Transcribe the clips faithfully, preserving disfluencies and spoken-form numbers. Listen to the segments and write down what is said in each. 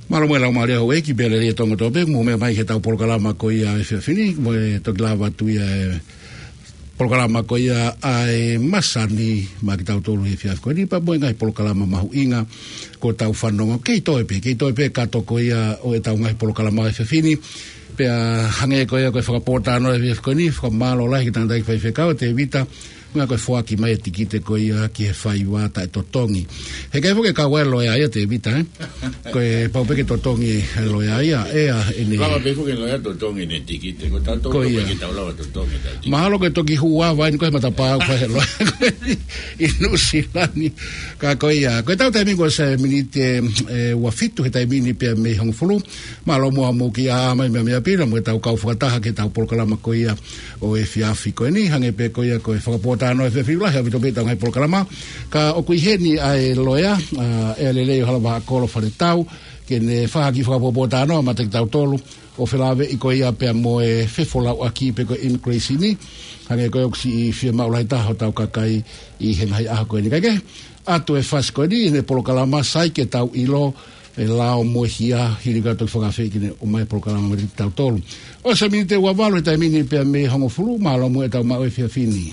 Mālō mo e laumālie houʻeiki pea lelei e Tonga Tope, mou meʻa mai ki heʻetau polokalama ko ia ʻo e efiafi ni, mo e toki lava atu ia e polokalama ko ia ʻa e masani maʻa kitautolu he efiafi ko eni, pea mo e ngaahi polokalama mahuʻinga kuo tau fanongo. Kei toe pē, kei toe pē kātoa ko ia ʻo ʻetau ngaahi polokalama he efiafi ni. Pea hangē ko ia ko e fakapōtalanoa he efiafi ko eni, fakamālō lahi ki he tangataʻeiki faifekau, Tēvita, meʻa ko e foaki mai e tikite ko ia ki he faiva taʻetotongi. He ʻikai foki ke kau ai e loea ia, Tēvita, ē? Ko e pau pē ke totongi e loea ia, ʻe ʻa ʻene. Lava pē foki e loea totongi ʻene tikite, ko tautolu Ko ia. Pē ke tau lava totongi ʻetau tikite. Mahalo ko e toki hū ʻa e vai ni ko e matapā ko e loea ʻi Nuʻusila ni. Ka ko ia, ko ʻetau taimi kuo ʻosi e miniti ʻe, ʻe ua fitu he taimi ni pea mei he hongofulu. Mālō muʻa hoʻomou kiʻi ʻā mai meʻa meʻa pē na mo ʻetau kau fakataha ki heʻetau polokalama ko ia ʻo e efiafi ko eni, hangē pē ko ia ko e fakapōtalanoa he efiafi, lahi ʻaupito pē ʻetau ngaahi polokalama. Ka ʻoku ʻi heni ʻa e loea, ʻa, ʻEalelei ʻo Halavahaʻakolo Faletau, ke ne fai ha kiʻi fakapōtalanoa maʻa kitautolu, ʻo felāveʻi ko ia pea mo e fefolauʻaki pe ko e immigration ni, hangē ko ia ʻoku siʻi fiemaʻu lahi taha hotau kakai ʻi he ngaahi ʻaho ko eni. Kae kehe, ʻoatu e fasi ko eni ʻi heʻene polokalama, sai ke tau ʻilo e lao mo e hia, hili ka toki fakaafeʻi ke ne ʻomai e polokalama maʻa kitautolu. ʻOsi e miniti ʻe ua valu he taimi ni pea mei he hongofulu, mālō muʻa ʻetau maʻu e efiafi ni.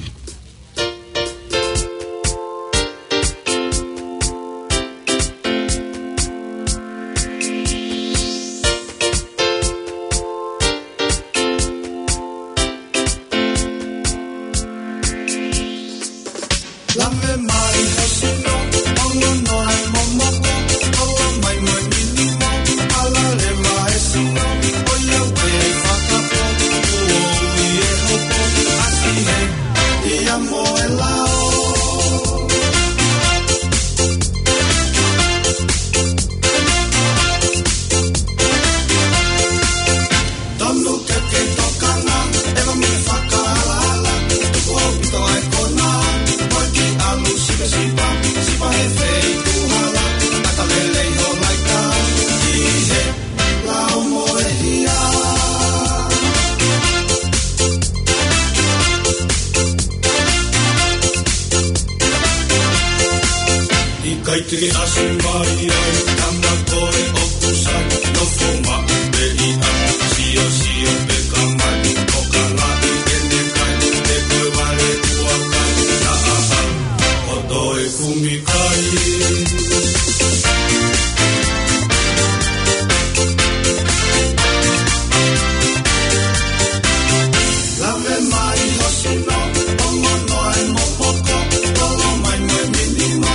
Lave mai ho sino, ongonoa e momoko, kolo mai mo e minimo, ala leva e sino, ʻoiauē fakapō, kuo ui e hopo, ʻasi hē, hia mo e lao. Tonu ke ke tokanga, ʻeva mo e fakaalaala, tuku ʻaupito ʻa e konā, ko e kiʻi ʻalu sipasipa, sipa he feituʻu hala, ʻata lelei ho laika, ʻi he lao mo e hia. ʻIkai te ke ʻasi mai ai, tama ko e ʻoku sai, nofo maʻu pē ʻi ʻapi, siosio pē ka mai, tokangaʻi ʻene kai, he ko e vale ua kai, naʻa ʻalu ʻo toe kumi kai. Lave mai ho sino, ongonoa e momoko, kolo mai mo e minimo,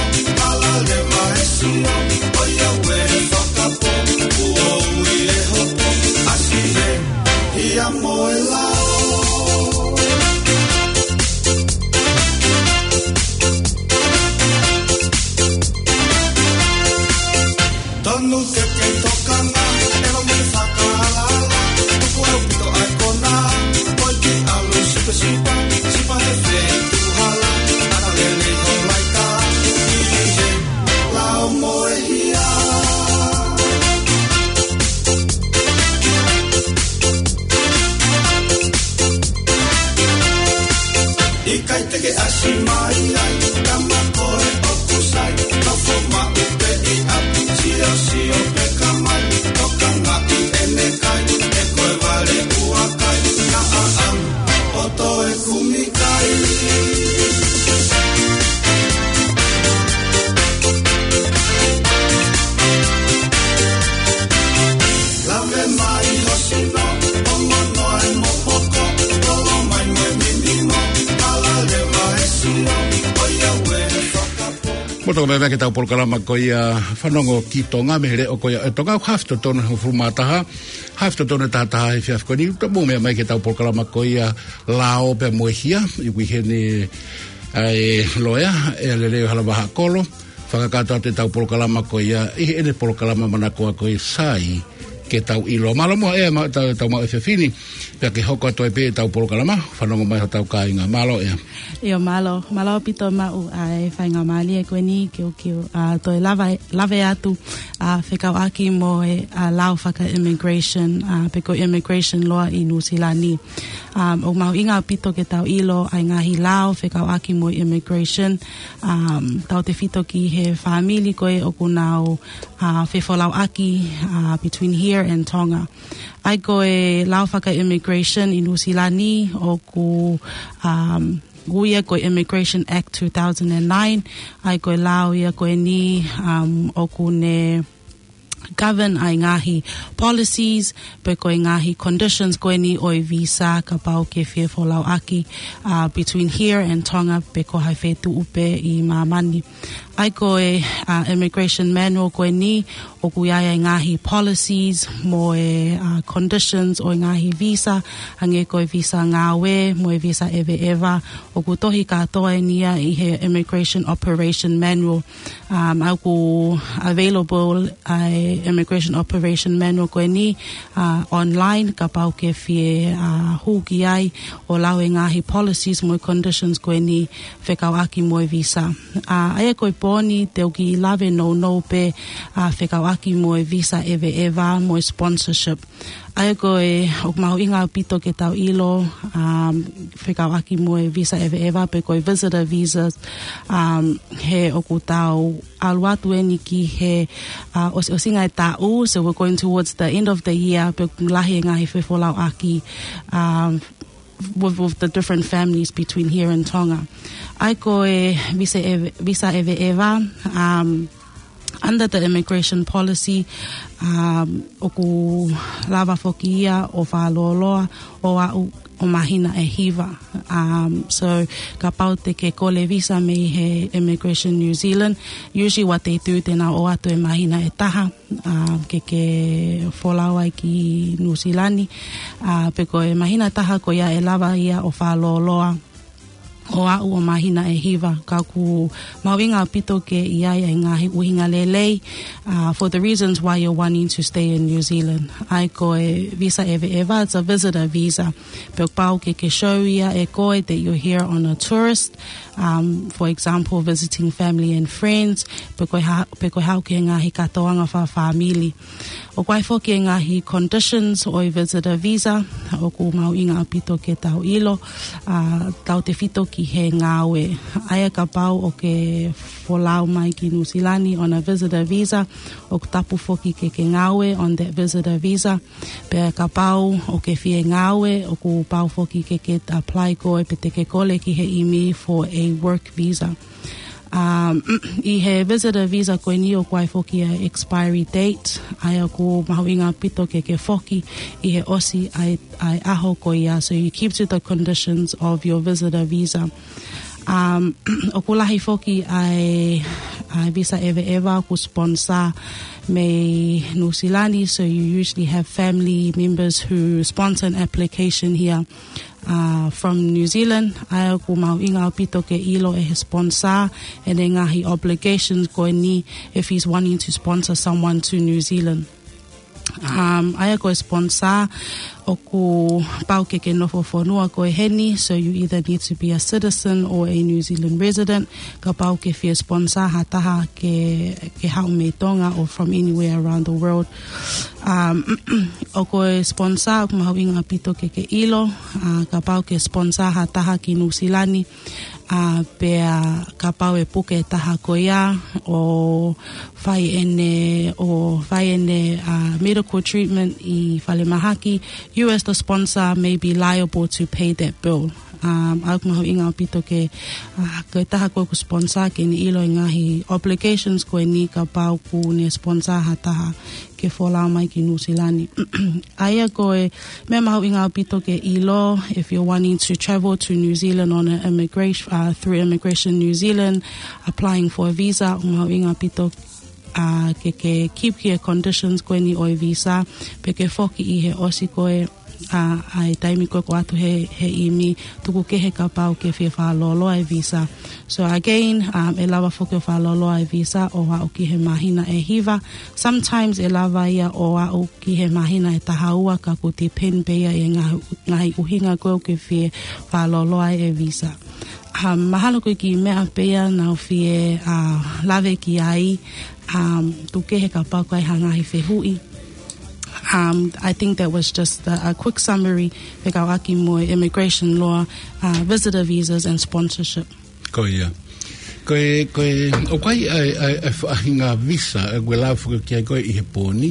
ala leva e sino, ʻoiauē fakapō, kuo ui e hopo, ʻasi hē, hia mo e lao. Tonu ke ke tokanga, ʻeva mo e fakaalaala, tuku ʻaupito ʻa e konā, ko e kiʻi ʻalu sipasipa, sipa he feituʻu hala, ʻata lelei ho laika, ʻi he lao mo e hia. ʻIkai te ke ʻasi mai ai, tama ko e ʻoku sai, nofo maʻu pē ʻi ʻapi, siosio pē ka mai, tokangaʻi ʻene kai, he ko e vale ua kai, naʻa ʻalu ʻo toe kumi kai. Lave mai ho sino, ongonoa e momoko, kolo mai mo e minimo, ala leva e sino, ʻoiauē fakapō. Mou toki meʻa mai ki heʻetau polokalama ko ia Fanongo ki Tonga, mei he leʻo ko ia ʻo Tonga, hafe totonu he hongofulu mā taha, hafe totonu he taha taha he efiafi ko eni, mou meʻa mai ki heʻetau polokalama ko ia Lao pea mo e Hia, ʻoku ʻi heni ʻa e loea, ʻEalelei ʻo Halavahaʻakolo, fakakakato atu ʻetau polokalama ko ia ʻi heʻene polokalama manakoa ko ia Sai ke tau ʻilo. Mālō muʻa ʻEa maʻa tau, tau maʻu e efiafi ni, pea ke hoko atu ai pē ʻetau polokalama, fanongo mai hotau kāinga. Mālō ʻEa. ʻIo mālō, mālō ʻaupito maʻu ʻa e faingamālie ko eni ke u, ke u, ʻa, toe lave, lave atu, ʻa, fekauʻaki mo e, ʻa, lao faka-immigration, ʻa, pe ko e immigration law ʻi Nuʻusila ni. Um, ʻoku mahuʻinga ʻaupito ke tau ʻilo ʻa e ngaahi lao fekauʻaki mo e immigration, um, tautefito ki he fāmili ko ē ʻoku nau, ʻa, fefolauʻaki, ʻa, between here and Tonga. ʻA ia ko e lao faka-immigration ʻi Nuʻusila ni ʻoku, um, ui ia ko e Immigration Act two thousand and nine, ʻa ia ko e lao ia ko eni, um, ʻoku ne govern ʻa e ngaahi policies, pe ko e ngaahi conditions ko eni ʻo e visa kapau ke fie folauʻaki, ʻa, between here and Tonga pe ko hai feituʻu pē ʻi māmani. ʻA ia ko e, ʻa, immigration manual ko eni, ʻoku ʻi ai ʻa e ngaahi policies mo e, ʻa, conditions ʻo e ngaahi visa, hangē ko e visa ngāue mo e visa ʻeveʻeva, ʻoku tohi kātoa eni ia ʻi he Immigration Operation Manual. Um, ʻoku available ʻa e Immigration Operation Manual ko eni, ʻa, online, kapau ke fie, ʻa, hū ki ai ʻo lau e ngaahi policies mo e conditions ko eni fekauʻaki mo e visa. ʻA, ʻa ia ko e pō ni te u kiʻi lave nounou pē, ʻa, fekauʻaki mo e visa ʻeveʻeva mo e sponsorship. ʻA ia ko e, ʻoku mahuʻinga ʻaupito ke tau ʻilo, um, fekauʻaki mo e visa ʻeveʻeva pe ko e visitor visas, um, he ʻoku tau ʻalu atu eni ki he, ʻa, ʻos-, ʻosinga e taʻu, so we're going towards the end of the year, pea ʻoku lahi e ngaahi fefolauʻaki, um, with, with the different families between here and Tonga. ʻA ia ko e visa ʻeve-, visa ʻeveʻeva, um, under the immigration policy, um, ʻoku lava foki ia ʻo fakalōloa ʻo aʻu ʻo māhina ʻe hiva. Um, so, kapau te ke kole visa mei he Immigration New Zealand, usually what they do, te nau ʻoatu e māhina ʻe taha, um, ke ke folau ai ki Nuʻusila ni. Uh, pe ko e māhina ʻe taha ko ia ʻe lava ia ʻo fakalōloa ʻo aʻu ʻo māhina ʻe hiva, ka ʻoku mahuʻinga ʻaupito ke ʻi ai ʻa e ngaahi ʻuhinga lelei, uh, for the reasons why you're wanting to stay in New Zealand. ʻA ia ko e visa ʻeveʻeva, it's a visitor visa. Pea ʻoku pau ke ke show ia ʻe koe that you're here on a tourist, um, for example, visiting family and friends, pe ko e ha-, pe ko e haʻu ki he ngaahi kātoanga fakafāmili. ʻOku ʻi ai foki e ngaahi conditions ʻo e visitor visa, ʻoku mahuʻinga ʻaupito ke tau ʻilo, ʻa, tautefito ki he ngāue. ʻA ia kapau ʻoku ke folau mai ki Nuʻusila ni on a visitor visa, ʻoku tapu foki ke ke ngāue on that visitor visa. Pea kapau ʻoku ke fie ngāue, ʻoku pau foki ke ke apply koe pe te ke kole ki he ʻimi for a work visa. Um, ʻi he visitor visa ko eni ʻoku ʻi ai foki ʻa e expiry date, ʻa ia ʻoku mahuʻinga ʻaupito ke ke foki ʻi he ʻosi ʻa e, ʻa e ʻaho ko ia, so you keep to the conditions of your visitor visa. Um, ʻoku lahi foki ʻa e, ʻa e visa ʻeveʻeva ʻoku sponsor mei Nuʻusila ni, so you usually have family members who sponsor an application here, uh, from New Zealand. ʻA ia ʻoku mahuʻinga ʻaupito ke ʻilo ʻe he sponsor ʻene ngaahi obligations ko eni if he's wanting to sponsor someone to New Zealand. Um, ʻa ia ko e sponsor, ʻoku pau ke ke nofo fonua koe heni, so you either need to be a citizen or a New Zealand resident, kapau ke fie sponsor ha taha ke, ke haʻu mei Tonga or from anywhere around the world. Um, ʻa ia ko e sponsor, ʻoku mahuʻinga ʻaupito ke ke ʻilo, uh, kapau ke sponsor ha taha ki Nuʻusila ni, ʻa, pea kapau ʻe puke e taha ko ia ʻo fai ʻene, ʻo fai ʻene, ʻa, medical treatment ʻi falemahaki, you as the sponsor may be liable to pay that bill. Um, ʻa ia ʻoku mahuʻinga ʻaupito ke, ʻa, ko e taha ko ē ʻoku sponsor ke ne ʻilo e ngaahi obligations ko eni kapau ʻoku ne sponsor ha taha ke folau mai ki Nuʻusila ni. ʻA ia ko e meʻa mahuʻinga ʻaupito ke ʻilo, if you're wanting to travel to New Zealand on an immigration, uh, through Immigration New Zealand, applying for a visa, ʻoku mahuʻinga ʻaupito, uh, ke, ke keep ki he conditions ko eni ʻo e visa, pea ke foki ʻi he ʻosi ko ē ʻa, ʻa e taimi ko ē ʻoku ʻoatu he, he ʻimi, tuku kehe kapau ʻoku ke fie fakalōloa e visa. So again, um, ʻe lava foki ʻo fakalōloa e visa ʻo aʻu ki he māhina ʻe hiva. Sometimes ʻe lava ia ʻo aʻu ki he māhina ʻe taha ua, ka ʻoku depend pē ia ʻi he ngaahi, ngaahi ʻuhinga ko ē ʻoku ke fie fakalōloa e visa. Um, mahalo ko e kiʻi meʻa pē ia naʻa ku fie, uh, lave ki ai, um, tuku kehe kapau ʻoku ʻi ai ha ngaahi fehuʻi. Um, I think that was just a, a quick summary fekauʻaki mo e immigration law, uh, visitor visas and sponsorship. Ko ia. Ko e, ko e, ʻoku ʻi ai, ʻa e, ʻa e, ʻa e faʻahinga visa, ʻa ē ʻoku lava foki ki ai ko ē ʻi he pō ni.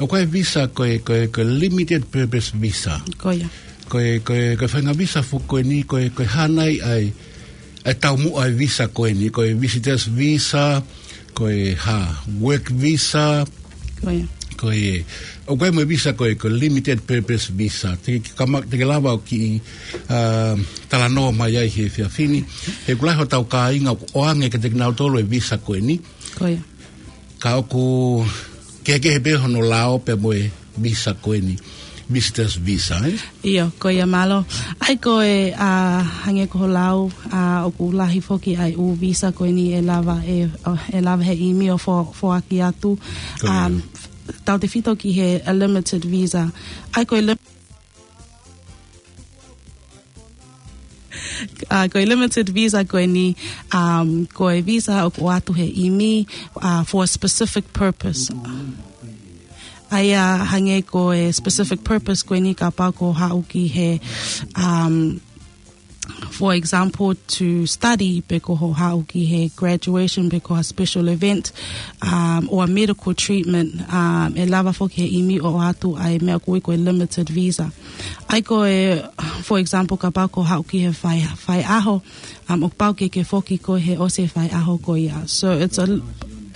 ʻOku ʻi ai e visa ko e, ko e, ko e limited purpose visa. Ko ia. Ko e, ko e, ko e faʻahinga visa foki ko eni, ko e, ko e hā nai ʻa e, ʻa e taumuʻa e visa ko eni, ko e visitor's visa, ko e hā, work visa, Ko ia. ko e, ʻoku ʻi ai mo e visa ko e, ko e limited purpose visa. Te ke kama-, te ke lava ʻo kiʻi, uh, talanoa mai ai he efiafi ni. He ʻoku lahi hotau kāinga ʻoku ʻoange kiate kinautolu e visa ko eni. Ko ia. Ka ʻoku kehekehe pē hono lao pea mo e visa ko eni, visitor's visa, eh? ʻIo, ko ia, mālō. ʻA ia ko e, uh, hangē ko hoʻo lau, uh, ʻoku lahi foki ʻa e ʻū visa ko eni ʻe lava ʻe, uh, ʻe lava he ʻimi ʻo fo-, foaki atu. Ko ia. Um, tautefito ki he, a limited visa. ʻA ia ko e lim-, uh, ko e limited visa ko eni, um, ko e visa ʻoku ʻoatu he ʻimi, uh, for a specific purpose. ʻA ia hangē ko e specific purpose ko eni kapau ʻoku haʻu ki he, um, for example, to study, pe ko hoʻo haʻu ki he graduation, pe ko ha special event, um, or medical treatment, um, ʻe lava foki he ʻimi ʻo ʻoatu ʻa e meʻa ʻoku ui ko e limited visa. ʻA ia ko e, for example, kapau ʻoku haʻu ki he fai, faiʻaho, um, ʻoku pau ke ke foki koe he ʻosi e faiʻaho ko ia. So it's a,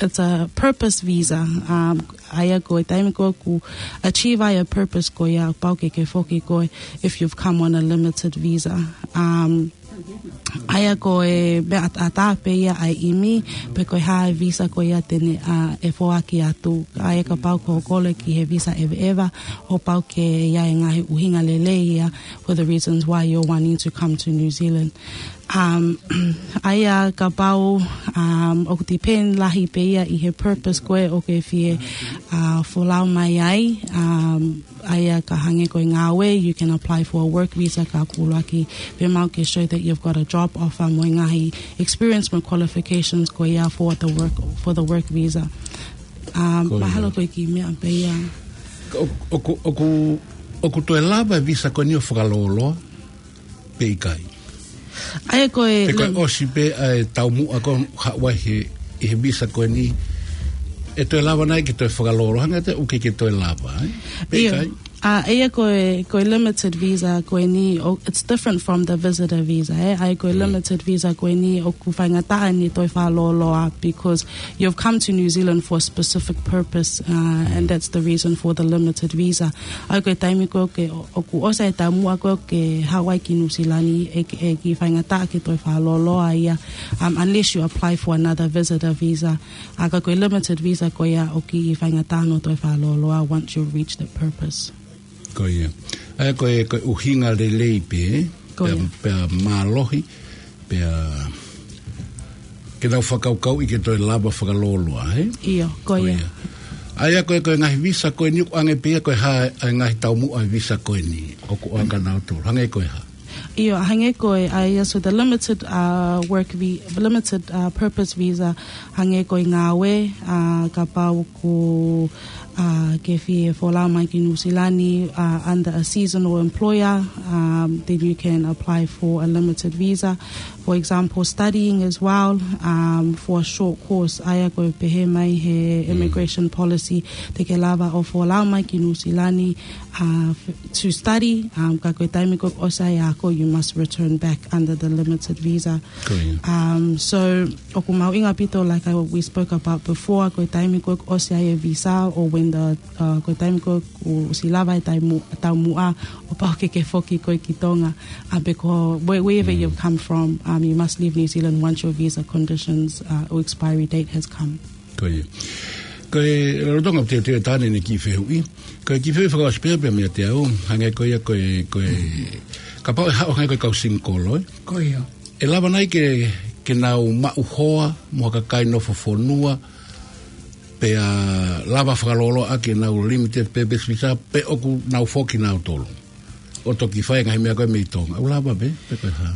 it's a purpose visa. Um, ʻA ia ko e taimi ko ē ʻoku achieve ai e purpose ko ia, pau ke ke foki koe if you've come on a limited visa. Um, ʻa ia ko e meʻa ʻataʻatā pē ia ʻa e ʻimi, pe ko e hā e visa ko ia te ne, uh, ʻe foaki atu. ʻA ia kapau ʻoku ke kole ki he visa ʻeveʻeva, ʻoku pau ke ʻi ai e ngaahi ʻuhinga lelei ia for the reasons why you're wanting to come to New Zealand. Um, ʻa ia kapau, um, ʻoku depend lahi pē ia ʻi he purpose ko ē ʻoku ke fie, uh, folau mai ai, um, ʻa ia ka hangē ko e ngāue, you can apply for a work visa ka ʻuluaki pē maʻu ke show that you've got a job offer mo e ngaahi experience mo e qualifications ko ia for the work, for the work visa. Um, Ko ia. Mahalo ko e kiʻi meʻa pē ia. ʻOku, ʻoku, ʻoku, ʻoku toe lava e visa ko eni ʻo fakalōloa pe ʻikai? ʻA ia ko e Pe ko e lem- ʻosi pē ʻa e taumuʻa ko ē ʻoku haʻu ai he, ʻi he visa ko eni, ʻe toe lava nai ke toe fakalōloa, hangē ʻoku ʻikai ke toe lava, eh? Pe ʻIo. ʻikai? ʻA, ʻa ia ko e, ko e limited visa ko eni, ʻo, it's different from the visitor visa, eh? ʻA ia ko e Mm. limited visa ko eni ʻoku faingataʻa ʻene toe fakalōloa because you've come to New Zealand for a specific purpose, uh, and that's the reason for the limited visa. ʻA ia ko e taimi ko ē ʻoku ke, ʻoku ʻosi e taumuʻa ko ē ʻoku ke haʻu ai ki Nuʻu Sila ni, ʻe, ʻe kiʻi faingataʻa ke toe fakalōloa ia, um, unless you apply for another visitor visa. ʻA ia ka ko e limited visa ko ia ʻoku kiʻi faingataʻa hono toe fakalōloa once you reach the purpose. Ko ia. ʻA ia ko e, ko e ʻuhinga lelei pē, Ko pea, ia. pea mālohi, pea ke nau fakakaukauʻi ke toe lava fakalōloa, eh? ʻIo, ko Ko ia. ia. ʻA ia ko e, ko e ngaahi visa ko eni ʻoku ʻoange pē ia ko e hā, ʻa e ngaahi taumuʻa e visa ko eni, ʻoku ʻoange kia nautolu. Hangē ko e hā? ʻIo, hangē ko e, ʻa ia, so the limited, uh, work vi-, limited, uh, purpose visa, hangē ko e ngāue, uh, kapau ʻoku, uh, ke fie folau mai ki Nuʻu Sila ni, uh, under a seasonal employer, um, then you can apply for a limited visa. For example, studying as well, um, for a short course, ʻa ia ko e pehē mai he Mm. immigration policy, te ke lava ʻo folau mai ki Nuʻu Sila ni, uh, f-, to study, um, ka ko e taimi ko ē ʻoku ʻosi ai e ako, you must return back under the limited visa. Ko ia. Um, so, ʻoku mahuʻinga ʻaupito, like I, we spoke about before, ko e taimi ko ē ʻoku ʻosi ai e visa, or when the, uh, ko e taimi ko ē ʻoku ʻosi lava e taimu-, taumuʻa, ʻoku pau ke ke foki koe ki Tonga, uh, because where-, wherever Mm. you've come from, um, you must leave New Zealand once your visa conditions, uh, or expiry date has come. Ko ia. Ko e lolotonga ʻeku teuteu ʻa Tane ʻene kiʻi fehuʻi. Ko e kiʻi fehuʻi fakaʻosi pē ia meiate au, hangē ko ia ko e, ko e, kapau ʻe haʻu hangē ko e kau single, ē? Ko ia. ʻE lava nai ke, ke nau maʻu hoa, mo ha kakai nofo fonua, pea lava fakalōloa ʻaki ʻenau limited purpose visa, pe ʻoku nau foki kinautolu ʻo toki fai e ngaahi meʻa ko ē mei Tonga. ʻOku lava pē, pe ko e hā?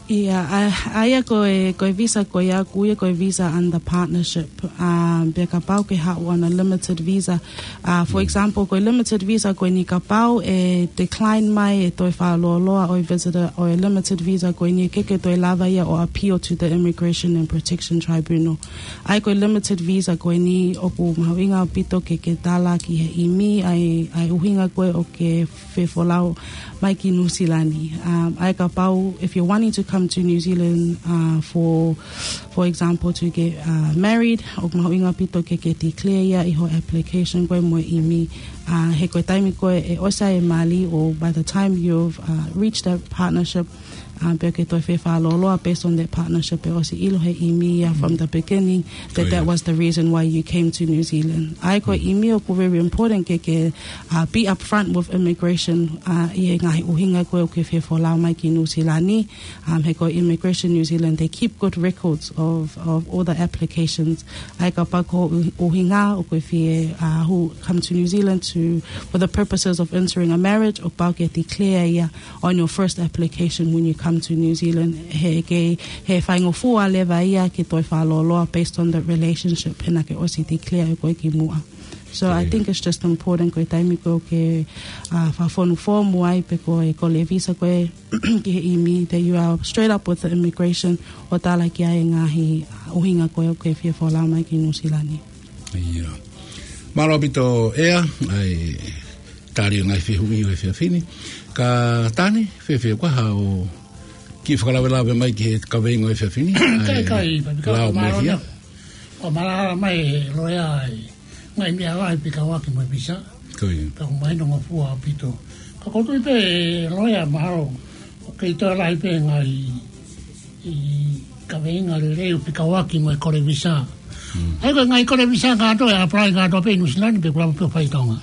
ʻIa, ʻa, ʻa ia ko e, ko e visa ko ia ʻoku ui ia ko e visa under partnership. Um, pea kapau ke haʻu on a limited visa. Uh, for example, ko e limited visa ko eni kapau ʻe decline mai e toe fakalōloa ʻo e visitor ʻo e limited visa ko eni, ʻe ʻikai ke toe lava ia ʻo appeal to the Immigration and Protection Tribunal. ʻA ia ko e limited visa ko eni ʻoku mahuʻinga ʻaupito ke ke tala ki he ʻimi ʻa e, ʻa e ʻuhinga ko ē ʻoku ke fefolau mai ki Nuʻu Sila ni. Um, ʻa ia kapau, if you're wanting to come to New Zealand, uh, for, for example, to get, uh, married, ʻoku mahuʻinga ʻaupito ke ke declare ia ʻi ho application ko ē mo e ʻimi. Uh, he ko e taimi ko ē ʻe ʻosi ai e mali, or by the time you've, uh, reached that partnership, um, pea ke toe fefakalōloa based on that partnership, ʻe ʻosi ʻilo he ʻimi ia from the beginning that that was the reason why you came to New Zealand. ʻA ia ko e ʻimi ʻoku very important ke ke, uh, be upfront with immigration, uh, ʻi he ngaahi ʻuhinga ko ē ʻoku ke fefolau mai ki Nuʻu Sila ni. Um, he ko Immigration New Zealand, they keep good records of, of all the applications. ʻA ia kapau ko e ʻuhinga ʻoku ke fie, uh, who come to New Zealand to, for the purposes of entering a marriage, ʻoku pau ke declare ia on your first application when you come to New Zealand. He ke, he faingofua leva ia ke toe fakalōloa based on the relationship he naʻa ke ʻosi declare ʻe koe kimuʻa. So I think it's just important ko e taimi ko ē ʻoku ke, uh, fakafonu foomu ai pe ko e kole visa ko ē ki he ʻimi, that you are straight up with the immigration ʻo tala ki ai e ngaahi ʻuhinga ko ē ʻoku ke fie folau mai ki Nuʻu Sila ni. ʻIa. Mālō ʻaupito ʻEa, ʻa e tali ʻo e ngaahi fehuʻi ʻo e efiafi ni. Ka Tane, fēfē koā haʻo kiʻi fakalavelave mai ki he kaveinga ʻo e efiafi ni? Kai, ʻa e kai, Papikau, lao mai mālō hia. ʻEa. ʻO mālō mai e loea ʻa e ngaahi meʻa lahi fekauʻaki mo e visa. Ko ia. Pea ʻoku mahino ngofua ʻaupito. Ka ʻoku ou tui pē loea mahalo ʻoku kei toe lahi pē ngaahi kaveinga lelei ʻoku fekauʻaki mo e kole visa. Mm. ʻA ia ko e ngaahi kole visa kātoa ʻe apply kātoa pē ʻi Nuʻu Sila ni pe ʻoku lava pē ʻo fai ʻi Tonga?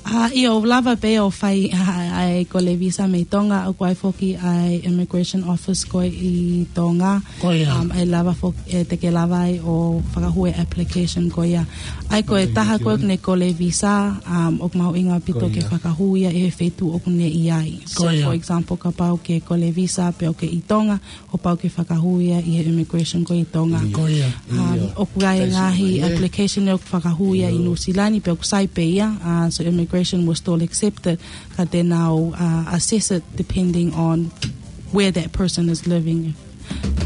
ʻA, ʻio, ʻoku lava pē ʻo fai ʻa, ʻa e kole visa mei Tonga, ʻoku ʻi ai foki ʻa e immigration office ko ē ʻi Tonga. Ko ia. Um, ʻe lava foki, ʻe te ke lava ai ʻo fakahū e application ko ia. ʻA ia ko e taha ko ē ʻoku ne kole visa, um, ʻoku mahuʻinga ʻaupito ke fakahū ia ʻi he feituʻu ʻoku ne ʻi ai. So, for example, kapau ke kole visa pea ʻoku ke ʻi Tonga, ʻoku pau ke fakahū ia ʻi he immigration ko ē ʻi Tonga. Ko ia. Um, ʻoku ʻi ai e ngaahi application ʻoku fakahū ia ʻi Nuʻu Sila ni pea ʻoku sai pē ia. Uh, so immigration will still accept it, ka te nau, uh, assess it depending on where that person is living.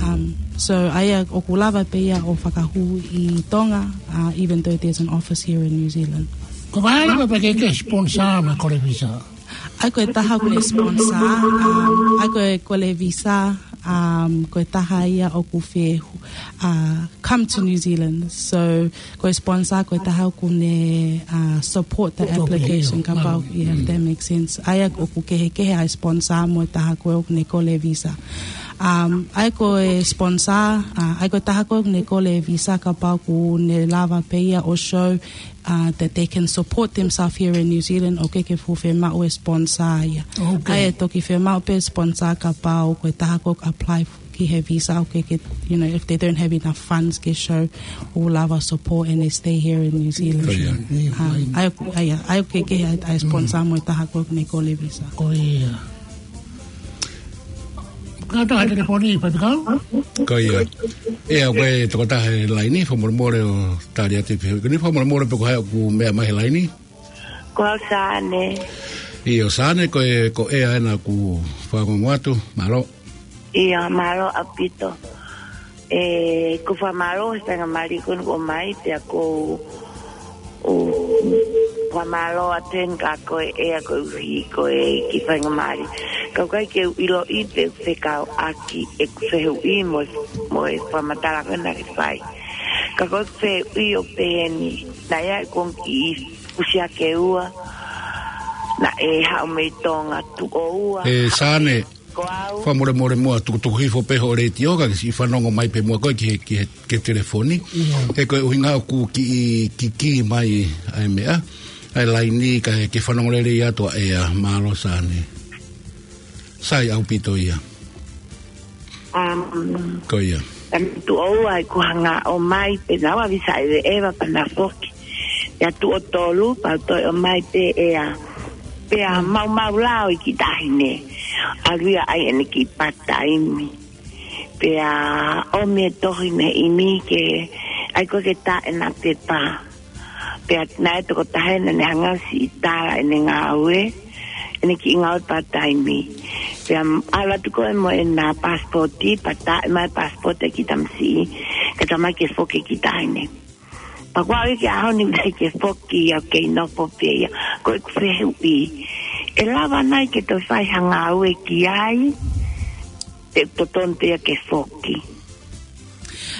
Um, so ʻa ia ʻoku lava pē ia ʻo fakahū ʻi Tonga, uh, even though there's an office here in New Zealand. Ko e hā e meʻa pē ke ke sponsor mo e kole visa? ʻA ia ko e taha ʻoku ne sponsor, um, ʻa ia ko e kole visa, um, ko e taha ia ʻoku fie, uh, come to New Zealand. So, ko e sponsor, ko e taha ʻoku ne, uh, support the application, kapau, yeah, if that makes sense. ʻA ia ʻoku kehekehe ʻa e sponsor mo e taha ko ē ʻoku ne kole visa. Um, ʻa ia ko e sponsor, uh, ʻa ia ko e taha ko ē ʻoku ne kole visa kapau ʻoku ne lava pē ia ʻo show uh, that they can support themselves here in New Zealand, ʻoku ʻikai ke fuʻu fiemaʻu e sponsor ia. Okay. ʻA ia ʻe toki fiemaʻu pē sponsor kapau ko e taha ko ē ʻoku apply ki he visa, ʻoku ʻikai ke, you know, if they don't have enough funds ke show ʻoku lava support and they stay here in New Zealand. Ko ia. Um, ʻa ia, ʻa ia, ʻa ia ʻoku kehekehe ʻa e sponsor mo e taha ko ē ʻoku ne kole visa. Ko ia. Kātoa e telefoni, Papikau? Ko ia. ʻEa, ko e tokotaha he laini, fakamolemole ʻo tali atu e fehuʻi ko eni, fakamolemole pe ko hai ʻoku meʻa mai he laini. Ko au Sane. ʻIo, Sane, ko e, ko ʻEa ena ʻoku fakangungu atu, mālō. ʻIo, mālō ʻaupito. ʻE, ʻoku ou fakamālō he faingamālie ko eni kuo ʻomai pea ʻoku ou ʻOku ou fakamālō atu eni kia koe ʻEa koeʻuhi ko e kiʻi faingamālie. Ka ʻoku ʻikai ke u ʻiloʻi pe ʻoku fekauʻaki ʻeku fehuʻi mo, mo e fakamatala ko ē naʻa ke fai. Ka ko ʻeku fehuʻi ʻoku pehē ni, naʻe ʻi ai ʻeku ongo kiʻi fusi hake ua, naʻe haʻu mei Tonga tuʻo ua. ʻE Sane, Ko au. Fakamolemole muʻa, tukutuku hifo pē hoʻo letiō, ka ke siʻi fanongo mai pē muʻa koe ki he, ki he, ki he telefoni. Ia. He ko e ʻuhinga ʻoku kiʻi kikī mai ʻa e meʻa, ʻa e laini, ka ke fanongo lelei atu ʻa ʻEa. Mālō Sane. Sai ʻaupito ia. Um, Ko ia. Tami tuʻo ua ʻeku hanga ʻo ʻomai pē naua visa e ʻeva pana foki. Pea tuʻo tolu, pea toe ʻomai pē ʻEa. Pea maumau lao ʻi ki tahi ne. ʻAlu ia ʻai ʻene kiʻi part-time. Pea ʻomi e tohi mei ʻImi ke ʻai ko ē ke tā ʻena pepa. Pea naʻe tokotaha ena ne hanga ʻo siʻi tala ʻene ngāue, ʻene kiʻi ngāue part-time. Pea ʻalu atu ko ē mo ʻena passport, pea tā mai passport ki tamasiʻi, ka tamai ke foki ki tahi ne. Pea ko au ia ki he ʻaho ni mai ke foki ia, kei nofo pē ia. Ko ʻeku fehuʻi, ʻe lava nai ke toe fai ha ngāue ki ai, pe totonu pē ia ke foki?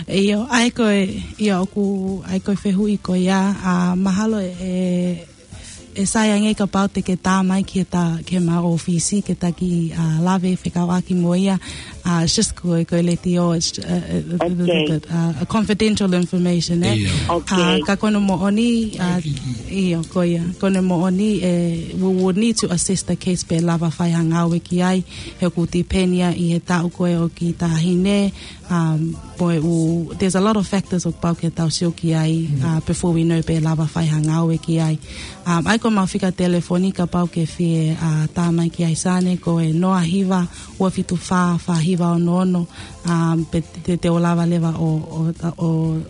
ʻIo, ʻa ia ko e, ʻio, ʻoku, ʻa ia ko e fehuʻi ko ia, ʻa, mahalo ʻe, ʻe sai ange kapau te ke tā mai ki he ta, ki heʻema ʻōfisi, ke ta kiʻi, ʻa, lave fekauʻaki mo ia, ʻa, just ko e, ko e letiō, it's, uh, a, a, Okay. bit, uh, a confidential information, eh? ʻIo. Okay. ʻA, ka ko hono moʻoni, ʻa, ʻio, ko ia. Ko hono moʻoni, eh, we would need to assess the case pe lava fai ha ngāue ki ai, he ʻoku tipeni ia ʻi he taʻu ko ē ʻo e kiʻi taʻahine, um, pea ʻoku, there's a lot of factors ʻoku pau ke tau sio ki ai, uh, before we know pe lava fai ha ngāue ki ai. Um, ʻa ia ko ʻema fika telefoni kapau ke fie, uh, tā mai ki ai Sane ko e noa hiva, ua fitu fā, fā hiva ono ono, um, pe te, te u lava leva ʻo, ʻo, ʻo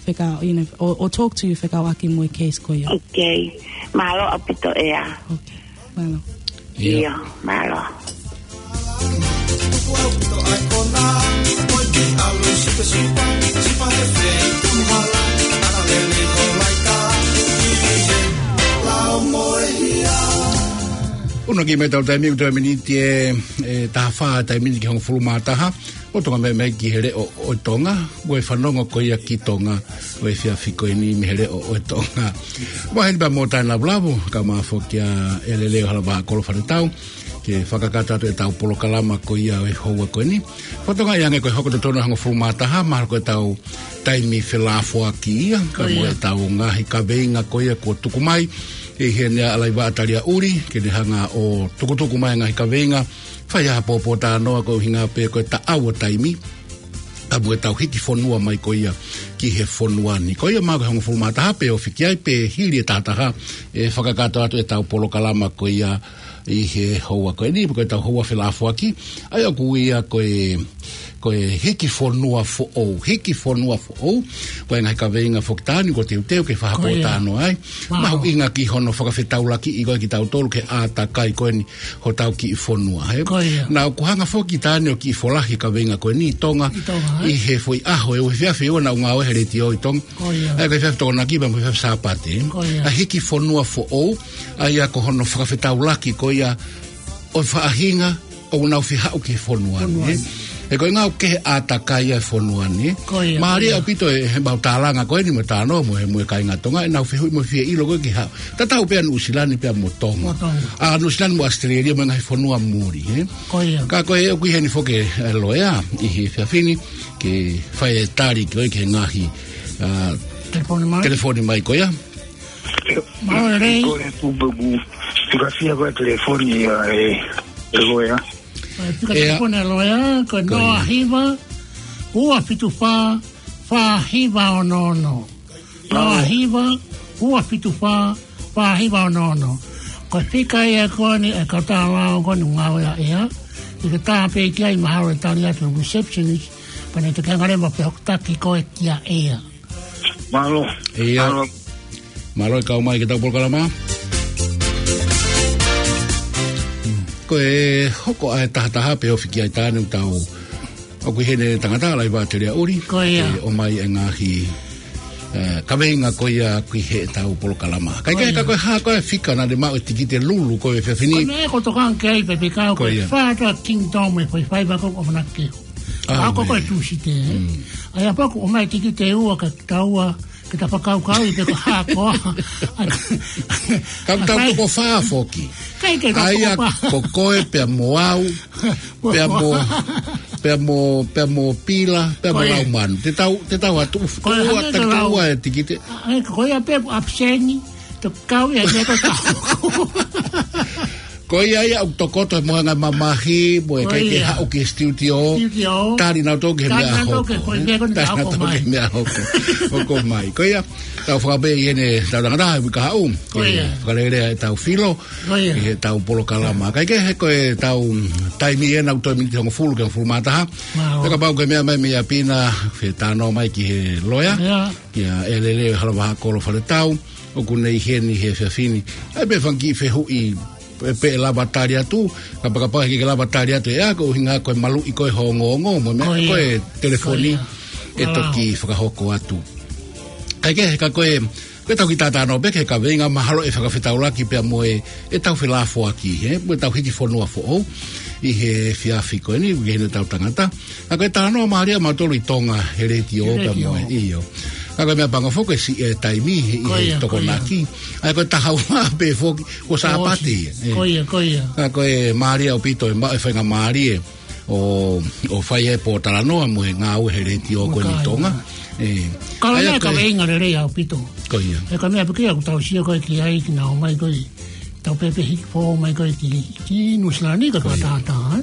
fekau, you know, ʻo, ʻo talk to you fekauʻaki mo e case ko ia. Okay. Mālō ʻaupito ʻEa. Okay. Mālō. ʻIo. ʻIo, mālō. Uno ki mai tau taimi, ʻoku toe miniti ʻe, ʻe taha fā taimi ni ki he hongofulu mā taha. ʻO Tonga Meʻa Meʻa ki he Leʻo ʻo Tonga, ʻoku fanongo ko ia ki Tonga, ʻo e efiafi ko eni mei he Leʻo ʻo Tonga. Ua heni pea mo Taina Vulavu, kae ʻumaʻā foki ʻa ʻEleleo Halavaha Kolofanetau, ke fakakakato atu ʻetau polokalama ko ia ʻo e houa ko eni. Fakatokangaʻi ange ko e hoko totonu e hongofulu mā taha, mahalo ko ʻetau taimi felāfoaki ia, Ko ia. pea mo ʻetau ngaahi kaveinga ko ia kuo tuku mai, ʻe he ne ʻa Laiva Talia Uli, ke ne hanga ʻo tukutuku mai ngaahi kaveinga, fai ʻa e pōpōtalanoa ko e ʻuhinga pē ko e taʻau ʻo taimi, pea mo ʻetau hiki fonua mai ko ia ki he fonua ni. Ko ia mahalo ko e hongofulu mā taha pe ofi ki ai pe hili e taha taha ʻe fakakakato atu ʻetau polokalama ko ia ʻi he houa ko eni, ko ʻetau houa felāfoaki, ʻa ia ʻoku ui ia ko e, ko e hiki fonua foʻou, hiki fonua foʻou, ko e ngaahi kaveinga foki taha ni kuo teuteu ke Ko ia. fakapōtalanoa ai. Wow. Mahuʻinga ki hono fakafetaulakiʻi ko ē kitautolu ki he ʻātakai ko eni hotau kiʻi fonua, he? Ko ia. Naʻa ku hanga foki taha ni ʻo kiʻi folahi kaveinga ko eni ʻi Tonga, ʻI Tonga, ē? ʻi he foʻi ʻaho ʻe ua, efiafi ʻe ua naʻa ku ngāue he letiō ʻi Tonga. Ko ia. ʻA ia ko e efiafi Tokonaki pea mo e efiafi Sāpate. Ko ia. ʻA e hiki fonua foʻou, ʻa ia ko hono fakafetaulaki ko ia ʻo e faʻahinga ʻoku nau fie haʻu ki he fonua ni, Fonua ē? ni. He ko e ngāue ki he ʻātakai ʻa e fonua ni. Ko ia, Mālie ko ia. ʻaupito ʻe he mau tālanga ko eni mo e talanoa mo e, mo e kāinga Tonga, ʻenau fehuʻi mo e fie ʻilo ko ē ki ha. Tatau pē ʻa Nuʻusila ni pea mo Tonga. Mo Tonga. ʻA Nuʻusila ni mo ʻAositelēlia mo e ngaahi fonua muli, ē? Ko ia. Ka ko e ʻoku ʻi heni foki e loea ʻi he efiafi ni, ke fai e tali ko ē ki he ngaahi, ʻa, Telefoni mai. telefoni mai ko ia. Mālō Lei. Ko e tupu ku, tukasia ko e telefoni ʻa e, e loea. Ko e fika ʻEa. telefoni ʻa e loea, ko e Ko ia. noa hiva, ua fitu fā, fā hiva ono ono. Noa hiva, ua fitu fā, fā hiva ono ono. Ko e fika ia ko eni ʻa e kautaha lao ko eni ʻoku ngāue ai ʻEa. ʻI he tā pē ki ai mahalo ʻe tali atu e receptionist, pea ne te ke hanga leva ʻo fehokotaki koe kia ʻEa. Mālō. ʻIo. Mālō. Mālō e kau mai ki heʻetau polokalama. Ko e hoko ʻa e taha taha pe ofi ki ai taha ni ʻoku tau ʻoku ʻi heni e tangata Laiva Talia Uli. Ko ia. ʻE ʻomai e ngaahi, ʻe, kaveinga ko ia ki heʻetau polokalama. Kai Ko kai ia. ka ko e hā ko e fika naʻa ne maʻu e tikite lulu ko e efiafi ni. Ko e meʻa ʻoku ou tokanga ki ai pē pea ko Ko e ia. Fata Kingdom e foʻi faiva ko ʻoku ʻamanaki ke. ʻA ia ko e Tūsite, ē? Mm. ʻA ia pea ʻoku ʻomai tikite ʻe ua kia taua, ke ta fakakaukauʻi pe ko e hā koā. Ka ʻoku tau toko fā foki. ʻAi ke ka ʻAi ʻa ko koe pea mo au, pea mo, pea mo, pea mo Pila, pea mo Laumanu. Te tau, te tau atu, ua, taki ua e tikite. ʻAi ko ia pē ʻoku ʻapiseni, to kau ia me ko tau. Ko ia ia ʻoku tokoto mo hanga mamahi, mo e kai ke haʻu ki studio. Tali nau tō ke mea hoko. Tali nau tō ke mea hoko. Hoko mai. Ko ia, tau fakapē ʻi heʻene tau tangata, ʻi ka haʻu. Ko ia. Fakalelea e tau filo. Ko ia. ʻI he tau polokalama. Kai ke he ko e tau taimi ena ʻoku toe miniti hongofulu ke hongofulu mā taha. Pea kapau ke mea mai mei ʻapi na, fe tano mai ki he loea. Ia ʻe lele hala vaha kolo fale tau. ʻOku nei heni he fefini. ʻAi pē fanga kiʻi fehuʻi pe, pe lava tali atu. Kapakapa he ke lava tali atu. ʻE ako hinga ko e maluʻi ko e hongo hongo. Mo mea ko e telefoni. ʻE toki fakahoko atu. Kai ke he ka ko e Ko e tau ki tātano pē ke kaveinga mahalo ʻe fakafetaulaki pea mo e, ʻe tau felafoaki, he, mo e tau hiki fonua foʻou, ʻi he fiafi ko eni, ʻi he tau tangata. Ka ko e tāno mālie ʻa mautolu ʻi Tonga, he letiō pea mo e, ʻio. Ka ko e mea pango foki e si e taimi, ʻi he tokonaki. ʻAi ko e taha ua pē foki, ko Sāpate. Ko ia, ko ia. Ka ko e mālie ʻaupito e ma, e fainga mālie. ʻO, ʻo fai e pōtalanoa mo e ngāue he letiō ko eni ʻi Tonga. Ka lea ka veinga lelei ʻaupito. Ko ia. He ka mea peke ʻoku tau sio ko e ki ai ki nau mai ko e tau pepe hiki fō mai ko e ki, ki Nuʻusila ni ka pātātā,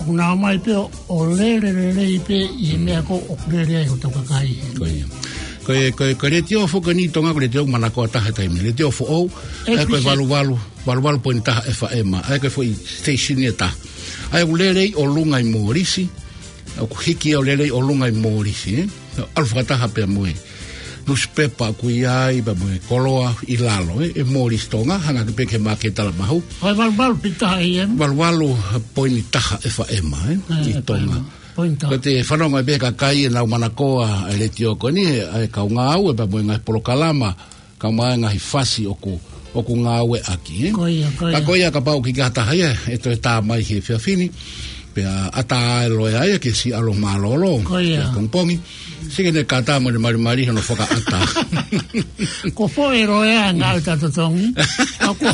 ʻoku nau mai pē ʻo lele lelei pē ʻi he mea ko ʻoku lele ai ʻo tau kakai. Ko ia. Ko e, ko e, ko e letiō foki eni ʻi Tonga ko e letiō manakoa taha taimi. Letiō foʻou, ʻe ko e valu valu. Valu valu poini taha FM, ʻa ia ko e foʻi station ʻe taha. ʻA ia ʻoku lele ʻi ʻolunga ʻi Mōlisi, ʻoku hiki ʻo lele ʻi ʻolunga ʻi Mōlisi, ʻalu fakataha pea mo e nusipepa ʻoku ʻi ai, pea mo e koloa ʻi lalo, ʻe Mōlisi Tonga, hanga ke peke ma ke tala mahu. Valu valu poini taha FM, ʻi Tonga. Ko te fanongo ʻe pē kakai ʻenau manakoa e letiō ko eni, ʻa e kau ngāue pea mo e ngaahi polokalama, ka mai ngaahi fasi ʻoku, ʻoku ngāueʻaki, ē? Ko ia, ko ia. Ka ko ia kapau ʻoku ʻikai ha taha ia ʻe toe tā mai he fiafini, pea ʻatā e loea ia ke si ʻalu mālōlō. Ko ia. Pea pongipongi, sike ne kata mo ne malimali hono fakaʻatā. Ko fo e loea ngāue ta totongi. Ka ko,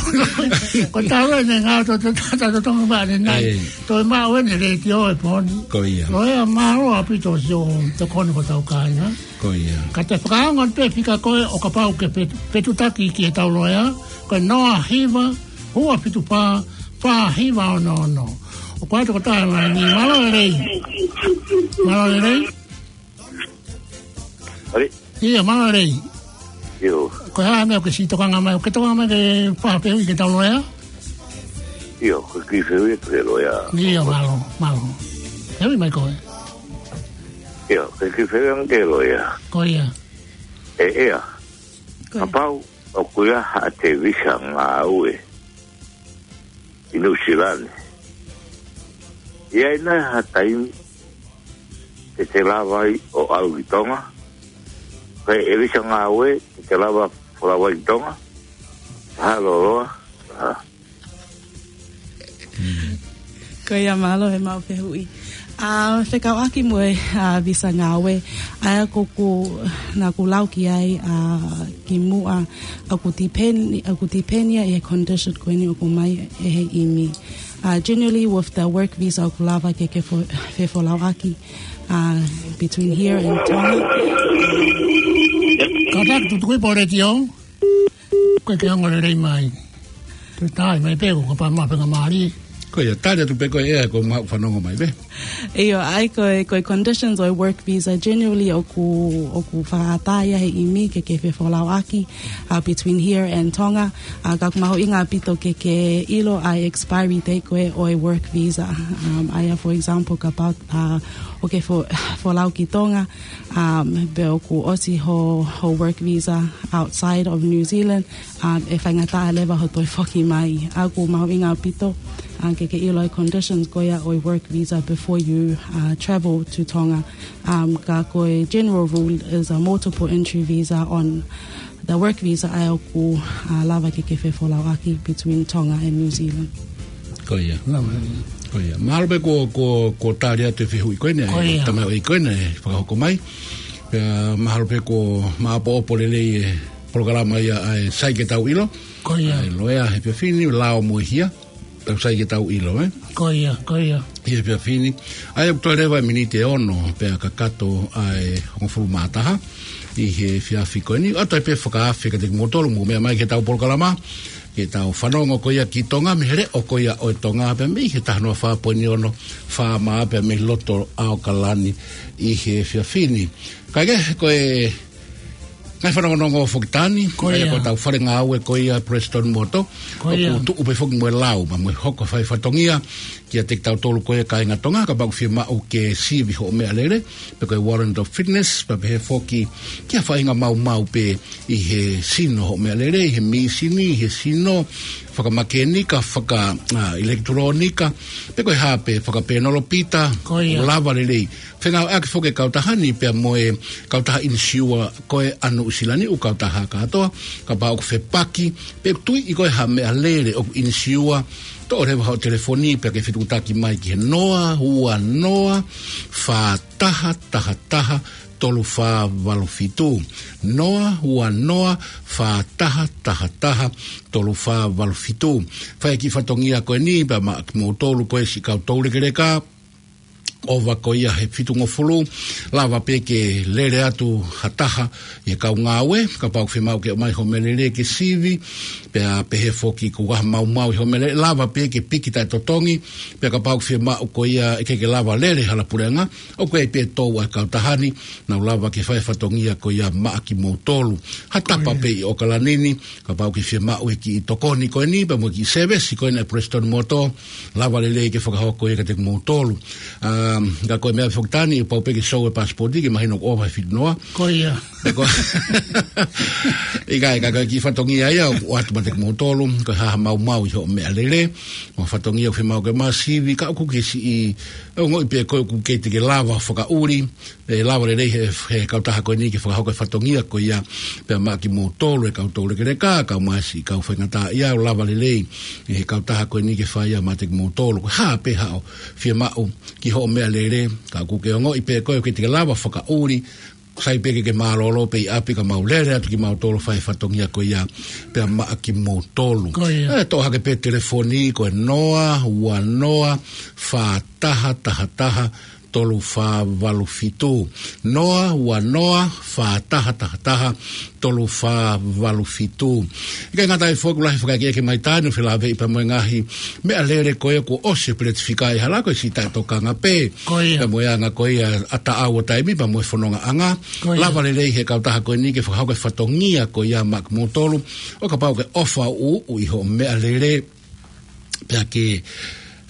ko tau ʻene ngāue ta, ta, ta totongi mane nai. Toe maʻu ʻene letiō e poni. Ko ia. Loea mālō ʻaupito sio tokoni ko tau kāinga. Ko ia. Ka te fakaongo pē fika ko e ʻo kapau ke fetu, fetutaki ki he tau loea, ko e noa hiva, ua fitu pā, pā hiva ono ono. ʻOku ʻi ai toko taha mai ni, mālō lelei. Mālō lelei. ʻIo, mālō lelei. ʻIo. Ko e hā e meʻa ʻoku ke siʻi tokanga mai, ʻoku ke tokanga mai ke fai ha fehuʻi ki he tau loea? ʻIo, ko e kiʻi fehuʻi ki he loea. ʻIo, mālō, mālō. Fehuʻi mai koe. ʻIo, ko e kiʻi fehuʻi ange ki he loea. Ko ia. ʻE, ʻea. Ko ia. Kapau ʻoku ʻi ai haʻate visa ngāue ʻi Nuʻusila ni, ʻe ʻi ai nai ha taimi te te lava ai ʻo ʻalu ki Tonga? Ko e visa ngāue te te lava folau ai ki Tonga? Ha loloa? Ha. Ko ia mālō he maʻu fehuʻi. ʻA, fekauʻaki mo e, ʻa, visa ngāue. ʻA ia ko ʻeku, naʻa ku lau ki ai, ʻa, kimuʻa, ʻoku tipeni, ʻoku tipeni ia ʻi he condition ko eni ʻoku ʻomai ʻe he ʻimi. ʻA, generally with the work visa ʻoku lava ke ke fo-, fefolauʻaki, ʻa, between here and Tonga. Kātaki tutukui pō letiō. Ko e ke ongo lelei mai. Te tai mai pē ko ka pa ma pe nga mali. Ko ia, tali atu pē ko e ʻea ko ma fanongo mai pē. ʻIo, ʻa ia ko e, ko e conditions ʻo e work visa generally ʻoku, ʻoku fakaʻatā ia he ʻimi ke ke fefolauʻaki, ʻa, between here and Tonga. ʻA, ka ʻoku mahuʻinga ʻaupito ke ke ʻilo ʻa e expiry date ko ē ʻo e work visa. Um, ʻa ia, for example, kapau, ʻa, ʻoku ke fo-, folau ki Tonga, um, pe ʻoku ʻosi ho, ho work visa outside of New Zealand, um, ʻe faingataʻa leva ho toe foki mai. ʻA ia ʻoku mahuʻinga ʻaupito, uh, ke ke ʻilo e conditions ko ia ʻo e work visa before you, uh, travel to Tonga. Um, ka ko e general rule is a multiple entry visa on the work visa ʻa ia ʻoku, uh, lava ke ke fefolauʻaki between Tonga and New Zealand. Ko ia. Ko ia. Mahalo pē ko, ko, ko tali atu e fehuʻi ko eni, ko ia. Tama ʻoi ko eni, fakahoko mai. Pea mahalo pē ko maʻopoʻopo lelei e polokalama ia ʻa e Sai ke Tau ʻIlo. Ko ia. ʻA e loea he efiafi ni, Lao mo e Hia. Tau Sai ke Tau ʻIlo, ē? Ko ia, ko ia. ʻI he efiafi ni. ʻA ia ʻoku toe leva e miniti ʻe ono pea kakato ʻa e hongofulu mā taha ʻi he efiafi ko eni. ʻOatu ai pē fakaafe kiate kimoutolu mou meʻa mai ki heʻetau polokalama, ke tau fanongo ko ia ki Tonga, mei he leʻo ko ia ʻo e Tonga, pea mei he taha noa fā poini ono FM pea mei loto ʻAokalani ʻi he efiafi ni. Kae kehe, ko e ngaahi fanongonongo foki taha ni, ko ia, ko ʻetau fale ngāue ko ia Prestone Motor, ko ia, ʻoku tuʻu pē foki mo e lau, pea mo e hoko e fai fatongia kiate kitautolu ko ia kāinga Tonga, kapau ʻoku fiemaʻu ke sivi hoʻo meʻalele, pe ko e warrant of fitness, pea pehē foki ki ha faʻahinga maumau pē ʻi he sino hoʻo meʻalele, ʻi he mīsini, ʻi he sino, fakamakēnika, faka, ʻa, ʻilekitulōnika, pe ko e hā pē, fakapenelepita, ko ia, ʻoku lava lelei. Fengāueʻaki foki e kautaha ni pea mo e kautaha inisiua ko ē ʻa Nuʻu Sila ni, ʻū kautaha kātoa, kapau ʻoku fepaki, pe ʻoku tuiʻi koe ha meʻalele ʻoku inisiua, toʻo leva hoʻo telefoni pea ke fetuʻutaki mai ki he noa ua noa fā taha taha taha tolu fā valu fitu. Noa ua noa fā taha taha taha tolu fā valu fitu. Fai e kiʻi fatongia ko eni pea maʻa kimoutolu ko ē siʻi kau toulekeleka, ʻova ko ia he fitungofulu, lava pē ke lele atu ha taha ʻi he kau ngāue, kapau ʻoku fiemaʻu ke ʻomai hoʻo meʻalele ke sivi, pea pehē foki ko ha maumau ʻi hoʻo meʻalele, lava pē ke piki taʻetotongi, pea kapau ʻoku fiemaʻu ko ia ʻe ʻikai ke lava lele hala puleʻanga, ʻoku ʻi ai pē e tou ʻa e kautaha ni, nau lava ke fai e fatongia ko ia maʻa kimoutolu. Ha tapa pē ʻi ʻAokalani ni, kapau ʻoku ke fiemaʻu e kiʻi tokoni ko eni, pea mo e kiʻi sēvesi ko ena ʻa e Prestone Motor, lava lelei ke fakahoko ia kiate kimoutolu. Um, ka ko e meʻa foki taha ni, pau pē ke show e passport ke mahino ʻoku ʻova he fitu noa. Ko ia. Pea ko, ʻikai, ka ko e kiʻi fatongia ia ʻoku ʻoatu maʻa kimoutolu, ko e hā ha maumau ʻi hoʻo meʻalele, mo ha fatongia ʻoku fiemaʻu ke ʻomai sivi, ka ʻoku ke siʻi, ʻe ongoʻi pē ʻe koe ʻoku ʻikai te ke lava fakaʻuli, ʻe lava lelei he, he kautaha ko eni ke fakahoko e fatongia ko ia, pea maʻa kimoutolu e kau toulekeleka, kae ʻumaʻā siʻi kau faingataʻaʻia, ʻoku lava lelei ʻe he kautaha ko eni ke fai ia maʻa kimoutolu. Ko e hā pē haʻo fiemaʻu ki hoʻo meʻalele, ka ʻoku ke ongoʻi pē ʻe koe ʻoku ʻikai te ke lava fakaʻuli, sai pē ke ke mālōlō pē ʻi ʻapi ka mau lele atu kimautolu fai e fatongia ko ia, pea maʻa kimoutolu. Ko ia. ʻE, toʻo hake pē telefoni ko e noa ua noa fā taha taha taha tolu fā valu fitu. Noa ua noa fā taha taha taha tolu fā valu fitu. ʻIkai ngata ai foki, ʻoku lahi e fakaʻekeʻeke mai taha ni ʻo felāveʻi pea mo e ngaahi meʻalele ko ia kuo ʻosi e peleti fika ʻi hala, ko e siʻi taʻetokanga pē. Ko ia. Pea mo e anga ko ia ʻa e taʻau ʻo e taimi pea mo e fonongaʻanga. Ko ia. Lava lelei he kautaha ko eni ke fakahoko e fatongia ko ia maʻa kimoutolu, ʻo kapau ʻoku ke ʻofa ʻuʻu ʻi hoʻo meʻalele, pea ke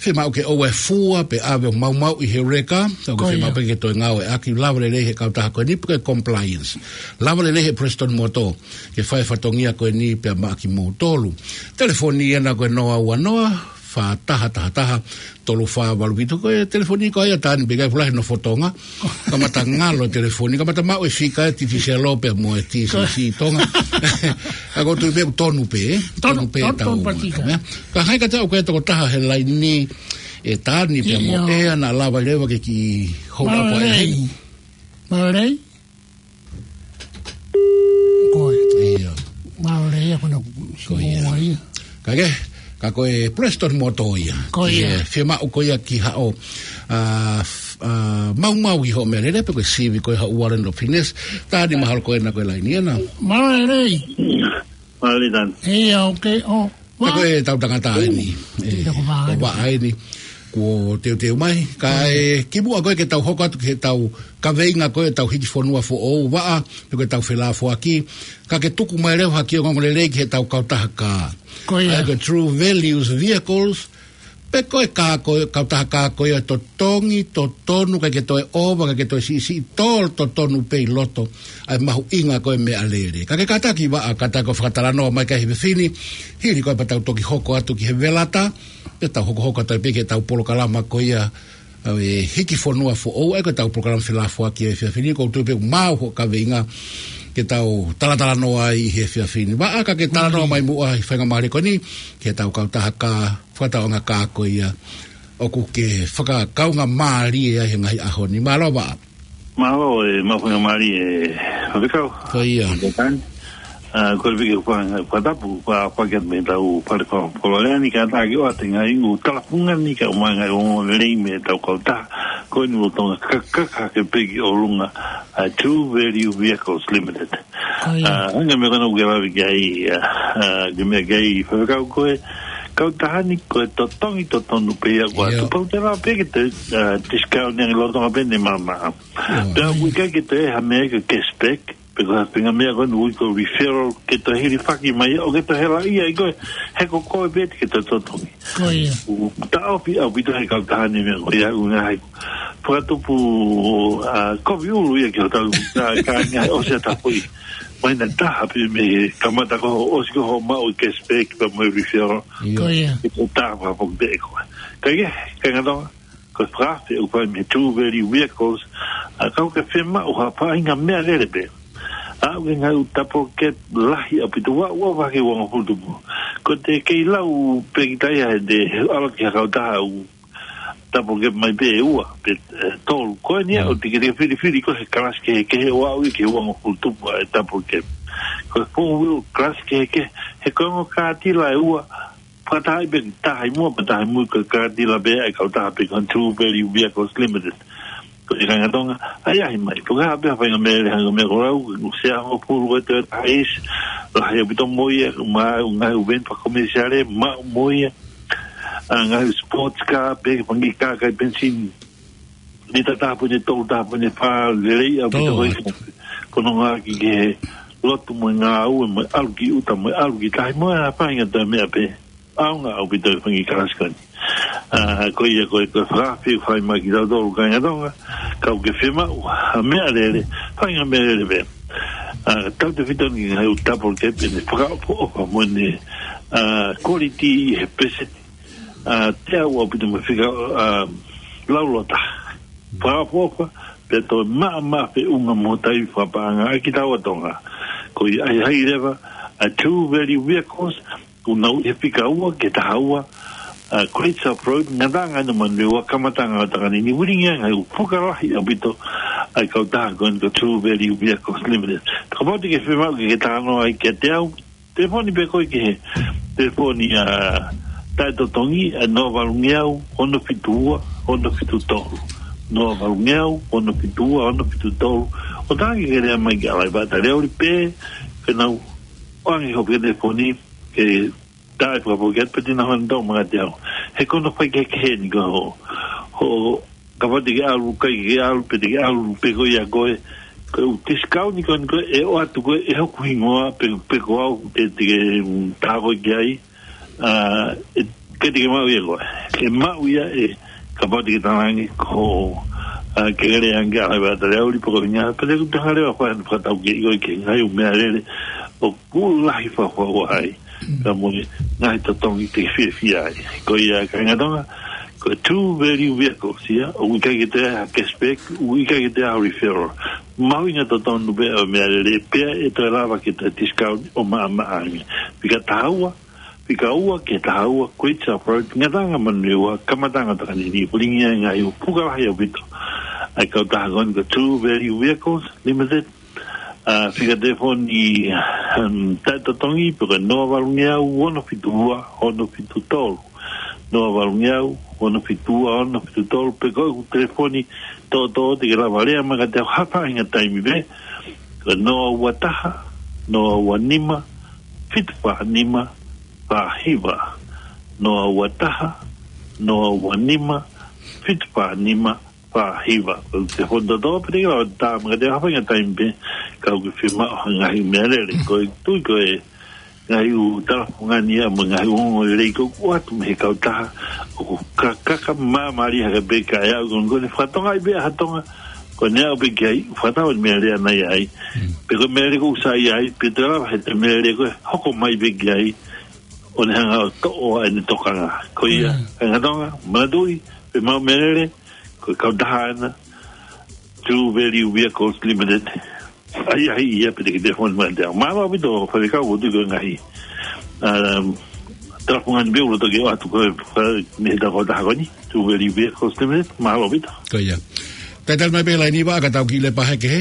fiemaʻu ke ʻoua ʻe fua pe ʻave ʻo maumauʻi he ʻuleka, ka ʻoku ke, ko ia, fiemaʻu pē ke toe ngāueʻaki, lava lelei he kautaha ko eni pe ko e compliance. Lava lelei he Prestone Motor ke fai e fatongia ko eni pea maʻa kimoutolu. Telefoni ena ko e noa ua noa fā taha taha taha tolu fā valu fitu. Ko e telefoni ko ia taha ni pē, ʻikai fuʻu lahi e nofo Tonga. Kamata ngalo e telefoni, kamata maʻu e fika ʻa e T V Selo pea mo e T C C Tonga. Ka ʻoku ou tui pē ʻoku tonu pē, ē? Tonu, tonu pē, tonu, tonu ʻetau patika. Meʻa. Ka ʻi ai ka tau ko e tokotaha he laini, ʻe taha ni pea mo, ʻio, ʻe ʻalu leva ke kiʻi hold up ʻo e. Mālō e lelei. Mālō e lelei. Ko e. ʻIo. Mālō e lelei, ʻa kona. Ko ia. Ko ia. Ka ke, ka ko e Prestone Motor ia. Ko ia. Ke fiemaʻu ko ia ki haʻo, ʻa, f-, ʻa, maumau ʻi hoʻo meʻalele pe ko e sivi ko ia haʻo warrant of fitness. Taha ni, mahalo ko ena ko e laini ena. Mālō e lelei. Mālō e lelei. ʻIo, okay, ʻo. Ka ko ʻetau tangata eni, ē, ʻo Vaʻa eni, kuo teuteu mai, kae kimuʻa ko ē ke tau hoko atu ki heʻetau kaveinga ko ē ʻetau hiki fonua foʻou, Vaʻa, pe ko ʻetau felāfoaki, ka ke tuku mai leva ha kiʻi ongoongolelei ki heʻetau kautaha kā. Ko ia. ʻA ia ko e True Values Vehicles, pe ko e kā ko ē, kautaha kā ko ia ʻe totongi, totonu, ʻikai ke toe ʻova, ʻikai ke toe siʻisiʻi, tō totonu pē ʻi loto ʻa e mahuʻinga ko ē meʻalele. Ka ke kātaki Vaʻa, kātaki ʻo fakatalanoa mai ki ai he efiafi ni, hili ko ia pea tau toki hoko atu ki he velata, pea tau hokohoko atu ai pē ki heʻetau polokalama ko ia, ʻa e hiki fonua foʻou, ʻa ia ko ʻetau polokalama felāfoaki he efiafi ni, ʻoku ou tui pē ʻoku maau hoʻo kaveinga ke tau talatalanoa ai he efiafi ni. Vaʻa, ka ke talanoa mai muʻa ʻi he faingamālie ko eni ki heʻetau kautaha kā, fakataʻeʻaonga kā ko ia ʻoku ke fakakaungāmālie ai he ngaahi ʻaho ni. Mālō Vaʻa. Mālō e maʻu faingamālie, ē, Faifekau. Ko ia. Ko e taha ni. ʻA, ko e piki ʻoku fai, fakatapu, fa-, fakatapu mei heʻetau fale fakapolokalama ni, kātaki ʻoatu e ngaahi ʻū talafungani kae ʻumaʻā e ngaahi ongoongolelei mei heʻetau kautaha ko eni ʻo Tonga, ka-, ka-, ka-, ke piki ʻolunga, ʻa, True Value Vehicles Limited. Ko ia. ʻA, hangē ko e meʻa ko ena ʻoku ke lave ki ai, ʻa, ʻa, ke meʻa ki ai, faifekau, ko e kautaha ni, ko e totongi totonu pē ia ko ia. Tuʻu pē ʻoku te lava pē ke te, ʻa, discount ange lolotonga pē ʻene maama. Ia. Pea ʻoku ʻikai ke te ʻai ha meʻa ke cashback, pe ko ha faʻahinga meʻa ko eni ʻoku ui ko e referral ke toe hilifaki mai, ʻo ke toe hela ia ʻi koe, he ko koe pē te ke toe totongi. Ko ia. ʻOku taʻofi ʻaupito ʻe he kautaha ni e meʻa ko ia, ʻoku ngaahi fakatupu, ʻa, kovi ʻulu ia ki hotau, ʻa, kāinga ʻosi ʻa e tapuʻi. Mai na taha pē mei he kamata ko hoʻo ʻosi ko hoʻo maʻu e cashback pea mo e referral. Ia. Ko ia. Ke toe tā fakapō pē koe. Ka ia, kāinga Tonga, ko e fakaafe ʻoku fai mei he True Value Vehicles, ʻa, ka ʻoku ke fiemaʻu ha faʻahinga meʻalele pē, ʻa, ʻoku ke ngaahi ʻū double cab lahi ʻaupito, ʻoku ʻova ki he uangofulu tupu. Ko e te kei lau pē kita ia he te ʻalu ki ha kautaha ʻoku double cab mai pē ʻe ua, pe, ʻe, tolu. Ko eni ia, mm, ʻoku te kei filifili koe he kalasi kehekehe ʻo aʻu ia ki he uangofulu tupu ʻa e double cab. Ko e four wheel kalasi kehekehe, he ko e ongo kātila ʻe ua, fakataha ai pē taha ʻi muʻa, pea taha ʻi mui, ko e kātila pē ʻa e kautaha pē ko e True Value Vehicles Limited. Ko e kāinga Tonga, ʻahiʻahi mai. Ko e hā pē ha faʻahinga meʻalele, hangē ko e meʻa ko ē ʻoku ou sea hongofulu ko e Toyota Hiace, lahi ʻaupito mo ia, mo e ngaahi ʻū veni fakakomēsiale, maʻu mo ia, ʻa, ngaahi sports car, pē fanga kiʻi kā kai penisini, lita taha poini tolu, taha poini fā, lelei ʻaupito. Tō. Ko e, ko hono ngāueʻaki ki he lotu mo e ngāue, mo e ʻalu ki ʻuta, mo e ʻalu ki tahi, mo e hā fua e ngaahi meʻa pē. ʻAonga ʻaupito e fanga kiʻi kalasi ko eni. ʻA, ko ia ko e, ko e fakaafe ʻoku fai mai kiate kitautolu kāinga Tonga, ka ʻoku ke fiemaʻu ha meʻalele, faʻahinga meʻalele pē, ʻa, tautefito ni ki he ngaahi ʻū double cab, ʻene fakaʻofoʻofa mo ʻene, ʻa, quality ʻi he peseti, ʻa, teau ʻaupito mo e fika, ʻa, laulōtaha. Fakaʻofoʻofa, pea toe maʻamaʻa feʻunga mo taimi fakapaʻanga ʻa kitaua Tonga. Ko ia ʻahiʻahi leva ʻa e True Value Vehicles, ʻoku nau ʻi he fika ua ki he taha ua, ʻa, Great South Road, Ngataʻanga ʻi Manurewa, kamataʻanga ʻo Takanini, ʻoku lilingi ai e ngaahi ʻū puka lahi ʻaupito ʻa e kautaha ko eni ko e True Value Vehicles Limited. Kapau te ke fiemaʻu ke ke talanoa ai kiate au, telefoni pē koe ki he telefoni, ʻa, taʻetotongi, ʻa, noa valungeau, ono fitu ua, ono fitu tolu. Noa valungeau, ono fitu ua, ono fitu tolu. ʻO talaange ke lea mai kia Laiva Taleoli pē, ke nau ʻoange hoʻo telefoni, ke tā e fakapō ki ai pē te nau hanga ʻo tau mai kiate au. He ko hono faikehekehe eni ko hoʻo, hoʻo, kapau te ke ʻalu, ʻikai ke ʻalu, pe te ke ʻalu pē koe ia koe, ko e ʻū discount ni ko eni ko ē ʻe ʻoatu ko ē ʻe hoku hingoa pe, pe ko au te, te ke, mm, tā koe ki ai, ʻa, ʻe, ʻikai te ke maʻu ia koe. ʻE maʻu ia ʻe, kapau te ke talaange ko, ʻa, ke lele ange kia Laiva Taleoli pe ko e hā, pea te u hanga leva ʻo fai e fakatau ki he, ʻi he ngaahi ʻū meʻalele ʻoku lahi fakaʻuhinga ai. Mm. Ka mo e ngaahi totongi te ke fiefia ai. Ko ia kāinga Tonga, ko e True Value Vehicles ia, ʻoku ʻikai ke te ʻai ha cashback, ʻoku ʻikai ke te ʻai ha referral. Mahuʻinga totonu pē ʻa e meʻalele pea ʻe toe lava ke toe discount ʻo maʻamaʻa ange. Fika taha ua, fika ua ki he taha ua, Great South Road, Ngataʻanga Manurewa, kamataʻanga ʻo Takanini, ʻoku lilingi ai e ngaahi ʻū puka lahi ʻaupito ʻa e kautaha ko eni ko e True Value Vehicles Limited, ʻa, fika telefoni, um, taʻetotongi, pe ko e noa valungeau, ono fitu ua, ono fitu tolu. Noa valungeau, ono fitu ua, ono fitu tolu, pe ko e telefoni toʻotoʻo te ke lava lea mai kiate au ha faʻahinga taimi pē, ko e noa ua taha, noa ua nima, fitu fā nima, fā hiva. Noa ua taha, noa ua nima, fitu fā nima, fā hiva. Ko e telefoni toʻotoʻo pē te ke lava tā mai kiate au ha faʻahinga taimi pē, kapau ʻoku ke fiemaʻu ha ngaahi meʻalele. Ko e tui ko e ngaahi ʻū talafungani ia mo e ngaahi ongoongolelei ʻoku ʻoatu mei he kautaha, ʻoku ka-, ka-, ka māmālie hake pē kae aʻu ko eni ko ʻene fakatokangaʻi pē ʻa Tonga, ko ʻene aʻu pē ki ai, fakatau e meʻalele ʻana ia ai. Mm. Pe ko e meʻalele ʻoku sai ai, pe te lava he te meʻalele ko ē hoko mai pē ki ai, ʻo ne hanga ʻo toʻo ʻa ʻene tokanga. Ko ia, mm, kāinga Tonga, manatuʻi, pe maʻu meʻalele, ko e kautaha ʻana, True Value Vehicles Limited. ʻAhiʻahi ia pē te ke telefoni mai kiate au. Mālō ʻaupito, faifekau, ʻoku ou tui ko e ngaahi, um, talafungani pē ʻoku lolotonga ke ʻoatu ko ē, ʻa, mei heʻetau kautaha ko eni, True Value Vehicles Limited, mālō ʻaupito. Ko ia. Talitali mai pē laine ʻi vā, ka tau kiʻi lepa hake hē.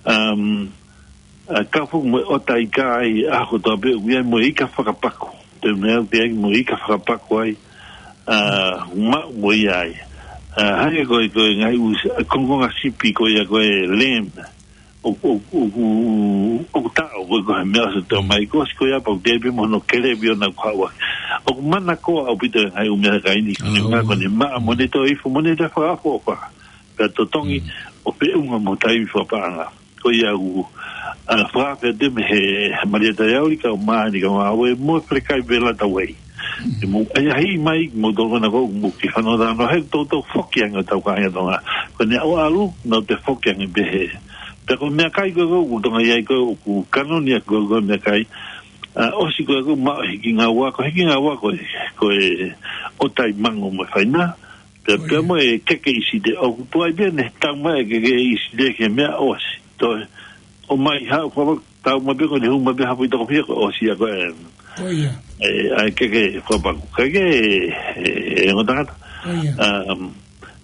Um, a kau foki mo e ʻota ika ai, ʻa ko tō pē ʻoku ʻi ai mo e ika fakapaku. Te mea ʻoku ʻi ai mo e ika fakapaku ai, a, maʻu mo ia ai. A, hangē ko e, ko e ngaahi ʻū s-, kongokonga sipi ko ia ko e lamb. ʻO, ʻo, ʻo, ʻo, ʻoku taʻo ko e, ko e meʻa ʻosi tō mai ko ʻosi ko ia pau te pē mo hono kelepi ʻona kua ua. ʻOku mana ko ʻaupito e ngaahi ʻū meʻakai ni, ko ne Ah, ngā, ko ne maʻa mo ne tō ifo mo ne te fakaʻofoʻofa. Pea totongi, Mm. ʻo feʻunga mo taimi fakapaʻanga. Ko ia ʻoku, a, fakafeʻao te mei he Malia Taiauli kau mā ni kau mā ue mo Felekai Vela Tauei. Mm. Te mou ʻai ahi mai, mou tokona ko, mou ke fano tano, he tau tau foki ange ʻo tau kāinga Tonga. Ko ne au alu, nau te foki ange pē he. Pea ko e meʻakai ko, ko, ko Tonga ʻi ai ko, ko kanoni ʻa ko, ko e meʻakai. A, ʻosi ko, ko maʻu Hikingaua, ko Hikingaua ko, ko e ʻotai mango mo e faina. Pea, Oh, pea yeah. mo e keke ʻi Site, ʻoku tuai pē ne tau mai e keke ʻi Site ke meʻa ʻosi. Toe, ʻomai hau, fua, tau mai pē ko ne hū mai pē hapo ʻi toko pia ko ʻosi ia ko e, Oh, yeah. e, ʻa e keke fakapaku. Keke, e, e, ongo tangata. Oh, yeah. Um,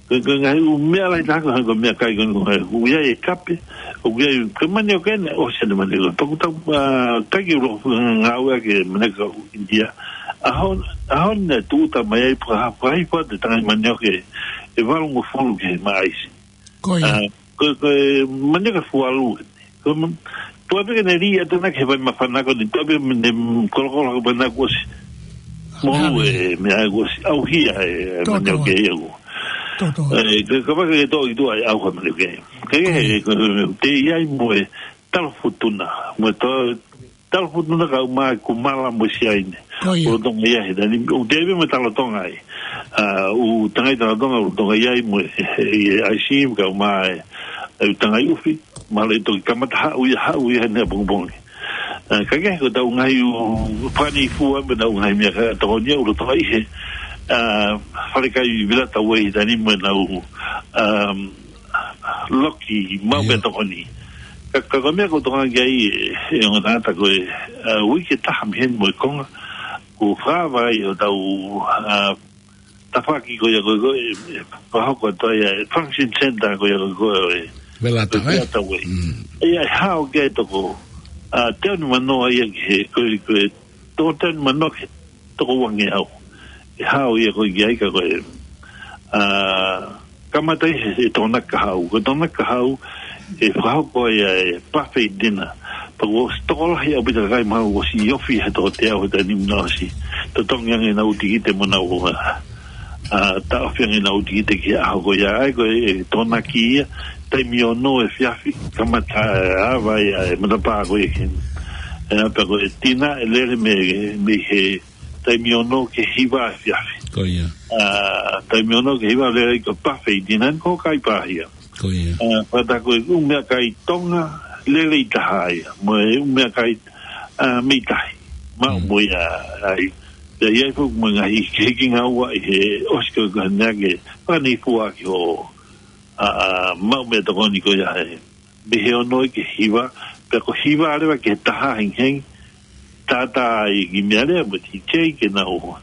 ko, ko e ngaahi ʻū meʻa lahi taha ko, ko e meʻakai ko, ko, ko ia e kape, ʻoku ʻi ai, ko e manioke ʻeni, ʻosi ʻene manioke. Paku tau, a, taki ulo, ngāue ke manioke ʻo India. ʻAho, ʻaho ni ne tūʻuta mai ai pea, pea hifo atu e tangai manioke ʻe valungofulu ki he maʻaisi. Ko ia. A, ko, ko e manioke fualu. Ko ma-, tuai pē ke ne lī atu ʻana ki he vai māfana ko eni, tuai pē ne kolokolo ko e vai na kuo ʻosi. Molu Hale. e, meʻa kuo ʻosi, ʻauhia e, Tō, manioke tō. ia kuo. Tō, tō. E, ka, ka vaka ke tō i tua e ʻauha manioke. Ke, Ko ia. ke, ko, te ʻi ai mo e talo futuna, mo e tō, talo futuna kau mā e kumala mo e siaine. Ko ia. ʻO Tonga ia he tani, ʻo te ive mo e talo Tonga ai. A, ʻū tangai talo Tonga, ʻo Tonga ia mo e, e, e, ʻai si, kau mā e, e tangai ufi, mā le toki kamata haʻu ia, haʻu ia he pongipongi. A, ka ke ko tau ngaahi ʻū, fani fua, mo tau ngaahi meʻa ka tokoni ʻa ʻUlutonga ʻi he, a, Falekai Vela Tauei tani mo e nau, um, loki, mau Ia. meʻa tokoni. Ka, ka, ka meʻa ko Tonga ki ai, e, e ongo tangata ko e, a, uike taha mei heni mo e konga, ko fava ai ʻo tau, a, tafaki ko ia ko, ko, e, e, pahoko atu ai, e, function center ko ia ko, ko, e, Vela ko Tauei. Vela Tauei. Mm. Ia, e hao ke toko, a, teau ni manoa ia ki he, ko, ko, toko teau ni manoa ki he toko uangeau. E hao ia ko ia ka ko e, a, kamata ʻi he, he Tokonaki Kahaʻu. Ko Tokonaki Kahaʻu, e fakahoko ia e buffet dinner. Pea kuo ʻosi tokolahi ʻaupito kakai mau ʻosi ʻi ofi he toko teau he taimi naʻe ʻosi totongi ange ʻenau tikite mo ʻenau, a, a, taʻofi ange ʻenau tikite ki he ʻaho ko ia. ʻA ia ko e, e Tokonaki ia, taimi ono efiafi, kamata, e, ava ia e matapā ko ia ki heni. E, pea ko e tina, e lele mei, mei he taimi ono ki he hiva efiafi. Ko ia. A, taimi ono ki he hiva lele ko e buffet dinner ko kai pahia. Ko ia. A, pea tā ko e ʻū meʻakai Tonga, lelei taha ia. Mo e ʻū meʻakai, a, mei tahi. Maʻu Mm. mo ia ai. Pea ʻi ai foki mo e ngaahi Hikingaua ʻi he ʻosi ko e ka nea ke fani fua ki ho, a, a, maʻu meʻa tokoni ko ia he. Mei he ono ki he hiva, pea ko e hiva leva ki he taha hengihengi, tātā ai ki meʻa lea mo e D J ke nau,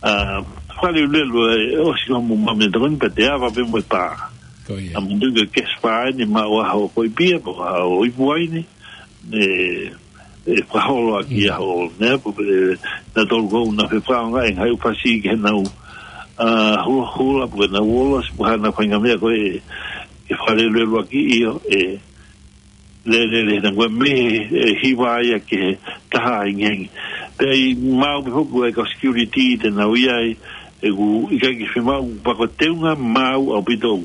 a, fale ulelo e ʻosi ko mo maʻu meʻa tokoni pea te ava pē mo e pā. Ko ia. A mo nui ke cash pā eni maʻu ʻaho ko i pia, pea ko ʻaho i puai ni, e, e fakaholo ʻaki Mm. ʻaho, nea, pea, e, na tolu ko na fe fakaonga e ngaahi ʻū fasi ke nau, a, hula, hula, pea nau olo, pea na fainga meʻa ko e, ke fale ulelo ʻaki ʻio, e, le, le, le, na kua me, e, hiva ia ki he taha hengihengi. Pea ʻi mau me hoku e ka security te nau ʻi ai, e ku, ʻikai ke fiemaʻu, pea ko e teunga mau ʻaupito,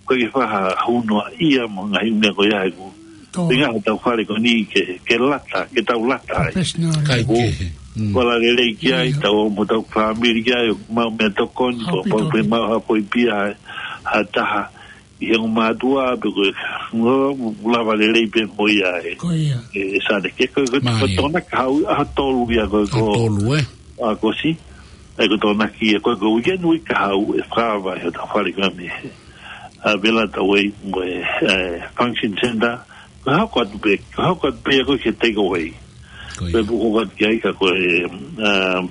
ʻikai ke faha huno ia mo e ngaahi meʻa ko ia e ku. Tō. Te ngaahi tau fale ko eni ke, ke lata, ke tau lata ai. Professional. Kai Ko, ke. Mm. ko la lelei ki ai, Ia. tau mo tau family ki ai, mau meʻa tokoni, ko, Haʻapiʻi ko, ko, tokoni. mau ha poi pia, ha taha. ʻI he ongo mātuʻa, pe ko e, ngo, lava lelei pē mo ia e. Ko ia. E, e sale ke, ko, ko, Mā ko ia. Tokonaki Kahaʻu, ʻaho tolu ia ko, ko. ʻAho tolu, e? ʻAho ko ʻosi. E ko Tokonaki ia ko, ko weekend week Kahaʻu, e fava, e tau fale ka me. A Vela Tauei mo e, e, function center. Ko e hoko atu pē, ko e hoko atu pē ia ko e ke take away. Ko ia. Pea puko atu ki ai ka ko e, um,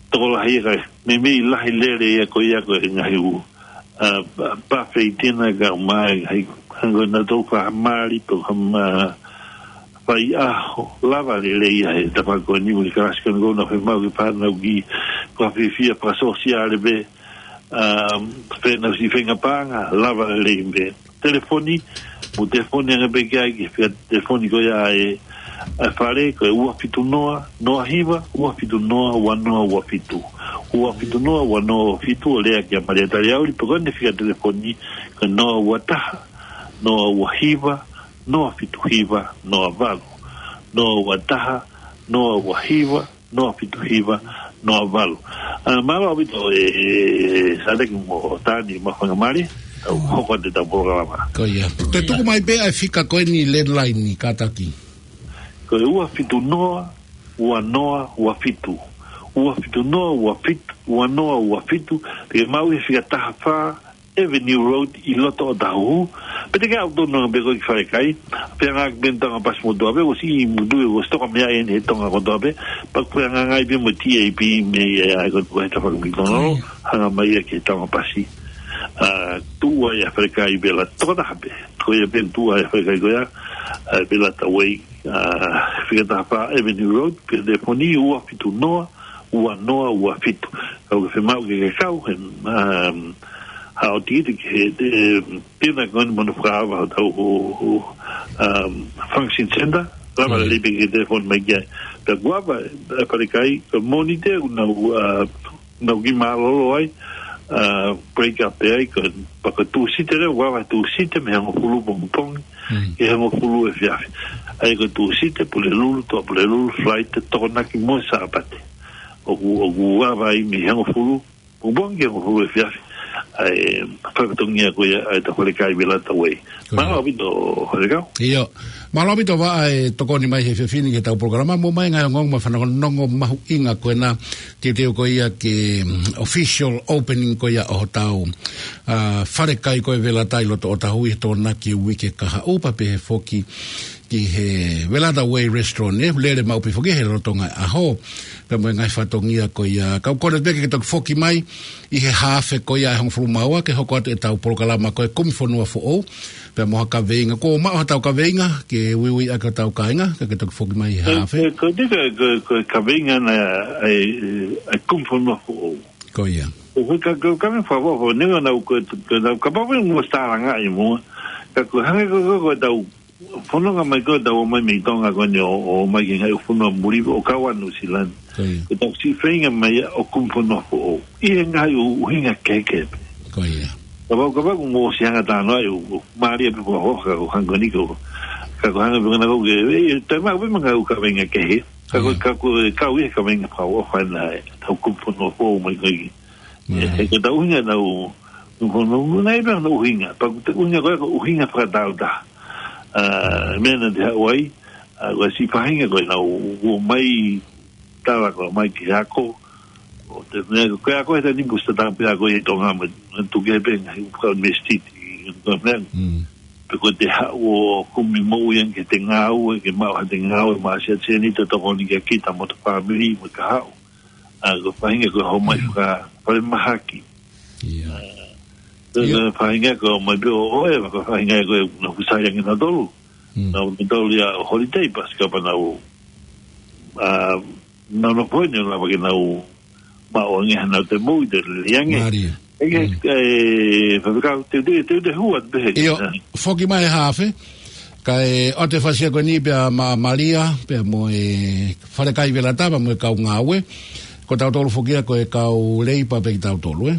tokolahi ia ka, meimei lahi lele ia ko ia ko e ngaahi ʻū, a, pa, pa feitina ka mai ngaahi Hangē ko ʻenau tau fakamali pe ko ha ma-, faiʻaho, lava lelei ia he tafaʻaki ko eni mo e kalasi ko eni ʻoku nau fiemaʻu ke fānau ki, ko e fiefia fakasōsiale pē, um, pea nau siʻi feinga paʻanga, lava lelei pē. Telefoni, mou telefoni ange pē ki ai ki he fika telefoni ko ia ʻa e, ʻa e fale, ko e ua fitu noa, noa hiva, ua fitu noa, ua noa ua fitu. Ua fitu noa, ua noa ua fitu, ʻo lea kia Malia Taliauli, pe ko ʻene fika telefoni, ko e noa ua taha, noa ua hiva, noa fitu hiva, noa valu. Noa ua taha, noa ua hiva, noa fitu hiva, noa valu. ʻA, mālō ʻaupito e, e, e, Sāleki mo Tani mo Faingamālie, ʻoku hoko atu ʻetau polokalama. Ko ia. Te tuku mai pē ʻa e fika ko eni landline ni kātaki. Ko e ua fitu noa, ua noa ua fitu. Ua fitu noa, ua fitu, ua noa ua fitu, te ke maʻu he fika taha fā, Avenue Road ʻi loto ʻOtahuhu. Pea te ke ʻalu tonu ange pē koe ki Falekai. Pea ngāueʻaki pē Tonga Pasi mo Tua pē, ʻosi ʻi mutu ʻosi toka meʻa eni he Tonga kotoa pē. Pea ko e ngāueʻaki pē mo e T A P mei ai ko e tafaʻaki McDonald. Hanga mai ia ki he Tonga Pasi. ʻA, tuʻu ai ʻa Falekai Vela tokotaha pē. Ko ia pē tuʻu ai ʻa Falekai ko ia. ʻA, Velata Way. ʻA, fika taha fā Avenue Road, pea telefoni ua fitu noa, ua noa ua fitu. Ka ʻoku ke fiemaʻu ke ke kau he, um, haʻo tikite ki he, e, pina ko eni mo hono fakaava hotau, um, function center, lava lelei pē ke telefoni mai ki ai. Pea kuo ava, e, Falekai, ko e Mōnite, ʻoku nau, uh, nau kiʻi mālōlō ai, uh, break up pē ai, ko e, pea ko e Tūsite leva, ʻoku ava Tūsite, mei he hongofulu pongipongi, ki he hongofulu efiafi. ʻA ia ko e Tūsite, Pulelulu, Tuʻapulelulu, Falaite, Tokonaki mo e Sāpate. ʻOku, ʻoku ava ai mei he hongofulu pongipongi ki he hongofulu efiafi. ʻA e, fakatongia ko ia, ʻa e Falekai Velata Way. Mālō ʻaupito, Falekai. ʻIo. Mālō ʻaupito Vaʻa e tokoni mai he efiafi ni ki heʻetau polokalama, mo e ngaahi ongoongo mo e fanongonongo mahuʻinga ko ena, teuteu ko ia ke, mm, official opening ko ia ʻo hotau, ʻa, Falekai ko e Velata ʻi loto ʻOtahuhu ʻi he Tokonaki uike kahaʻu pea pehē foki ki he Velata Way Restaurant, ʻe lele maʻu pē foki he lolotonga ʻaho. Pea mo e ngaahi fatongia ko ia, kau kole pē ke ke toki foki mai ʻi he haafe ko ia ʻe hongofulu mā ua ke hoko atu ʻetau polokalama ko e Kumi Fonua Foʻou. Pea mo ha kaveinga, kuo maʻu haʻatau kaveinga ke uiuiʻaki hotau kāinga, ka ke toki foki mai ʻi he haafe. Ko, ko, ko, ko, ko e kaveinga na ʻa e, ʻa e Kumi Fonua Foʻou. Ko ia. Ko, ko, ka, ka, ka me fakafoʻou, ne nau ko, ko, nau kapau pē mo stalanga ʻi muʻa. Ka ko hangē ko, ko, ko ʻetau fononga mai ko ʻetau ō mai mei Tonga ko eni ʻo, ō mai ki he ngaahi fonua muli ʻo kau ai Nuʻusila ni. Ko ia. Ko ʻetau siʻi feinga mai ʻo Kumi Fonua Foʻou. ʻI he ngaahi ʻu-, ʻuhinga kehekehe pē. Ko ia. Kapau, kapau ʻoku mou ʻosi hanga talanoa ai ʻo, ʻo mālie pē fakaʻofoʻofa ka ko e hangē ko eni ko. Ka ko e hangē pē ko ena ko e, e, e, taimi ʻaupito mo e ngaahi ʻū kaveinga kehe. Ka ko, ia, ka ko e kau ia he kaveinga fakaʻofoʻofa ena ʻetau Kumi Fonua Foʻou mai ko ē. Mālie. He ko ʻetau ʻuhinga ʻetau, ko hono, naʻe pē hono ʻuhinga. Pea ko e ʻuhinga ko ē ko e ʻuhinga fakataautaha. ʻA, meʻa naʻa te haʻu ai, ʻa, ko e siʻi faʻahinga ko ē naʻa ku ō mai tala ko ē mai ki he ako. ʻO te meʻa ko e ako he taimi ni ʻoku ʻosi tatau pē ako ʻi Tonga mo e tuku pē ngaahi ʻū fakaʻunivēsiti. Ko e meʻa. Mm. Pea ko ʻete haʻu ʻo kumi moʻui ange ki heʻete ngāue, ke maʻu haʻate ngāue, maʻu ha siʻi sēniti ʻo tokoni kia kita mo hota fāmili, mo e kahaʻu. ʻA, ko e faʻahinga ko e haʻu mai faka-, falemahaki. Ia. ʻA, ko e, ia, ko e faʻahinga ko e haʻu mai pē ʻo, ʻo e, ko e faʻahinga ko ē naʻa ku sai ange nautolu. Mm. Naʻa nautolu ia ʻo holiday, pasi kapau naʻa, ʻa, naʻa nau poini lava ke nau maʻu ange haʻanau toe moʻui, toe lelei ange. Mālie. ʻE, mm, ʻe, Faifekau, te, te, te, te hua, te he. ʻIo, foki mai he haafe. Kae ʻoatu e fasi ko eni pea mo Malia, pea mo e Falekai Velata, pea mo e kau ngāue. Ko tautolu foki ia ko e kau leipa pē kitautolu, ē.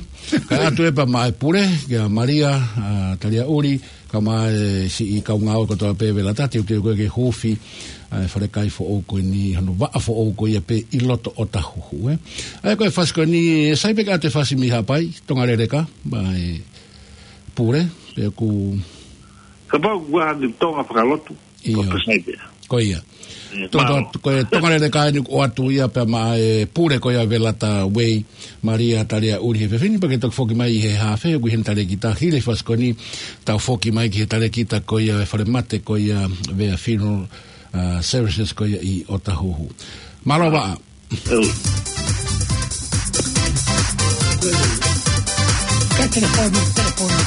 Kae ʻoatu ē pea mo e pule, kia Malia, ʻa, Taliaʻuli, kae ʻumaʻā e siʻi kau ngāue kotoa pē Velata, teuteu ko ē ke huufi ʻa e Falekai foʻou ko eni, hono vaʻa foʻou ko ia pē ʻi loto ʻOtahuhu, ē. ʻA ia ko e fasi ko eni, ʻe sai pē ke ʻoatu e fasi mei Haʻapai, Tonga Leleka, mo e pule, pea ʻoku kapau ʻoku ʻi ai ha Tonga fakalotu, ʻio, ʻoku sai pē. Ko ia. ʻIo, Tonga, mālō. Ko e Tonga Leleka eni ʻoku ʻoatu ia pea mo e pule ko ia Velata Way, Malia Taliaʻuli he efiafi ni, pea ke toki foki mai ʻi he haafe, ʻoku ʻi heni e talēkita, hili e fasi ko eni, tau foki mai ki he talēkita ko ia e falemate ko ia Vea Funeral, ʻa, Services ko ia ʻi ʻOtahuhu. Mālō Vaʻa. ʻIo. Ka telefoni, telefoni.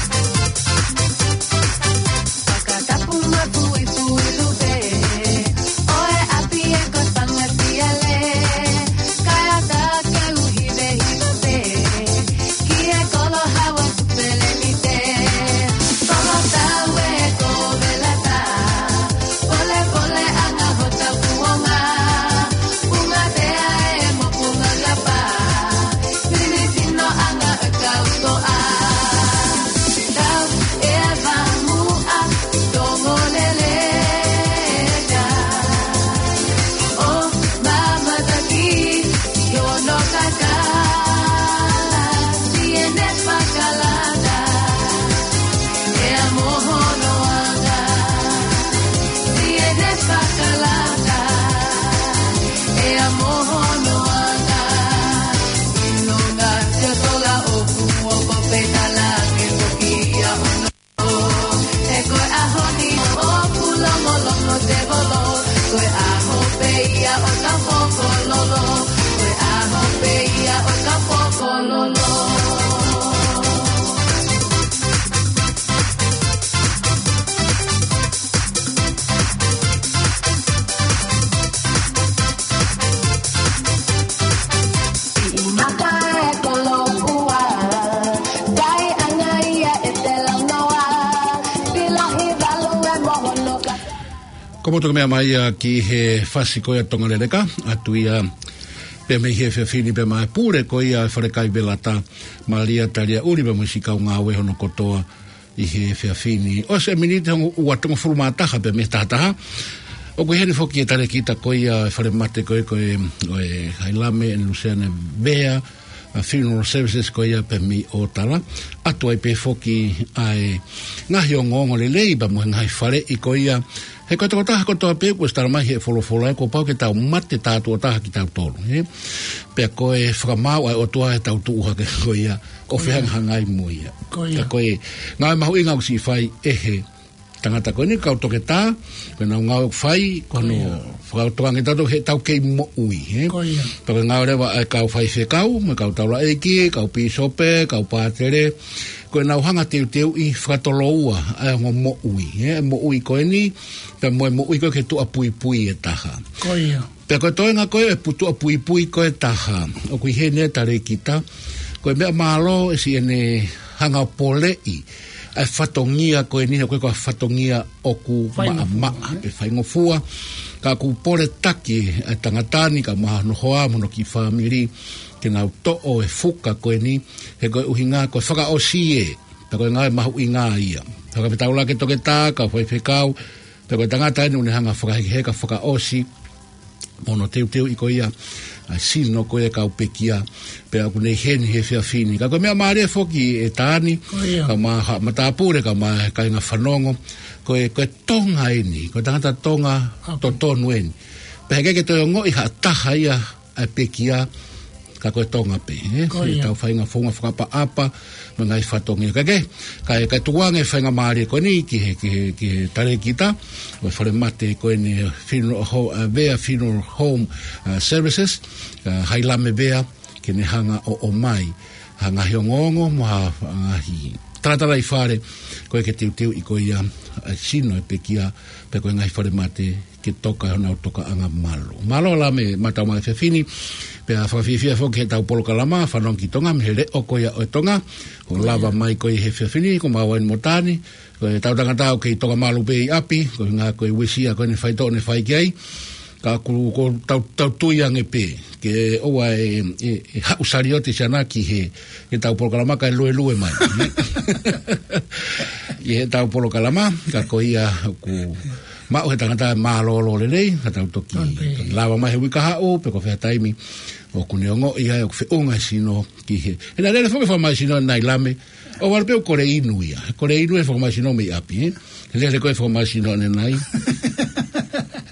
Ko motu ke meʻa mai ia ki he fasi ko ia Tonga Leleka, ʻatu ia pea mei he efiafi ni pea mo e pule ko ia e Falekai Velata, Malia Taliaʻuli pea mo e siʻi kau ngāue hono kotoa ʻi he efiafi ni. ʻOsi e miniti hongofulu mā taha pea mei he taha taha. ʻOku ʻi heni foki e talēkita ko ia e falemate ko ē ko e, ʻo e Hailame ʻe Luseane Vea, ʻa e funeral services ko ia pea mei ʻOtala. ʻAtu ai pē foki ʻa e ngaahi ongoongo lelei pea mo e ngaahi faleʻi ko ia. He ko e tokotaha kotoa pē kuo ʻosi tala mai he folofola ē kuo pau ke tau mate tā tuʻo taha kitautolu, ē? Pea ko e fakamaau ʻa e ʻOtua ʻi heʻetau tuʻu hake ko ia, ʻo fehangahangai mo ia. Ko ia. Ka ko e ngāue mahuʻinga ʻoku siʻi fai ʻe he tangata ko eni, kau toketā, ko ʻenau ngāue ʻoku fai, ko hono, ko ia, fakaongoongo ange tautolu heʻetau kei moʻui, ē? Ko ia. Pea ko e ngāue leva ʻa e kau faifekau, mo e kau taulaʻeiki, kau pīsope, kau pātele, ko ʻenau hanga teuteuʻi fakatoloua ʻa e ongo moʻui, ē? Moʻui ko eni, pea mo e moʻui ko ē ki he tuʻapuipui ʻe taha. Ko ia. Pea ko e toenga ko ē e pu-, tuʻapuipui ko ē ʻe taha, ʻoku ʻi heni e talēkita, ko e meʻa mālō ʻe siʻene hanga ʻo poleʻi ʻa e fatongia ko eni, ko e, ko e fatongia ʻoku, faingofua, maʻamaʻa, ē? Pe faingofua. Ka ʻoku pole taki ʻa e tangata ni, kae ʻumaʻā hono hoa mo hono kiʻi fāmili, ke nau toʻo e fuka ko eni, he ko e ʻuhinga ko e fakaʻosi ē, pea ko e ngāue mahuʻinga ia. Fakafetaulaki toketā, kau faifekau, pea ko e tangata eni ʻoku ne hanga ʻo fakahekeheka, fakaʻosi mo hono teuteuʻi ko ia ʻa e sino ko ia e kau pekia, pea ʻoku ne ʻi heni he efiafi ni. Ka ko e meʻa mālie foki ʻe Taani, ko ia, kae ʻumaʻā haʻa matāpule, kae ʻumaʻā e kāinga fanongo, ko e, ko e Tonga eni, ko e tangata Tonga, ʻapi, totonu eni. Pea heʻikai ke toe ongoʻi ha taha ia ʻa e pekia, ka ko e Tonga pē, ē? Ko ia. Tau feinga founga fakaʻapaʻapa mo e ngaahi fatongia. Ka ke, ka, ka tuku ange e faingamālie ko eni ki he, ki he, ki he talēkita ʻo e falemate ko eni, funeral ho-, ʻa e Vea Funeral Home, ʻa e services, ʻa Hailame Vea, ke ne hanga ʻo ʻomai ha ngaahi ongoongo mo ha, ha ngaahi talatalaifale ko ē ke teuteuʻi ko ia ʻa e sino e pekia, pea ko e ngaahi falemate ke toka honau tokaʻanga malu. Mālō Lame, mātau mai he efiafi ni, pea fakafiefia foki heʻetau polokalama Fanongo ki Tonga mei he Leʻo ko ia ʻo Tonga, kuo lava mai ko ia he efiafi ni, ko maua eni mo Taani, ko ʻetau tangata ʻoku kei toka malu pē ʻi ʻapi, ko e ʻuhinga ko e uesia ko eni e faitoʻo ne fai ki ai, ka ʻoku, ʻoku tau, tau tui ange pē ke ʻoua ʻe, ʻe, ʻe haʻu saliote siʻana ki he, heʻetau polokalama kae luelue mai. ʻI heʻetau polokalama, ka ko ia ʻoku maʻu he tangata mālōlō lelei, ka tau toki, ʻoku toki lava mai he uike kahaʻu, pe ko fē ha taimi ʻoku ne ongoʻi ai ʻoku feʻunga e sino ki he. He naʻe lele foki e fakamālohisino ʻanenai Lame, ʻohovale pē ʻoku kole inu ia. Kole inu e fakamālohisino mei ʻapi, ē? Lele ko ē e fakamālohisino ʻanenai.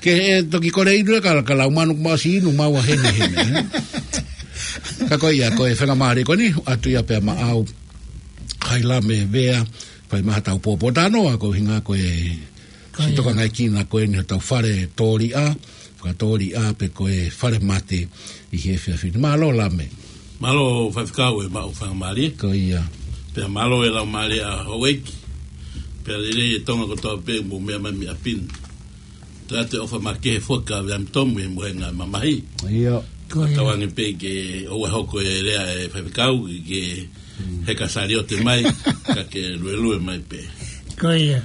Ke, ē, toki kole inu ia ka, ka lau manu kuo ʻosi inu maua heni heni, ē? Ka ko ia, ko e faingamālie ko eni, ʻatu ia pea maʻau Hailame Vea, fai mai haʻatau pōpōtalanoa, ko e ʻuhinga ko e, ko ia, siʻi tokangaekina ko eni hotau fale tōliʻa, fakatōliʻa pe ko e falemate ʻi he efiafi ni. Mālō Lame. Mālō Faifekau e maʻu faingamālie. Ko ia. Pea mālō e laumālie ʻa houʻeiki. Pea lelei e Tonga kotoa pē mou meʻa mai mei ʻapi ni. Tau ʻoatu e ʻofa makehe foki kia Viliami Tomu he mohenga mamahi. Ia. Ko ia. Tauange pē ke ʻoua ʻe hoko e lea e Faifekau ke, ke, mm, heka saliote mai, ka ke luelue mai pē. Ko ia.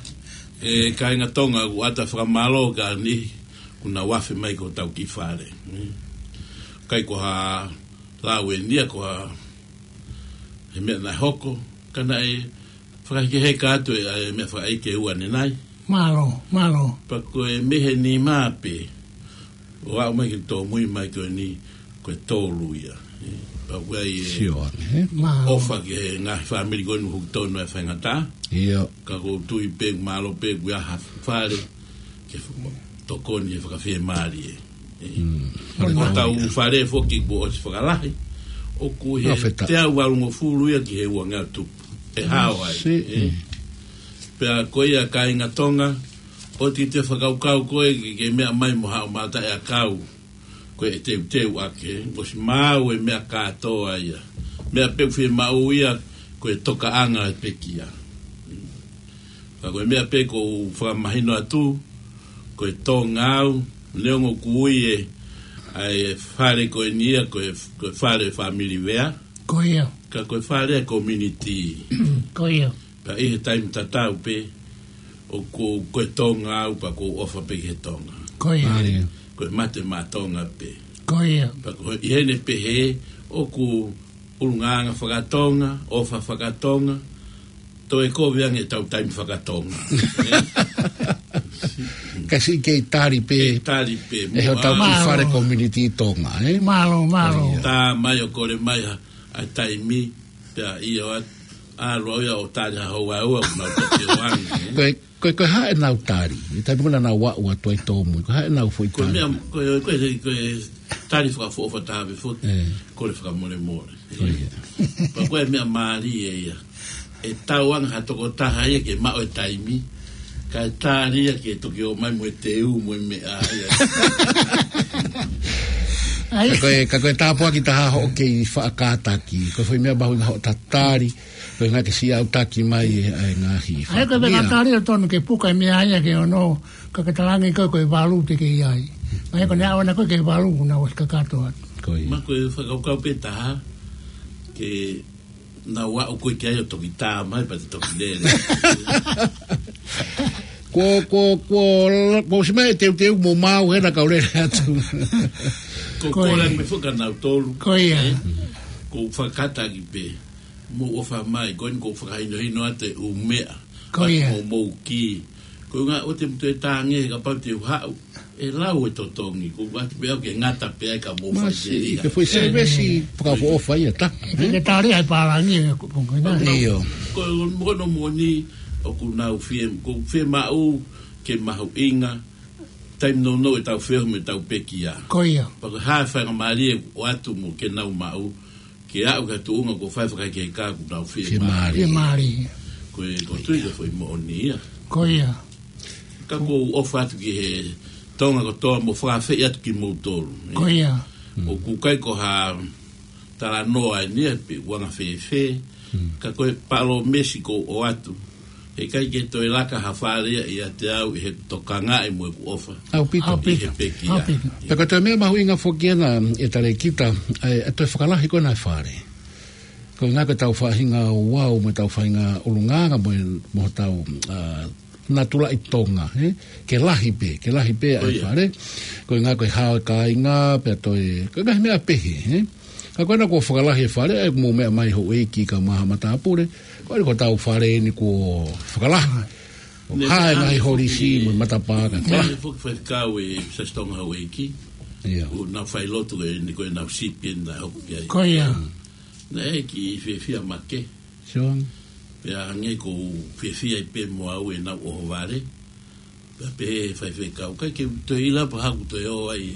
ʻE kāinga Tonga, ʻoku ʻoatu e fakamālō kia niʻihi kuo nau afe mai ki hotau kiʻi fale. Mm. ʻIkai ko ha lau eni ia ko ha, he meʻa naʻe hoko, ka naʻe fakahekeheka atu e, e meʻa fakaʻeiki ʻe ua ʻanenai. Mālō, mālō. Pea ko e mei he nima pē ʻo aʻu mai ki he tōmui mai ko eni, ko e tolu ia. Ē, pea ʻoku ʻi ai e, sio ange, ē? Mālō. ʻOfa ki he ngaahi fāmili ko eni ʻoku tonu e faingataʻa. Ia. Ka ʻoku ou tui pē, mālō pē kuo ʻi ai ha fale ke tokoni he fakafiemālie. Ē. Mm. Ko hotau fale foki kuo ʻosi fakalahi, ʻoku ʻi he, fakafetaʻi, teau valungofulu ia ki he uangeau tupu. ʻE hao ai. Sī, ē. Mm. Pea ko ia kāinga Tonga, ʻoua te ke toe fakakaukau koe ke, ke meʻa mai mo haʻo mataʻi ʻakau ko e teuteu ʻaki, ʻosi maau e meʻa kātoa ia. Meʻa pē ʻoku fiemaʻu ia ko e tokaʻanga e pekia. Ka ko e meʻa pē ʻoku ou fakamahino atu, ko e Tonga au, neongo ʻoku ui e, ʻa e fale ko eni ia, ko e, ko e fale fāmili Vea. Ko ia. Ka ko e fale e community. Ko ia. Pea ʻi he taimi tatau pē, ʻOku, ko e Tonga au pea ʻoku ou ʻofa pē ki he Tonga. Ko ia. Mālie. Ko e mate maʻa Tonga pē. Ko ia. Pea ko ʻi heʻene pehē, ʻoku ʻulungaanga faka-Tonga, ʻofa faka-Tonga, toe kovi ange ʻetau taimi faka-Tonga. Ka siʻi kei tali pē. Kei tali pē. ʻE hotau kiʻi fale community Tonga, ē? Mālō, mālō. Tā mai ʻo kole mai ha, ʻa e taimi, pea ʻio atu, ʻalu au ia ʻo tali ha houʻeiki, ʻoku nau toki ō ange, ē? Ko e, ko e, ko e hā ʻenau tali, ʻi he taimi ko ē naʻa nau aʻu atu ai tōmui, ko e hā ʻenau foʻi tali? Ko e meʻa, ko e, ko e, ko e tali fakaʻofoʻofa taha pē foki, ē, kole fakamolemole. Ko ia. Pea ko e meʻa mālie ia. ʻE tau ange ha tokotaha ia ke maʻu e taimi, kae tali ia ke toki ō mai mo e teu mo e meʻa ia. ʻAi. Ka ko e, ka ko e tāpuaki taha hoʻo kei faʻa kātaki, ko e foʻi meʻa mahuʻinga hoʻo tatali, ko e ʻuhinga ke siʻi aʻutaki mai e, ʻa e ngaahi ʻAi, ko e meʻa fatongia. Kātaki ʻo tonu ke puka e meʻa ia ke ono, ka ke talaange ko e, ko e valu te ke ʻi ai. Mai ko e ʻaho na ko e ke valu, kuo nau ʻosi kakato atu. Ko ia. Ma ko e fakakaukau pē taha, ke nau aʻu ko ē ki ai ʻo toki tā mai pea te toki lele. Ko, ko, ko, ko si mai e teuteu mo mau hena kau lele atu. Ko Ko e. Kole mei faka nautolu. Ko ia. Ē? Ko fakataki pē. Mou ʻofa mai, ko eni ko fakahinohino atu e ʻū meʻa. Ko ia. Mo mou ki. Ko e ʻuhinga ʻoua te mou toe tānge he kapau te u haʻu. ʻE lau e totongi, ko ʻoatu pē au ke ngata pē ai ka mou fai Masi, pē ia. Ke foʻi Ē. Sēvesi fakaʻofoʻofa ia, tā. Ke, ke tali ai pālangi, ē, ko, ko, ko, ʻIo. Ko, ko, ko, ko, moʻoni, ʻoku nau fie, ko fie maʻu ke mahuʻinga, taimi nounou ʻetau feohi mo ʻetau pekia. Ko ia. Pea ko e hā e faingamālie ʻoatu mo ke nau maʻu, ke aʻu ki ha tuʻunga kuo fai fakaʻekeʻeka kuo nau fie Fie mālie. Mālie. Fie mālie. Ko e, ko e tui ka foʻi moʻoni ia. Ko ia. Ka ʻoku ou ʻofa atu ki he Tonga kotoa mo fakaafeʻi atu kimoutolu. Ko ia. ʻOku ʻikai ko ha talanoa eni ia pe ʻuhinga fēfē. Mm. Ka ko e palōmesi ʻoku ou ʻoatu. Heʻikai ke toe laka ha fale ia ʻiate au ʻi heʻeku tokangaʻi mo ʻeku ʻofa. ʻAupito. ʻAupito. ʻI he pekia. ʻAupito. Pea ko e toe meʻa mahuʻinga foki ena ʻe Talēkita, ʻa e, ʻa e toe fakalahi ko ena e fale. Ko e ʻuhinga ko ʻetau faʻahinga ouau mo ʻetau faʻahinga ʻulungaanga mo e, mo hotau, ʻa, natula ʻi Tonga, ē? Ke lahi pē, ke lahi pē ʻa e Ko ia. Fale. Ko e ʻuhinga ko e hao e kāinga, pea toe, ko e ngaahi meʻa pehē, ē? Ka ko ena kuo fakalahi e fale, ʻe mou meʻa mai houʻeiki kae ʻumaʻā ha matāpule, ko eni ko hotau fale eni kuo fakalahi. Ko e Ne hā e ngaahi foki holisi mo e matapā ka Neʻe fakalahi. Foki faifekau e Siasi Tonga houʻeiki. ʻIo. ʻOku nau fai lotu eni ko ʻenau sipi eni naʻe hoko ki ai. Ko ia. Naʻe kiʻi fiefia Make. Sio ange. Pea hangē ʻoku ou fiefia ai pē mo au ʻenau ʻohovale. Pea pehē faifekau, ʻikai ke u toe ʻilo pe ko e hā ʻoku toe ō ai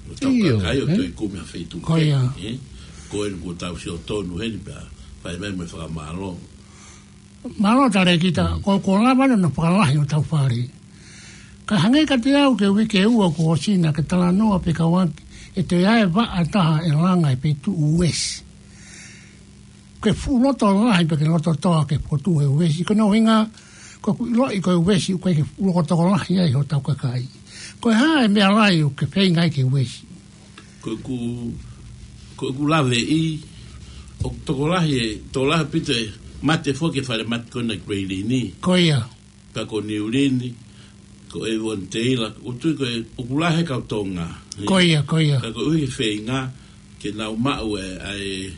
ʻo tau ʻIo, kakai ʻo ē? Toe kumi ha feituʻu Ko ia. Kehe, ē? Ko eni kuo tau sio tonu heni pea fai mai mo e fakamālō. Mālō Talēkita, Mm. ko, ko e lava ena ʻo fakalahi hotau fale. Ka hangē kiate au ko e uike ʻe ua kuo ʻosi naʻa ke talanoa pē kau ʻaki, ʻe toe ʻi ai e vaʻa ʻe taha ʻe langa he feituʻu uesi. Ke fuʻu loto lahi pe ke loto toʻa ke fokotuʻu e uesi. Ko hono ʻuhinga, ko ʻeku ʻiloʻi ko e uesi ʻoku ʻikai ke fuʻu loto tokolahi ai hotau kakai. Ko e hā e meʻa lahi ʻoku ke feinga ai ke uesi? Ko ʻeku, ko ʻeku laveʻi, ʻoku tokolahi e, tokolahi ʻaupito e mate foki e falemate ko ena ʻi Great Lini. Ko ia. Pea ko Niu Lini, ko Avondale, ʻoku ou tui ko e, ʻoku lahi e kau Tonga. Ko ia, ko ia. Pea koeʻuhi he feinga, ke nau maʻu e, ʻa e,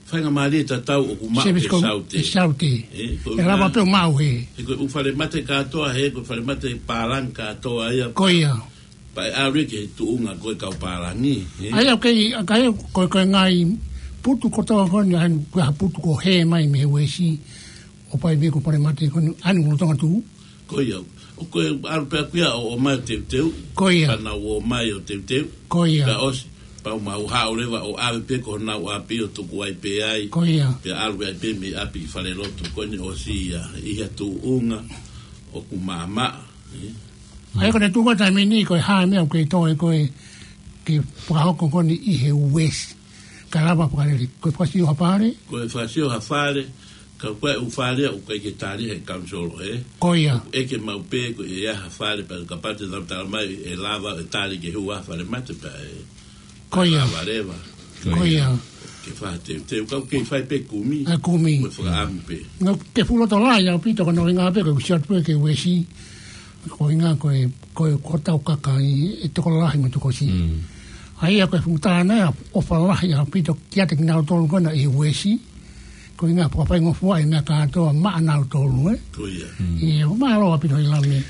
faingamālie tatau ʻoku maʻu Service he ko, Saute. He Saute. Ē, ko ʻE lava ʻuhinga, pē ʻo maʻu he. He ko e ʻū falemate kātoa, he ko e falemate pālangi kātoa ia. Ko ia. Pea ʻe ʻalu ia ki he tuʻunga ko e kau pālangi, ē. ʻA ia, ʻoku ʻikai, ʻa ia, ko e, ko e ngaahi putu kotoa ko eni, ʻa ia, ko e hā putu ko ē ʻoku hē mai mei he uesi, ʻo fai mei he ko e falemate ko eni, ʻa ia ʻoku lolotonga tuʻu. Ko ia, ʻoku ʻalu pē ʻaku ia ʻo, ʻomai ʻo teuteu. Ko ia. Pea nau ō mai ʻo teuteu. Ko ia. Pea ʻosi, pea mau haʻu leva ʻo ʻave pē ki honau ʻapi ʻo tuku ai pē ai. Ko ia. Pea ʻalu ai pē mei ʻapi ki falelotu, ko eni ʻosi ia, ʻi ha tuʻunga ʻoku maʻamaʻa, ē. ʻA ia ko e tuʻunga taimi ni ko e hā e meʻa ʻoku kei toe ko ē ke fakahoko ko eni ʻi he uesi. Ka lava fakalele, ko e fakasio ha fale? Ko e fakasio ha fale, ka ko e ʻū fale ʻoku ʻikai ke tali he council, ē? Ko ia. ʻEke maʻu pē ko e ʻi ai ha fale pea kapau te nau tala mai ʻe lava ʻe tali ke hū ha falemate pea ʻe Ko ia. Lava leva. Ko ia. Ke fai teuteu, ka ʻoku kei fai pē kumi. ʻA e kumi. Mo e fakaʻamu pē. Nō, ke fuʻu loto lahi ʻaupito, ko hono ʻuhinga pē ko e usi atu pē ki he Uesi. Ko e ʻuhinga ko e, ko e, ko hotau kakai ʻe tokolahi mo e tokosi. Mm. ʻA ia ko e fuʻu tānaki ʻofa lahi ʻaupito kiate kinautolu ko ena ʻi he Uesi. Ko e ʻuhinga fakafaingofua e meʻa kātoa maʻanautolu, ē? Ko ia. Mm. ʻIo, mālō ʻaupito ʻEilame.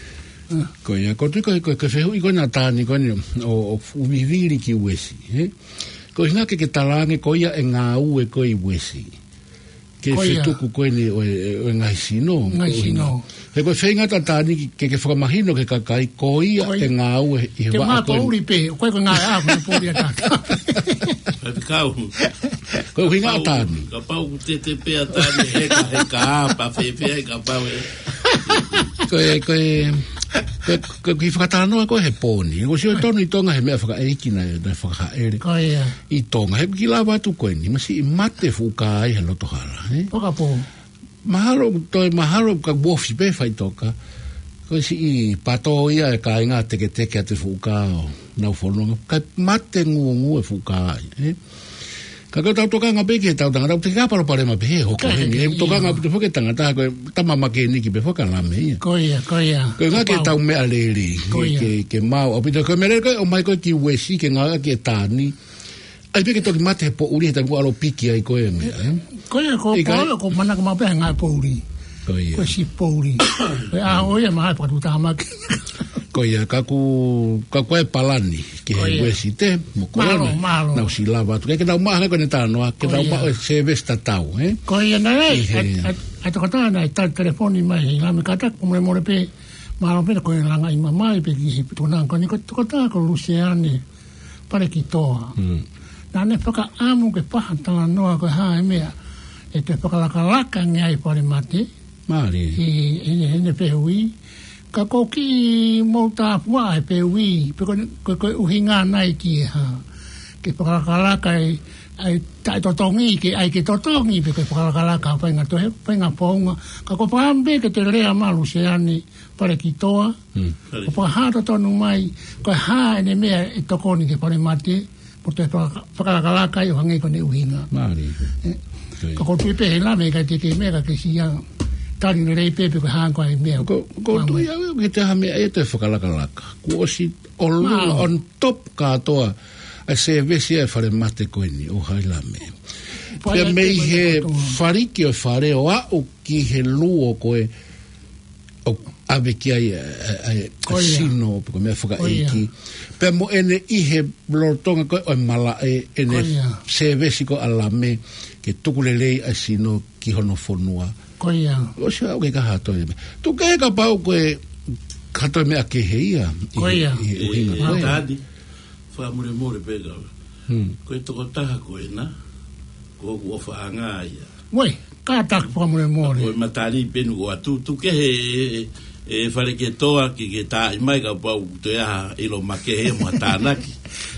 Ko ia, ko e tui ko e, ko e, ko e fehuʻi ko ena ʻa Tani ko eni ʻo, ʻo fuʻu vivili ki Uesi, ē? Ko e ʻuhinga ke ke talaange ko ia e ngāue ko ē ʻi Uesi. Ke Ko ia. fetuku ko eni ʻo e, ʻo e ngaahi sino. Ngaahi Ko e ʻuhinga. sino. He ko e feinga ʻa Tani ke, ke fakamahino ki he kakai, ko ia Ko ia. e ngāue ʻi he Te vaʻa mā ko eni. poʻuli pē, ko e ko e ngāue ʻa, ko e poʻuli ʻa Tani. Kae kau. Ko e ʻuhinga ʻa Kapau, Tani. kapau ʻoku tete pē ʻa Tani, heka, heka, pa fēfē, he kapau ē. Ko e, ko e, ko e, ko e kiʻi fakatalanoa ko ē he pō ni. Ko e sio tonu ʻi Tonga he meʻa fakaʻeiki naʻe, naʻe fakahāʻele. Ko ia. ʻI Tonga, he ʻoku kiʻi lava atu ko eni, masiʻi mate fuʻu kā ʻi he loto hala, ē? Fakapō. Mahalo, toe mahalo ka ʻoku ofi pē faʻitoka. Ko e siʻi pato ia e kāinga teketeke atu e fuʻu kā ʻo nau fononga. Kae mate ngūngū e fuʻu kā, ē? Ka ko ʻetau tokanga pē ki heʻetau tangata, ʻoku teʻeki ai palopalema pehē ʻe hoko Kae heni. teʻeki, ʻE tokanga ʻio. ʻaupito foki e tangata, ko e tama makeniki pē foki ʻa Lame ia. Ko ia, ko ia. Ko e ʻuhinga ke Kapau. tau meʻa lelei, Ko ia. ke, ke maau ʻaupito. Ko e meʻa lelei ko e ʻomai ko ē ki Uesi, ke ngāueʻaki ʻe Tani. ʻAi pē ke toki mate he poʻuli, he taimi ko ē ʻalu ʻo piki ai ko ē meʻa, ē? Ko ia, ko, ʻIkai. ko, ko manako maʻu pē he ngāue poʻuli. Ko ia. Ko e siʻi poʻuli. Ko e ʻaho ia, mahalo pē ʻoku tuʻu tāmaki. Ko ia, ka ʻoku, ka ʻoku ʻi ai e palani ki he Ko ia. Uesi te, mo Mālō, Kolone. mālō. Naʻa ku ʻosi lava atu. Ke, ke tau maʻu hake ko eni talanoa, ke Ko tau ia. maʻu e service tatau, ē? Ko ia, naʻe, ʻI he ʻa, ʻa, ʻa, tokotā naʻe tali telefoni mai ʻEilame, kātaki fakamolemole pē, mālō pē ko e langa ʻi mamae pē ki he tokotā ko eni, ko e tokotā ko Luseane Palekitoa. Mm. Naʻa ne fakaʻamu ke fai ha talanoa ko e hā e meʻa ʻe toe fakalakalaka ange ai e falemate. Mālie. ʻI, ʻi, ʻi heʻene fehuʻi. Ka ʻoku ou kiʻi mou tāpuaʻi he fehuʻi, pe ko e, ko e, ko e ʻuhinga nai ki he hā. Ke fakalakalaka e, ʻa e taʻetotongi, ke ʻai ke totongi, pe ke fakalakalaka ha faʻahinga toe, faʻahinga founga. Ka ʻoku ou fakaʻamu pē ke toe lea mai Luseane Palekitoa. Mm. ʻO fakahā totonu mai, ko e hā ʻene meʻa ʻe tokoni ki he falemate, mo toe faka-, fakalakalaka ai ʻo hangē ko ʻene ʻuhinga. Mālie. Ē, Ko ia. ka ʻoku ou tui pē ʻEilame ʻikai te ke meʻa ka ke siʻi tali lelei pē pe ko e hā ko ā e meʻa. Ko, ko Mālie. tui au ʻe ʻikai te ha meʻa ʻe toe fakalakalaka. Kuo ʻosi ʻolunga Mālie. on top kātoa ʻa e service ʻa e falemate ko eni ʻo ʻEilame. Pea Pea mei te he mata kotoa. faliki ʻo e fale ʻo aʻu ki he luo ko ē ʻoku ʻave ki ai ʻa e, ʻa e, ʻa e, ʻa e Ko ia. sino, pe ko e meʻa fakaʻeiki. Ko ia. Pea mo ʻene ʻi he lolotonga ko ē ʻo e malaʻe, ʻene Ko ia. service ko ē ʻa Lame, ke tuku lelei ʻa e sino ki hono fonua. Ko ia. ʻOsi au ke kaha toe meʻa. Tuku ke kapau ko e kaha toe meʻa kehe ia. Ko ia. ʻI he, ʻi he ʻuhinga Ko ko ia. ē. Tadi. Fakamolemole pē ka. Hmm. Ko e tokotaha ko ena, ko hoku ʻofaʻanga ia. Uē, kātaki fakamolemole. Ko e matali pē nuku atu, tuku ke he, e, e Palekitoa ke, ke tā mai kapau toe ʻi ai ha ʻilo makehe mo ha tānaki.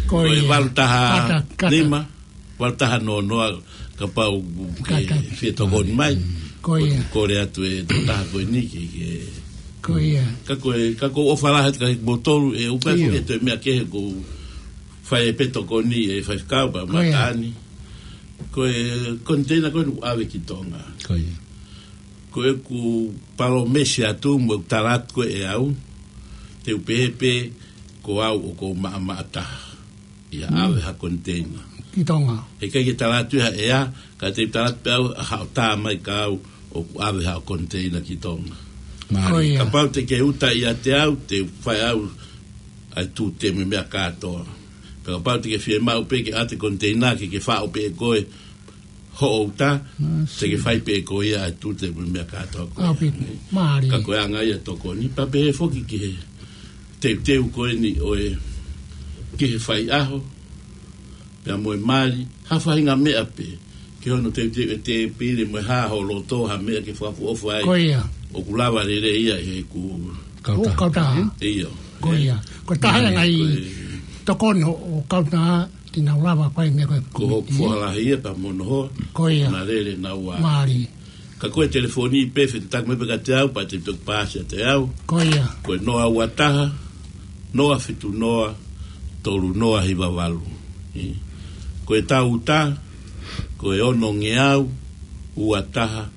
Ko Ko e ia. valu taha Kātaki, kātaki. nima, valu taha noa noa, kapau ke Kātaki. fie tokoni mai. Ko ia. Kole atu e tokotaha ko eni ke, ke Ko ia. Ka ko e, ka ko e ʻofa lahi atu kiate kimoutolu, ʻe ʻupa ʻIo. ko e toe meʻa kehe ʻoku fai pē tokoni ʻe faifekau pea Ko ia. mataʻani. Ko e container ko eni ʻoku ʻave ki Tonga. Ko ia. Ko ʻeku palōmesi atu mo ʻeku tala atu ko ē ʻe au, te u pehē pē ko au ʻoku ou maʻamaʻa taha ʻi ha Mm. ʻave ha container. Ki Tonga. He ʻikai ke tala atu ia ʻe au, ka te u tala atu pē au, haʻo tā mai kia au ʻoku ʻave haʻo container ki Tonga. Mālie. Ko ia. Kapau te ke uta ʻiate au, te u fai au ʻa e tute mo e meʻa kātoa. Pea kapau te ke fiemaʻu pē ke ʻoatu e container ke ke faʻo pē ʻe koe hoʻo uta, Mālie. te ke fai pē ʻe koe ia ʻa e tute mo e meʻa kātoa ko ia. ʻAupito. Mālie. Ka ko e anga ia e tokoni, pea pehē foki ki he teuteu ko eni ʻo e, ki he faiʻaho, pea mo e mali, ha faʻahinga meʻa pē, ki hono teuteu e tēpile mo e hā ho loto ha meʻa ke fakaʻofoʻofa ai. Ko ia. ʻOku lava lelei ia ʻe heʻeku Kautaha. Kautaha. ʻIo. Ko ia. Ko e taha ia Mālie, ngaahi ko e tokoni ʻo, ʻo e kautaha, te nau lava fai meʻa ko e Ko hoku komiti. foha lahi ia pea mo hono hoa. Ko ia. Naʻa lele naua. Mālie. Ka ko e telefoni pē fetuʻutaki mai pē kiate au, pea te toki paasi ʻiate au. Ko ia. Ko e noa ua taha, noa fitu noa, tolu noa hiva valu. ʻI. Ko e tau tā, ko e ono ngeau ua taha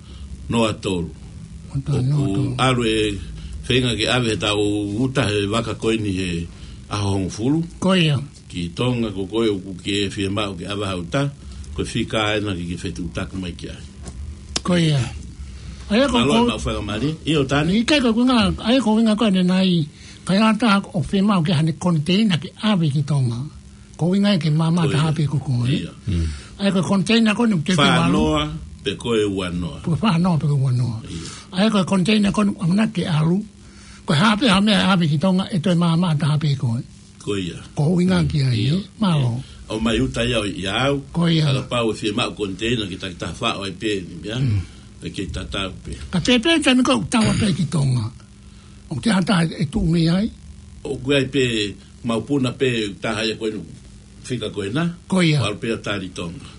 noa tolu. Ua taha noa tolu. ʻOku ʻalu e feinga ke ʻave ʻetau uta he vaka ko eni he ʻaho hongofulu. Ko ia. Ki Tonga ko koe ʻoku ke fiemaʻu ke ʻave ha uta, ko e fika ena ke ke fetuʻutaki mai ki ai. Ko ia. ʻA ia ko, mālō ko e maʻu faingamālie. ʻIo, Tani. ʻIkai ko e ʻuhinga, ʻa ia ko e ʻuhinga ko eni nai, ka ʻi ai ha taha ʻoku fiemaʻu ke ʻai haʻane koniteina ke ʻave ki Tonga. Ko e ʻuhinga ia ke maama Ko ia. taha pē ko koe. Ia. Mm. ʻA ia ko e koniteina ko eni ʻoku ke Fā fiemaʻu. noa pe ko e ua noa. Ko e fā noa pe ko e ua noa. Ia. ʻA ia ko e koniteina ko eni ʻamanaki ke ʻalu. Ko e hā pē ha meʻa ʻave ki Tonga ʻe toe maama taha pē koe. Ko ia. Ko e ʻuhinga ki ai, Ia. ē? Mālō. ʻOmai uta ia ʻo ʻiate au. Ko ia. Ka kapau ʻe fiemaʻu koniteina ke takitaha faʻo ai pē ni meʻa. Mm. ʻE kei tatau pē. Ka pē pē taimi ko ē ʻoku tau ʻave pē ki Tonga. ʻOku ʻi ai ha taha ʻe tuʻu mei ai? ʻOku ʻi ai pē maupuna pē taha ia ko eni fika ko ena. Ko ia. ʻO ʻalu pē ʻo tali Tonga.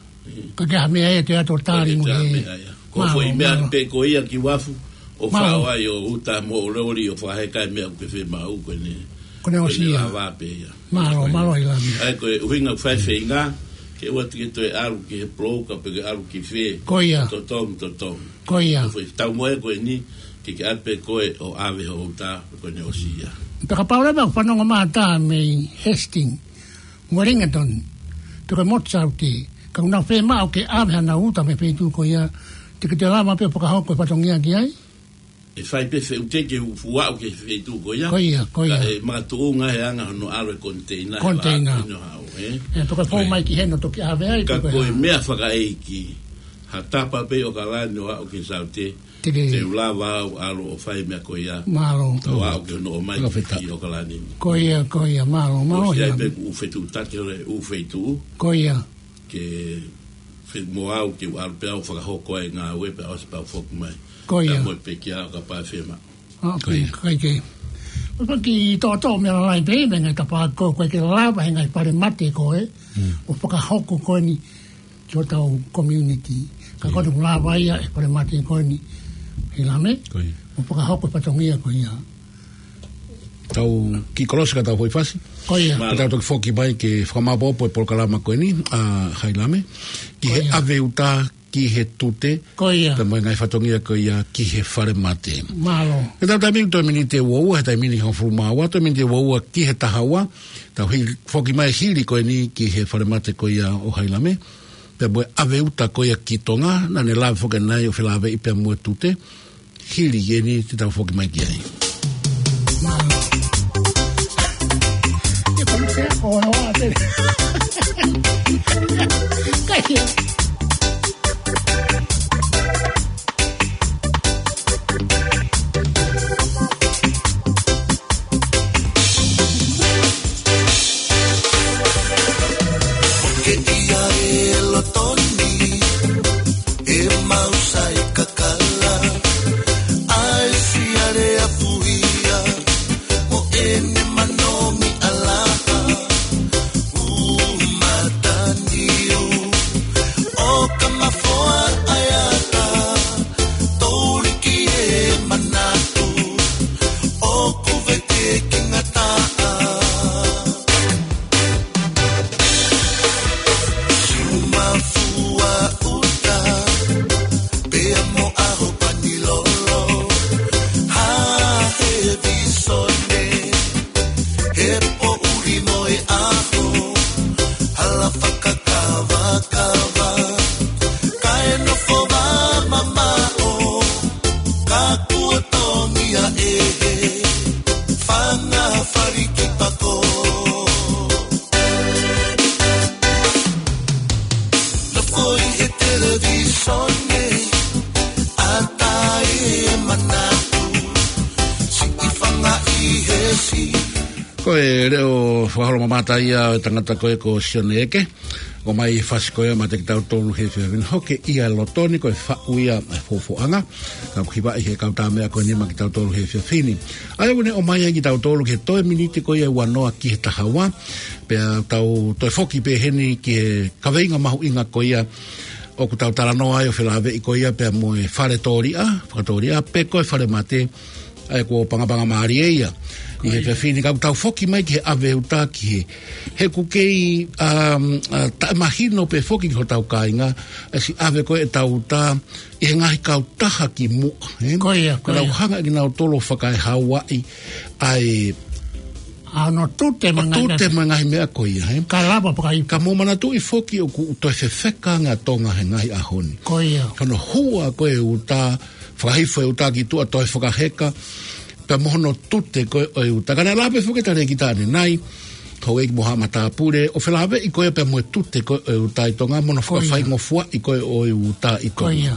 Ka ʻi ai ha meʻa ia te ʻoatu ʻo tali Ka ʻi ai mo ha e. meʻa ia. Ko e Mālō, foʻi meʻa mālō. pē ko ia ki Wafu, ʻo Mālō. faʻo ai ʻo uta mo loli ʻo fakaheka e meʻa ʻoku ke fiemaʻu ko eni. Ko ʻene Ko ʻene ʻosi ia. lava pē ia. Mālō, mālō ʻAilame. ʻA ia ko e ʻuhinga ʻoku fai feinga, ke ʻoua te ke toe ʻalu ki he poloka pe ke ʻalu ki fē. Ko ia. Totongi, totongi. Ko ia. Ko e foʻi taumuʻa ko eni, ke ke ʻave pē koe ʻo ʻave ho uta, ko ʻene ʻosi ia. Pea kapau leva ʻoku fanongo mai ha taha mei Hastings, Wellington, pe ko e motu Saute, ka ʻoku nau fiemaʻu ke ʻave haʻanau uta mei he feituʻu ko ia, te ke toe lava pē ʻo fakahoko e fatongia ki ai? ʻE fai pē feʻuteki ʻo fuaʻu ki he feituʻu ko ia. Ko ia, ko ia. Ka ʻe makatuʻunga he anga hono ʻalu e koniteina he Koniteina. vaka ko eni ʻo haʻu, ē? ʻE, pe ko e fou Ko ia. mai ki heni ʻo toki ʻave ai, Ka pe ko ko e e hā? meʻa fakaʻeiki, ha tapa pē ʻi ʻAokalani ʻo aʻu ki Saute, Te ke te u lava au ʻalu ʻo fai meʻa ko ia. Mālō. Tau aʻu ki hono ʻomai Fakafetaʻi. ki ʻAokalani. Ko ia, ko ia, mālō, mālō ʻOsi ia. ai pē kuo u fetuʻutaki ʻo le ʻū feituʻu. Ko ia. Ke fe-, mo au ke u ʻalu pē au fakahoko ai ngāue pea ʻosi pea u foki mai. Ko ia. Ka mo e pekia ʻo kapau ʻe fiemaʻu. ʻA, Ko ia. kai ke. ʻO paki tōtō meʻa lalai pē, meʻa ngai tapa ko, ko e ke lava he ngaahi falemate ko ē. Mm. ʻO fakahoko ko eni ki hotau community. Ka Ia. ko eni ʻoku lava ia e falemate ko eni. ʻAilame? Ko ia. ʻO fakahoko e fatongia ko ia. Tau kiʻi kolosi ka tau foʻi fasi. Ko ia. Ka tau toki foki mai ke fakamāopoopo e polokalama ko eni, ʻa ʻAilame. Ki Ko he ia. ʻave uta, ki he tute. Ko ia. Pea mo e ngaahi fatongia ko ia ki he falemate. Mālō. He tau taimi ni toe miniti ʻe ua ua, he taimi ni hongofulu mā ua, toe miniti ʻe ua ua ki he taha ua. Tau hi-, foki mai hili ko eni ki he falemate ko ia ʻo ʻAilame. Pea mo e ʻave uta ko ia ki Tonga, naʻa ne lave foki nai ʻo felāveʻi pea mo e tute. Hili eni te tau foki mai ki ai. Ke ʻi ai e loto ni, ʻemau sai kakala, ʻai siale a puhia, mo ʻene manomi ʻalaha, ʻū mataniu, ʻo ka mafoa ʻaiata, touliki e manatu, ʻoku vete ki ngataʻa. Siumafua uta, pea mo ʻaho panilolo, ha he visone, he poʻuli mo e ʻaho, hala fakakavakava, kae nofo vā mamaʻo, ka kuo tongia ʻe he fanga faliki pako. Nofo ʻi he televīsone, ʻatā e manatu, siʻi fanga ʻi he si. Ko e leʻo fakaholomamata ia ʻo e tangata ko ē ko Sione Eke. ʻOmai e fasi ko ia maʻa kitautolu he efiafi ni, Hoke ʻi he Loto Ni, ko e faʻu ia ʻa e fofoʻanga. Ka ʻoku hivaʻi he kau tā meʻa ko eni maʻa kitautolu he efiafi ni. ʻA ia ʻoku ne ʻomai ai kitautolu ki he toe miniti ko ia ʻe ua noa ki he taha ua. Pea tau toe foki pē heni ki he kaveinga mahuʻinga ko ia ʻoku tau talanoa ai ʻo felāveʻi ko ia pea mo e fale tōliʻa, fakatōliʻa, pe ko e falemate. ʻA ia kuo pangapanga mālie ia. ʻI he efiafi ni ka ʻoku tau foki mai ki he ʻave uta ki he. He ʻoku kei, um, uh, taʻemahino pē foki ki hotau kāinga, ʻa e siʻi ʻave ko ē ʻetau uta, ʻi he ngaahi kautaha ki muʻa, ē? Ko ia, ko ia. Ka nau hanga ʻe kinautolu ʻo fakaehauaʻi ʻa e ʻa hono tute mo e ngaahi tute meʻa. Mo e ngaahi meʻa ko ia, ē? Ka lava fakahipo. Ka mou manatuʻi foki ʻoku toe fefeka ange ʻa Tonga he ngaahi ʻaho ni. Ko ia. Ko hono hua ko ē uta, fakahifo e uta ki tuʻa toe fakaheka, pea mo hono tute ko ē ʻo e uta. Ka naʻe lave foki e talēkita ʻanenai, houʻeiki mo haʻa matāpule, ʻo felāveʻi ko ē pea mo e tute ko ē ʻo e uta ʻi Tonga, mo hono Ko ia. fakafaingofuaʻi ko ē ʻo e uta ʻi Ko Tonga. ia.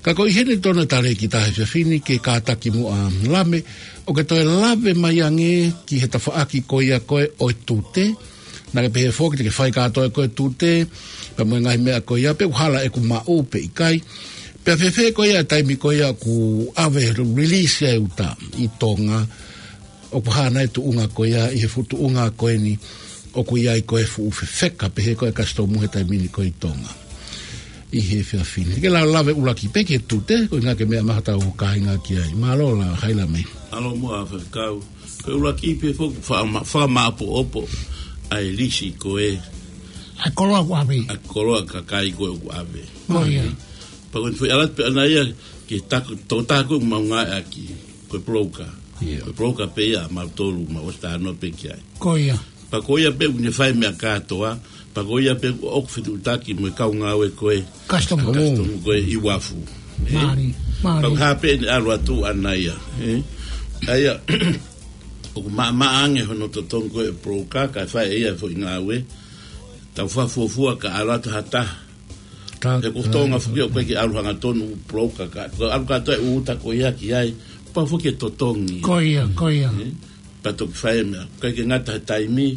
Ka ko e ʻi heni tonu e talēkita he efiafi ni ke kātaki muʻa Lame, ʻo ke toe lave mai ange ki he tafaʻaki ko ia ko ē ʻo e tute, naʻa ke pehē foki te ke fai kātoa ko ē tute, pea mo e ngaahi meʻa ko ia, pe ʻoku hala ʻeku maʻu pe ʻikai. Pea fēfē ko ia e taimi ko ia ʻoku ʻave release e uta ʻi Tonga, ʻoku hā nai e tuʻunga ko ia, ʻi he fuʻu tuʻunga ko eni, ʻoku ʻi ai ko ē fuʻu fefeka, pehē ko e kasitomu he taimi ni ko ē ʻi Tonga. ʻI he efiafi ni. Ke lave ʻuluaki pē ki he tute, ko e ʻuhinga ko e meʻa mai hotau kāinga ki ai. Mālō lahi Lame. Mālō muʻa Faifekau. Ko e ʻuluaki pē foki faʻa ma-, fakamāʻopoʻopo ʻa e lisi ko ē. ʻA e koloa ʻoku ʻave. ʻA e koloa kakai ko ē ʻoku ʻave. Ko ia. Pea ko e foʻi ʻalu atu pē ʻanai ia ki he taku, tokotaha ko ē ʻoku mau ngāueʻaki. Ko e broker. Ia. Ko e broker pē ia ʻa mautolu, mau ʻosi talanoa pē ki ai. Ko ia. Pea ko ia pē ʻoku ne fai e meʻa kātoa, pea ko ia pē ʻoku fetuʻutaki mo e kau ngāue ko ē. Customer. Customer ko ē ʻi Uafu. Ē? Mālie, mālie. Pea ko e hā pē ʻene ʻalu atu ʻanai ia, ē? ʻA ia, ʻoku maʻamaʻa ange hono totongi ko ē e broker, kae fai ʻe ia e foʻi ngāue. Tau fakafuofua ka ʻalu atu ha taha. Ta-, He ko Tonga foki ʻoku ʻikai ke ʻalu hangatonu broker ka, ko e ʻalu kātoa e uta ko ia ki ai, pau foki e totongi. Ko ia, ko ia. Ē? Pea toki fai e meʻa. ʻIkai ke ngata he taimi,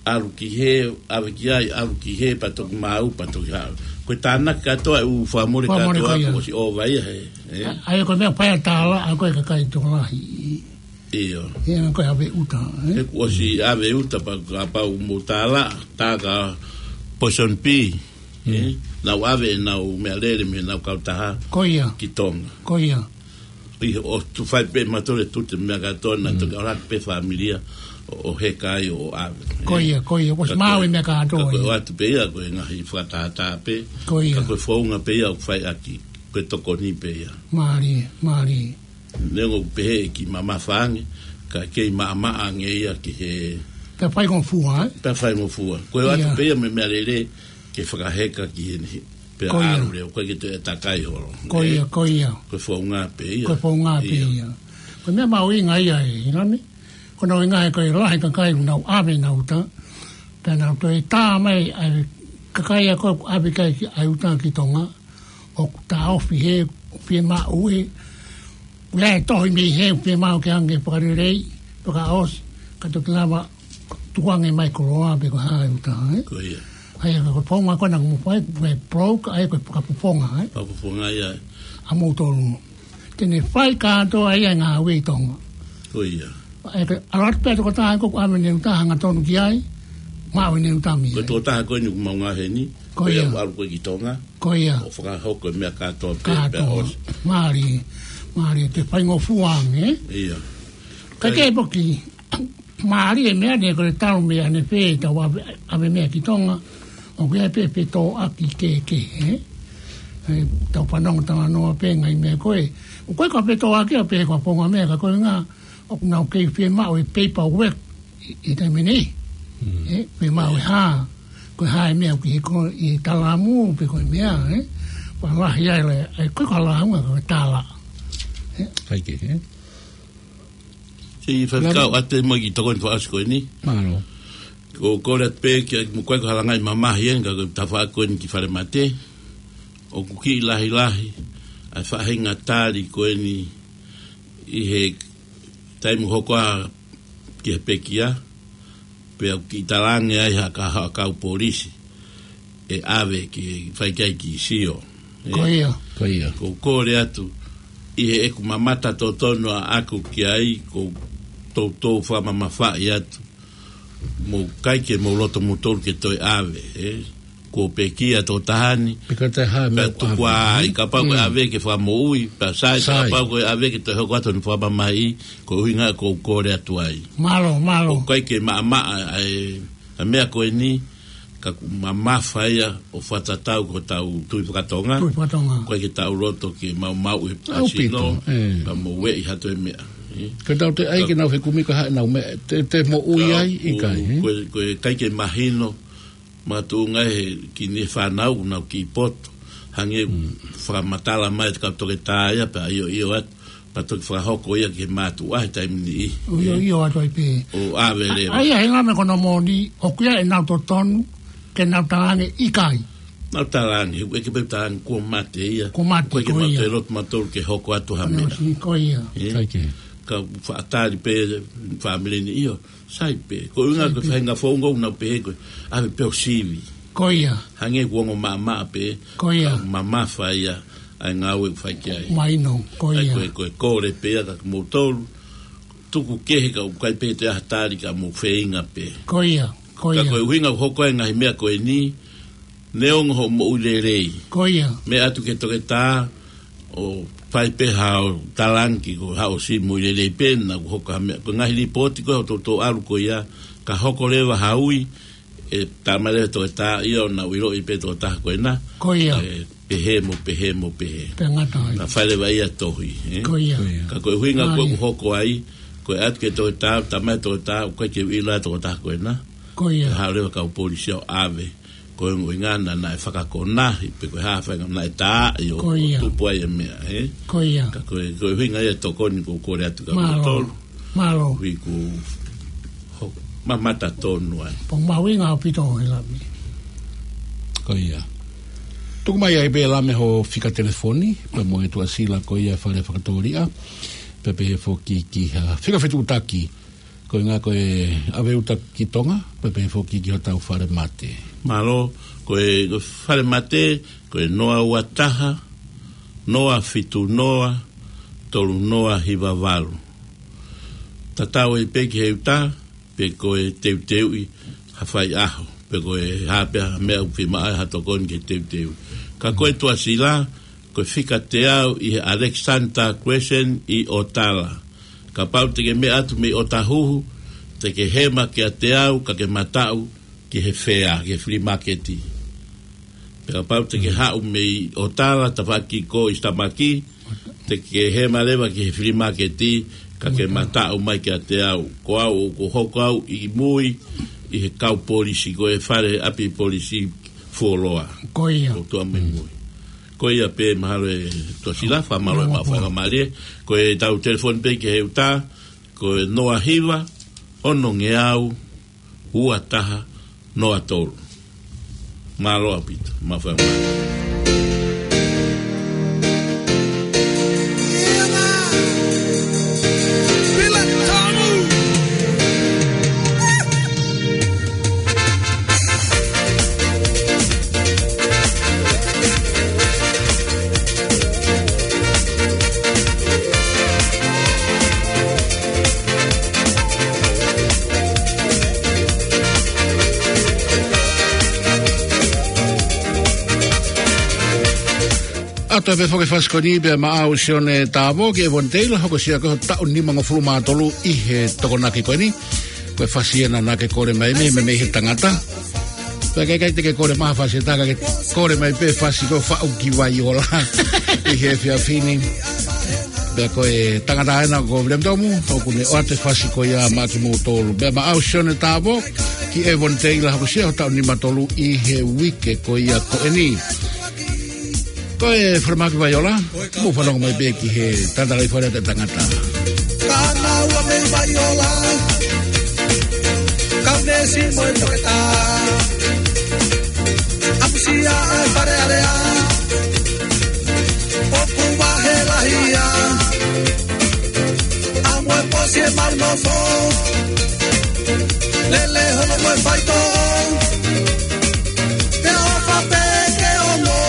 ʻalu ki hē, ʻave ki ai, ʻalu ki hē, pea toki maʻu, pea toki haʻu. Ko e tānaki kātoa e ʻū fakamole Fakamole kātoa, ko ia. kuo ʻosi ʻova ia he, ē? ʻA ia ko e meʻa pea tālaʻa ko e kakai tokolahi. ʻIo. He anga ko e ʻave uta, ē? He kuo ʻosi ʻave uta pea kapau mou tālaʻa, tā ka Poison P, ē? Mm. Nau ʻave ʻenau meʻalele mei heʻenau kautaha Ko ia. ki Tonga. Ko ia. ʻI he ʻoku fai pē mautolu e tute meʻa kātoa naʻa Mm. toki ʻalu hake pē fāmili ia ʻo, ʻo heka ai ʻo ʻave. Ko ia, ko ia. Kuo ʻosi Ka maʻu ko e e meʻa kātoa ka ko e ia. ʻoatu pē ia ko e ngaahi fakatātā pē. Ko ia. Ka ko e founga pē ia ʻoku fai ʻaki. Ko e tokoni pē ia. Mālie, mālie. Neongo ʻoku pehē ʻe kiʻi mamafa ange, ka kei maʻamaʻa ange ia ki he Pea faingofua, ē? Pea faingofua. Ko e ʻoatu Ia. pē ia mo e meʻalele ke fakaheka ki heni. Pea Ko ia. ʻalu leva, ʻoku ʻikai ke toe takai holo. Ko ia, Ē? ko ia. Ko e founga pē ia. Ko e founga pē Ia. ia. Ko e meʻa mahuʻinga ia ē, ʻi Lame. Ko hono ʻuhinga he ko e lahi e kakai ʻoku nau ʻave ʻenau uta. Pea nau toe tā mai ʻa e kakai ia ko ē ʻoku ʻave ki ai ʻa e uta ki Tonga. ʻOku taʻofi hē, fiemaʻu ē. Pea ʻe tohi mei hē, fiemaʻu ke hanga ʻo fakalelei, fakaʻosi, ka toki lava tukuange mai koloa pe ko e hā e uta, ē? Ko ia. ʻA ia ko e founga ko ena ʻoku mou fai, ko e broker, ʻa ia ko e fakafofonga, ē? Fakafofonga ia. ʻA moutolu. Te ne fai kātoa ia e ngāue ʻi Tonga. Ko ia. ʻA ia ko e ʻalu atu pē tokotaha ko ē ʻoku ʻave ʻene uta hangatonu ki ai, maʻu ʻene uta mei ai. Ko e tokotaha ko eni ʻoku mau ngāueʻaki heni, Ko ko ia ia. ʻoku ʻalu ko ē ki Tonga. Ko ia. ʻO fakahoko e meʻa kātoa pē, pea Kātoa. ʻosi. Mālie, mālie, toe faingofua ange, ē? Ia. Ka Kai- ke poki, mālie e meʻa ni ko e talu mei ʻanefē ʻetau ʻave, ʻave meʻa ki Tonga, ʻoku ʻi ai pē fetōʻaki kehekehe, ē? ʻE, tau fanongo talanoa pē ngaahi meʻa ko ē. ʻOku ʻikai ko e fetōʻaki ia pē ko e founga meʻa ka ko e ʻuhinga, ʻoku nau kei fiemaʻu e paperwork ʻi, ʻi he taimi ni. Mm. Ē, fiemaʻu e hā, ko e hā e meʻa ʻoku ʻi he ko, ʻi he talamu, pe ko e meʻa, ē? Pea lahi ai le, ʻe, ko e ko e lāunga ko e tālaʻa. Ē? ʻIkai ke, ē? Siʻi Faifekau, Lame. ʻOatu e moʻoni ki he tokoni fakaʻosi ko eni. Mālō. Ko, kole atu pē ke mou ʻikai ko ha langaʻi mamahi eni ka ko e tafaʻaki ko eni ki Falemate. ʻOku kiʻi lahilahi ʻa e faʻahinga tali ko eni ʻi he taimi hoko ā ki he pekia, pea ʻoku kiʻi talaange ai ha ka, ha kau polisi ʻe ʻave ke fai ki ai kiʻi sio. Ē? Ko ia. Ko ia. ʻOku ou kole atu, ʻi heʻeku mamata totonu ʻaʻaku ki ai, ʻoku ou toutou fakamamafaʻi atu. Mou ʻikai ke mou loto moutolu ke toe ʻave, ē? kuo pekia e tokotaha ni. Pea ko e taha e meʻa ʻoku tuku ʻave ai, kapau ko e ʻave ke fakamoʻui, pea sai, sai, kapau ko e ʻave ke toe hoko atu hono fakamamahiʻi, ko e ʻuhinga ia ʻoku ou kole atu ai. Mālō, mālō. ʻOku ʻikai ke maʻamaʻa ʻa e, ʻa e meʻa ko eni, ka ʻoku mamafa ia ʻo fakatatau ki hotau tui fakatonga. Tui fakatonga. ʻOku ʻikai ke tau loto ke maumauʻi e ʻaupito, ʻasino, ē, ka mo ueʻi ha toe meʻa, ē. Ka tau te ai ke nau fekumi ka haʻanau meʻa, te, te moʻui ai, ʻikai, ē? Ko e, ko e ʻikai ke mahino, makatuʻunga he kiʻi niʻihi fānau ʻoku nau kiʻi poto. Hangē ʻoku fakamatala mai e kau toketā ia pea ʻio ʻio atu. Pea toki fakahoko ia ki he mātuʻa he taimi ni. ʻIo ʻio atu ai pē. ʻO ʻave leva. ʻA ia he ngaahi meʻa ko hono moʻoni, ʻoku ʻi ai ʻenau totonu ke nau talaange ʻikai. Nau talaange, he ʻoku ʻikai pē talaange kuo mate ia. Kuo mate, ko ia. ʻOku ʻikai ke mau toe loto mautolu ke hoko atu ha meʻa. Ko ia. Ē? ʻIkai ke. Ka faʻa tali pē fāmili ni ʻio. Sai pē. Ko e ʻuhinga ko e faʻahinga founga ʻoku nau pehē ko e ʻave pē ʻo sivi. Ko ia. Hangē ʻoku ongo maʻamaʻa pē. Ko ia. Ka mamafa ia ʻa e ngāue ʻoku fai ki ai. Mahino, ko ia. Ko e, ko e kole pē ia kia moutolu. Tuku kehe ka ʻoku ʻikai pē toe ʻi ai ha tali ka mou feinga pē. Ko ia, ko ia. Ka ko e ʻuhinga ʻoku hoko ai e ngaahi meʻa ko eni, neongo hoʻo moʻui lelei. Ko ia. Meʻa atu ki he toketā, ʻo fai pē haʻo talaange ko haʻo siʻi moʻui lelei pē naʻa ʻoku hoko ha meʻa. Ko e ngaahi lipooti ko ē ʻoku toutou ʻalu ko ia, ka hoko leva ha ui, ʻe talamai leva ʻe he toketā ia ʻoku nau ʻiloʻi pē tokotaha ko ena. Ko ia. ʻE, pehē mo pehē mo pehē. Pea ngata ai. Pea fai leva ia e tohi, ē? Ko ia. Ko ia. Ka ko e ʻuhinga ko ē ʻoku hoko ai, ko e ʻatu ki he toketā, talamai ʻe he toketā, ʻoku ʻikai ke u ʻilo ʻa e tokotaha ko ena. Ko ia. Pea haʻu leva e kau polisi ʻo ʻave. Ko e ʻuhinga naʻa, naʻe fakakonahi, pe ko e hā e faʻahinga naʻe tā ʻi ʻo, ko ia, tupu ai e meʻa, ē? Ko ia. Ka ko e, ko e ʻuhinga ia e tokoni ʻoku ou kole atu kia moutolu. Mālō. Mālō. Ui ku ho, mamata tonu ai. Pea mahuʻinga ʻaupito ʻa e lami. Ko ia. Tuku mai ai pē lami ho fika telefoni, pea mo e tuʻasila ko ia Fale Fakatōliʻa, pea pehē foki ki ha fika fetuʻutaki, ko e ʻuhinga ko e ʻave uta ki Tonga, pea pehē foki ki hotau fale mate. Mālō, ko e, ko e fale mate, ko e noa ua taha, noa fitu noa, tolu noa hiva valu. Tatau ai pē ki he uta, pe ko e teuteuʻi ha faiʻaho, pe ko e hā pē ha meʻa ʻoku fiemaʻu ai ha tokoni ke teuteu. Ka ko e tuʻasila, ko e fika teau ʻi he Alexander Crescent ʻi ʻOtala. Kapau te ke meʻa atu mei ʻOtahuhu, te ke hema kiate au, ka ke mataʻu ki he fea, ki he flea market. Pea kapau te ke haʻu mei ʻOtala, tafaʻaki ko ʻi Sitamaki, te ke hema leva ki he flea market, ka ke mataʻu mai kiate au. Ko au, ʻoku hoko au ʻi mui, ʻi he kau polisi, ko e fale ʻapi polisi fuoloa. Ko ia. ʻOku tuʻa mai mui. Ko ia pē mahalo e tuʻasila, fakamālō e maʻu fakamālie. Ko e tau telefoni pē ki he uta, ko e noa hiva, ono ngeau, ua taha, noa tolu. Mālō ʻaupito, maʻu fakamālie. ʻAtu pē foki e fasi ko eni pea maʻau Sione Tavo ki ʻEvoni Teila, hokosia ko e taʻu nimangofulu mā tolu ʻi he Tokonaki ko eni. Ko e fasi ena naʻa ke kole mai mei, mei, mei he tangata. Pea ʻikai, ʻikai te ke kole mai ha fasi ʻe taha ka ke kole mai pē fasi ko e Faʻu ki Vaiola ʻi he efiafi ni. Pea ko e tangata ena ko William Tomu, ʻoku ne ʻoatu e fasi ko ia maʻa kimoutolu. Pea maʻau Sione Tavo ki ʻEvoni Teila, hokosia ho taʻu nima tolu ʻi he uike ko ia ko eni. Ko e Falemahaki Vaiola, mou fanongo mai pē ki he tangata lahi fale ʻa e tangata. Ka naʻa ua mei Vaiola, ka nesi mo e toketā. ʻAmusia ʻa e Fale Alea, ʻoku vahe lahi ia. ʻAmu e posi e mau nofo, lele hono mo e faitoʻo. Pea ʻofa pē ke ono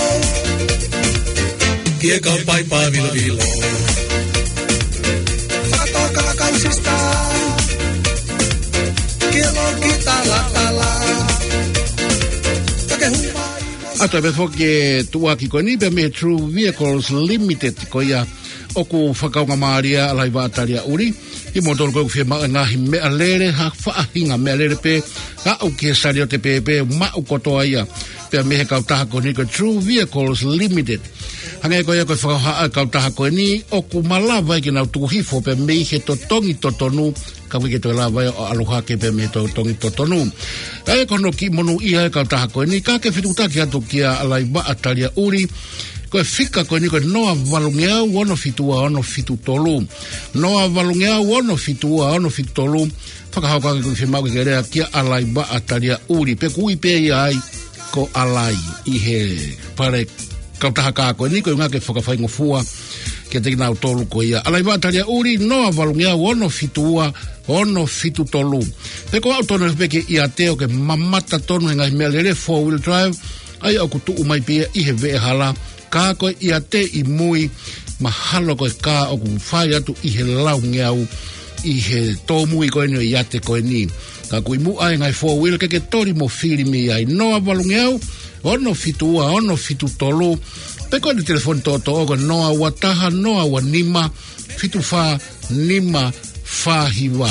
ki he kau paipa vilovilo. Fakatoka kau sisitā ki he loki talatala. Ka ke hū mai ʻA ia pē foki e tuʻuaki ko eni pē mei he True Vehicles Limited ko ia ʻoku fakaonga mālie ʻa e laiva ʻa Taliaʻuli. ʻI moutolu ko ē ʻoku fiemaʻu e ngaahi meʻalele ha faʻahinga meʻalele pē, aʻu ki he saliote pēpē, maʻu kotoa ia. Pea mei he kautaha ko eni ko e True Vehicles Limited. Hangē ko ia ko e fakahohaʻa e kautaha ko eni ʻoku malava ai ke nau tuku hifo pē mei he totongi totonu, ka ʻoku ʻikai ke toe lava ia ʻo ʻalu hake pē mei he totongi totonu. ʻA ia ko hono kiʻi monūʻia e kautaha ko eni, ka ke fetuʻutaki atu kia Laivaʻa Taliaʻuli, ko e fika ko eni ko e noa valungeau ono fitu ua ono fitu tolu. Noa valungeau ono fitu ua ono fitu tolu. Fakahoko ange ko e fiemaʻu ke ke lea kia Laivaʻa Taliaʻuli, pe ʻoku ui pē ia ai ko Alai ʻi he fale kautaha kā ko eni, ko e ʻuhinga ke fakafaingofua kiate kinautolu ko ia. Laivaʻa Taliaʻuli, noa valungeau ono fitu ua ono fitu tolu. Pe ko au tonu pē ke ʻiate ʻo ke mamata tonu he ngaahi meʻalele four wheel drive, ʻa ia ʻoku tuʻu mai pē ia ʻi he veʻehala, ka ko e ʻiate ʻi mui, mahalo ko e kā ʻoku fai atu ʻi he laungeau ʻi he tōmui ko eni ʻo e ʻiate ko eni. Ka ʻoku ʻi muʻa e ngaahi four wheel ke ke toli mo fili mei ai. Noa valungeau ono fitu ua ono fitu tolu. Pe ko e telefoni toʻotoʻo ko e noa ua taha noa ua nima fitu fā nima fā hiva.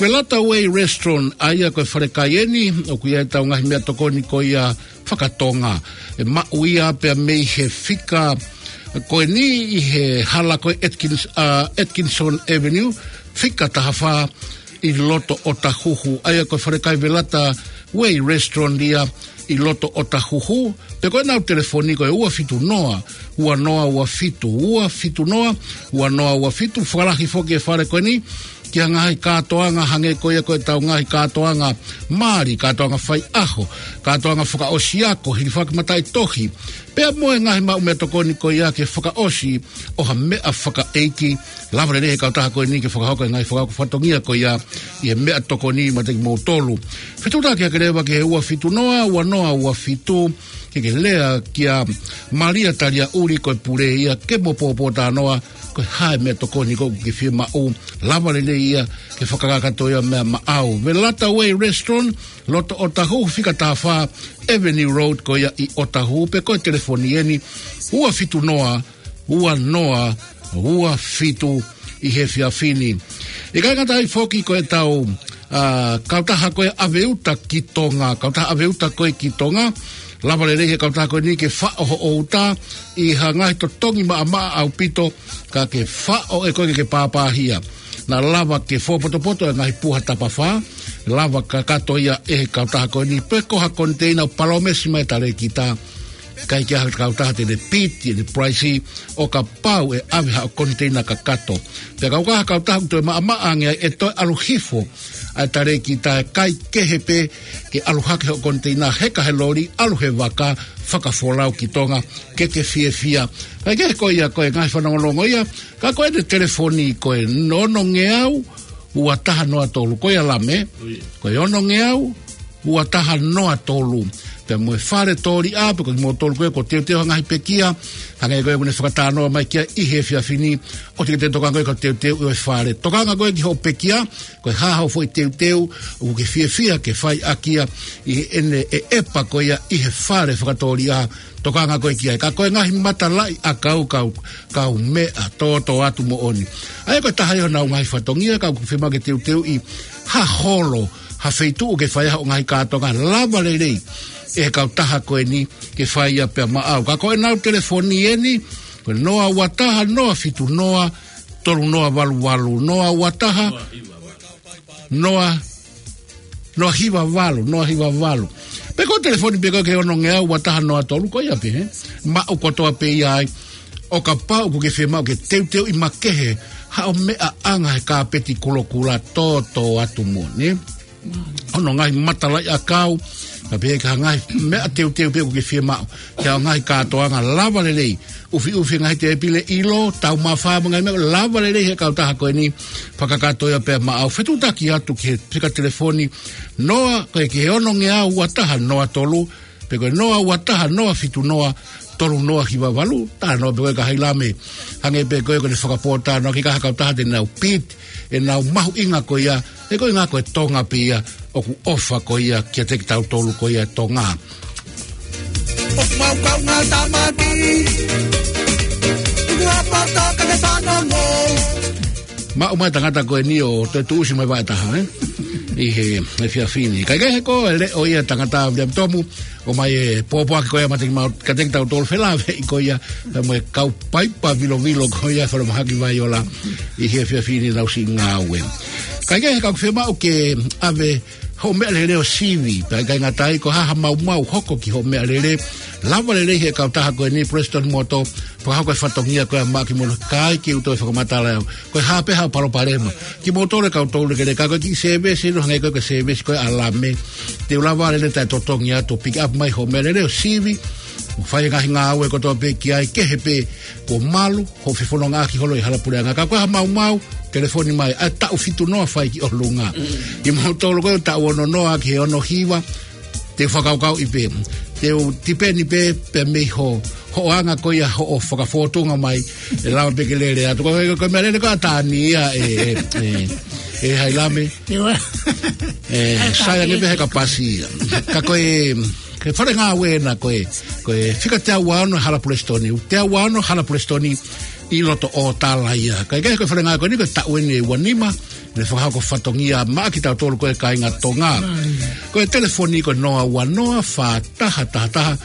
Velata Way Restaurant, ʻa ia ko e fale kai eni ʻoku ʻi ai ʻetau ngaahi meʻatokoni ko ia fakatonga. ʻE maʻu ia pea mei he fika ko eni ʻi he hala ko e Atkins-, ʻa, Atkinson Avenue, fika taha fā ʻi loto ʻOtahuhu. ʻA ia ko e fale kai Velata Way Restaurant ia ʻi loto ʻOtahuhu. Pe ko ʻenau telefoni ko e ua fitu noa ua noa ua fitu, ua fitu noa ua noa ua fitu. Fakalahi foki e fale ko eni ki ha ngaahi kātoanga hangē ko ia ko ʻetau ngaahi kātoanga mali, kātoanga faiʻaho, kātoanga fakaʻosi ako, hilifaki mataʻitohi, pea mo e ngaahi maʻu meʻatokoni ko ia ke fakaʻosi ʻo ha meʻa fakaʻeiki. Lava lelei he kautaha ko eni ke fakahoko e ngaahi fakahoko fatongia ko ia ʻi he meʻatokoni maʻa kimoutolu. Fetuʻutaki hake leva ki he ua fitu noa ua noa ua fitu, ke ke lea kia Malia Taliaʻuli, ko e pule ia, ke mo pōpōtalanoa ko e hā e meʻatokoni ʻoku ke fiemaʻu. Lava lelei ia ke fakakakato ia maʻamaʻau. Velata Way Restaurant, loto ʻOtahuhu, fika taha fā Avenue Road ko ia ʻi ʻOtahuhu. Pe ko e telefoni eni ua fitu noa ua noa ua fitu ʻi he efiafi ni. ʻIkai ngata ai foki ko ʻetau, ʻa, kautaha ko e ʻAveuta ki Tonga, kautaha ʻAveuta ko e ki Tonga. Lava lelei he kautaha ko eni ke faʻo hoʻo uta ʻi ha ngaahi totongi maʻamaʻa ʻaupito, ka ke faʻo ʻe koe ke ke pāpāhia. Naʻa lava ke fōpotopoto e ngaahi puha tapafā, lava kakato ia ʻe he kautaha ko eni. Pe ko ha koniteina ʻoku palōmesi mai e talēkita, ʻikai ke ʻi ai ha kautaha te ne piti ʻene price ʻo kapau ʻe ʻave haʻo koniteina kakato. Pea kapau ko ha kautaha ʻoku toe maʻamaʻa ange ai, ʻe toe ʻalu hifo ʻa e talēkita, ʻe kai kehe pē ke ʻalu hake hoʻo koniteina, heka he loli, ʻalu he vaka, fakafolau ki Tonga, ke ke fiefia. Kae kehe ko ia ko e ngaahi fanongonongo ia, ka ko ʻene telefoni ko e ono ngeau ua taha noa tolu, ko ia Lame, ko e ono ngeau ua taha noa tolu. Pea mo e fale tōliʻa, pe ko kimoutolu ko ē ʻoku teuteu ha ngaahi pekia, hangē ko ē ʻoku ne fakatalanoa mai ki ai ʻi he efiafi ni, ʻoua te ke tokanga ko ē ki hoʻo teuteu ʻo e fale. Tokanga ko ē ki hoʻo pekia, ko e hā haʻo foʻi teuteu ʻoku ke fiefia ke fai ʻaki ia ʻi heʻene ʻeʻepa ko ia ʻi he fale fakatōliʻa, tokanga ko ē ki ai. Ka ko e ngaahi matalaʻiʻakau, kau, kau meʻa tōtōatu moʻoni. ʻA ia ko e taha ia honau ngaahi fatongia, ka ʻoku fiemaʻu ke teuteuʻi ha holo, ha feituʻu ke fai ai hoʻo ngaahi kātoanga, lava lelei ʻe he kautaha ko eni ke fai ia pea maʻau. Ka ko ʻenau telefoni eni, ko e noa ua taha noa fitu noa tolu noa valu valu, noa ua taha noa, noa hiva valu, noa hiva valu. Pe ko e telefoni pē ko ē ki he ono ngeau ua taha noa tolu, ko ia pē, he? Maʻu kotoa pē ia ai, ʻo kapau ʻoku ke fiemaʻu ke teuteuʻi makehe haʻo meʻaʻanga he kāpeti kulokula tōtōatu moʻoni, ē? Hono ngaahi matalaʻiʻakau, ka pehē ki ha ngaahi meʻa teuteu pē ʻoku ke fiemaʻu, ki haʻo ngaahi kātoanga, lava lelei. ʻUfiʻufi e ngaahi tēpile ʻilo, taumafā mo e ngaahi meʻa, lava lelei he kautaha ko eni, fakakakato ia pea maʻau. Fetuʻutaki atu ki he fika telefoni, noa, ko e ki he ono ngeau ua taha noa tolu, pe ko e noa ua taha noa fitu noa tolu noa hiva valu, talanoa pē ko ē kia Hailame. Hangē pē ko ē ko ʻene fakapōtalanoa ki he kahaʻu taha te nau pit, ʻenau mahuʻinga ko ia, he ko e ʻuhinga ko e Tonga pē ia, ʻoku ʻofa ko ia kiate kitautolu ko ia Tonga. ʻOku mau kaungā tāmaki, tuku ʻa pata ka ne fanongo. Maʻu mai tangata ko eni ʻo toe tuʻusi mai vaʻe taha, ē? ʻI he, he efiafi ni. Kae kehe ko e leʻo ia tangata Viliami Tomu, ʻomai e pōpoaki ko ia mate ki mau, kiate kitautolu felāveʻi ko ia, mo e kau paipa vilovilo ko ia falemahaki Vaiola, ʻi he efiafi ni ʻenau siʻi ngāue. Kae kehe ka ʻoku fiemaʻu ke ʻave hoʻo meʻalele ʻo sivi, pea ʻikai ngata ai ko e hā ha maumau hoko ki hoʻo meʻalele, lava lelei he kautaha ko eni Prestone Motor, fakahoko e fatongia ko ia Maʻake Moutolu, kae ʻikai ke u toe fakamatala au. Ko e hā pē haʻo palopalema. Kimoutolu e kau toulekeleka ko e kiʻi sēvesi, ʻilo hangē ko e, ko e sēvesi ko ē ʻa Lame. Te u lava lelei taʻetotongi atu ʻo pick up mai hoʻo meʻalele ʻo sivi, ʻo fai e ngaahi ngāue kotoa pē ki ai, kehe pē kuo malu hoʻo fefonongaʻaki holo ʻi he hala puleʻanga. Ka ko e hā ha maumau, telefoni mai, ʻa e taʻu fitu noa fai ki ʻolunga. Mm. Kimoutolu ko e taʻu ono noa ki he ono hiva, te u fakakaukauʻi pē. Te u tipeni pē, pē mei hoʻo, hoʻo anga ko ia hoʻo fakafōtunga mai, ʻe lava pē ke lele atu. Ko e, ko e meʻalele ko ē ʻa Tani ia ē, ē, ē, ē Hailame. Io. Ē, sai ange pē he kapasi ia. Ka ko e, ko e fale ngāue ena ko e, ko e fika teau ua ono hala Prestone, teau ua ono hala Prestone ʻi loto ʻo Tala ia. Kae kehe ko e fale ngāue ko eni ko e taʻu eni ʻe ua nima, ʻene fakahoko fatongia maʻa kitautolu ko e kāinga Tonga. Ai. Ko e telefoni ko e noa ua noa fā taha taha taha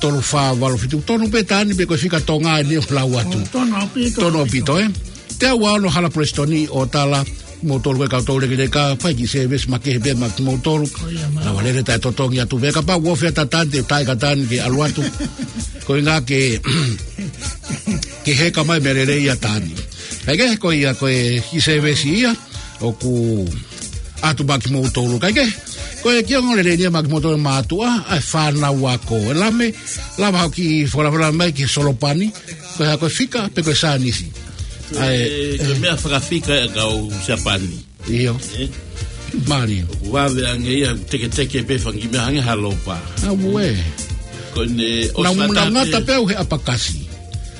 tolu fā valu fitu. Tonu pē Tani pe ko e fika Tonga eni ʻoku lau atu. ʻO, tonu ʻaupito. Tonu ʻaupito, ē? Teau ua ono hala Prestone ʻo Tala, moutolu ko e kau toulekeleka, fai kiʻi sēvesi makehe pē maʻa kimoutolu. Ko ia, mālō. Lava lelei taʻetotongi atu pē kapau ʻoku fie ʻa Tani, te u tali ʻa Tani ke ʻalu atu. Ko e ʻuhinga ke, ke heka mai meʻalele ia Tani. Kae kehe ko ia ko e kiʻi sēvesi ia ʻoku ʻatu maʻa kimoutolu. Kae kehe, ko e kiʻi ongoongolelei eni ia maʻa kimoutolu mātuʻa, ʻa e fānau ako. ʻE Lame, lava haʻo kiʻi fakalavelave mai ki he solopani, ko e hā, ko e fika pe ko e saienisi. ʻA e, ʻe, ko e meʻa fakafika ʻa e kau Siapani. ʻIo. Ē? Mālie. ʻOku vave ange ia, teketeke pē fanga kiʻi meʻa hangē ha lopa. Auē. Ko ʻene, ʻosi nau, nau ngata ngata pē, pē au he ʻapakasi.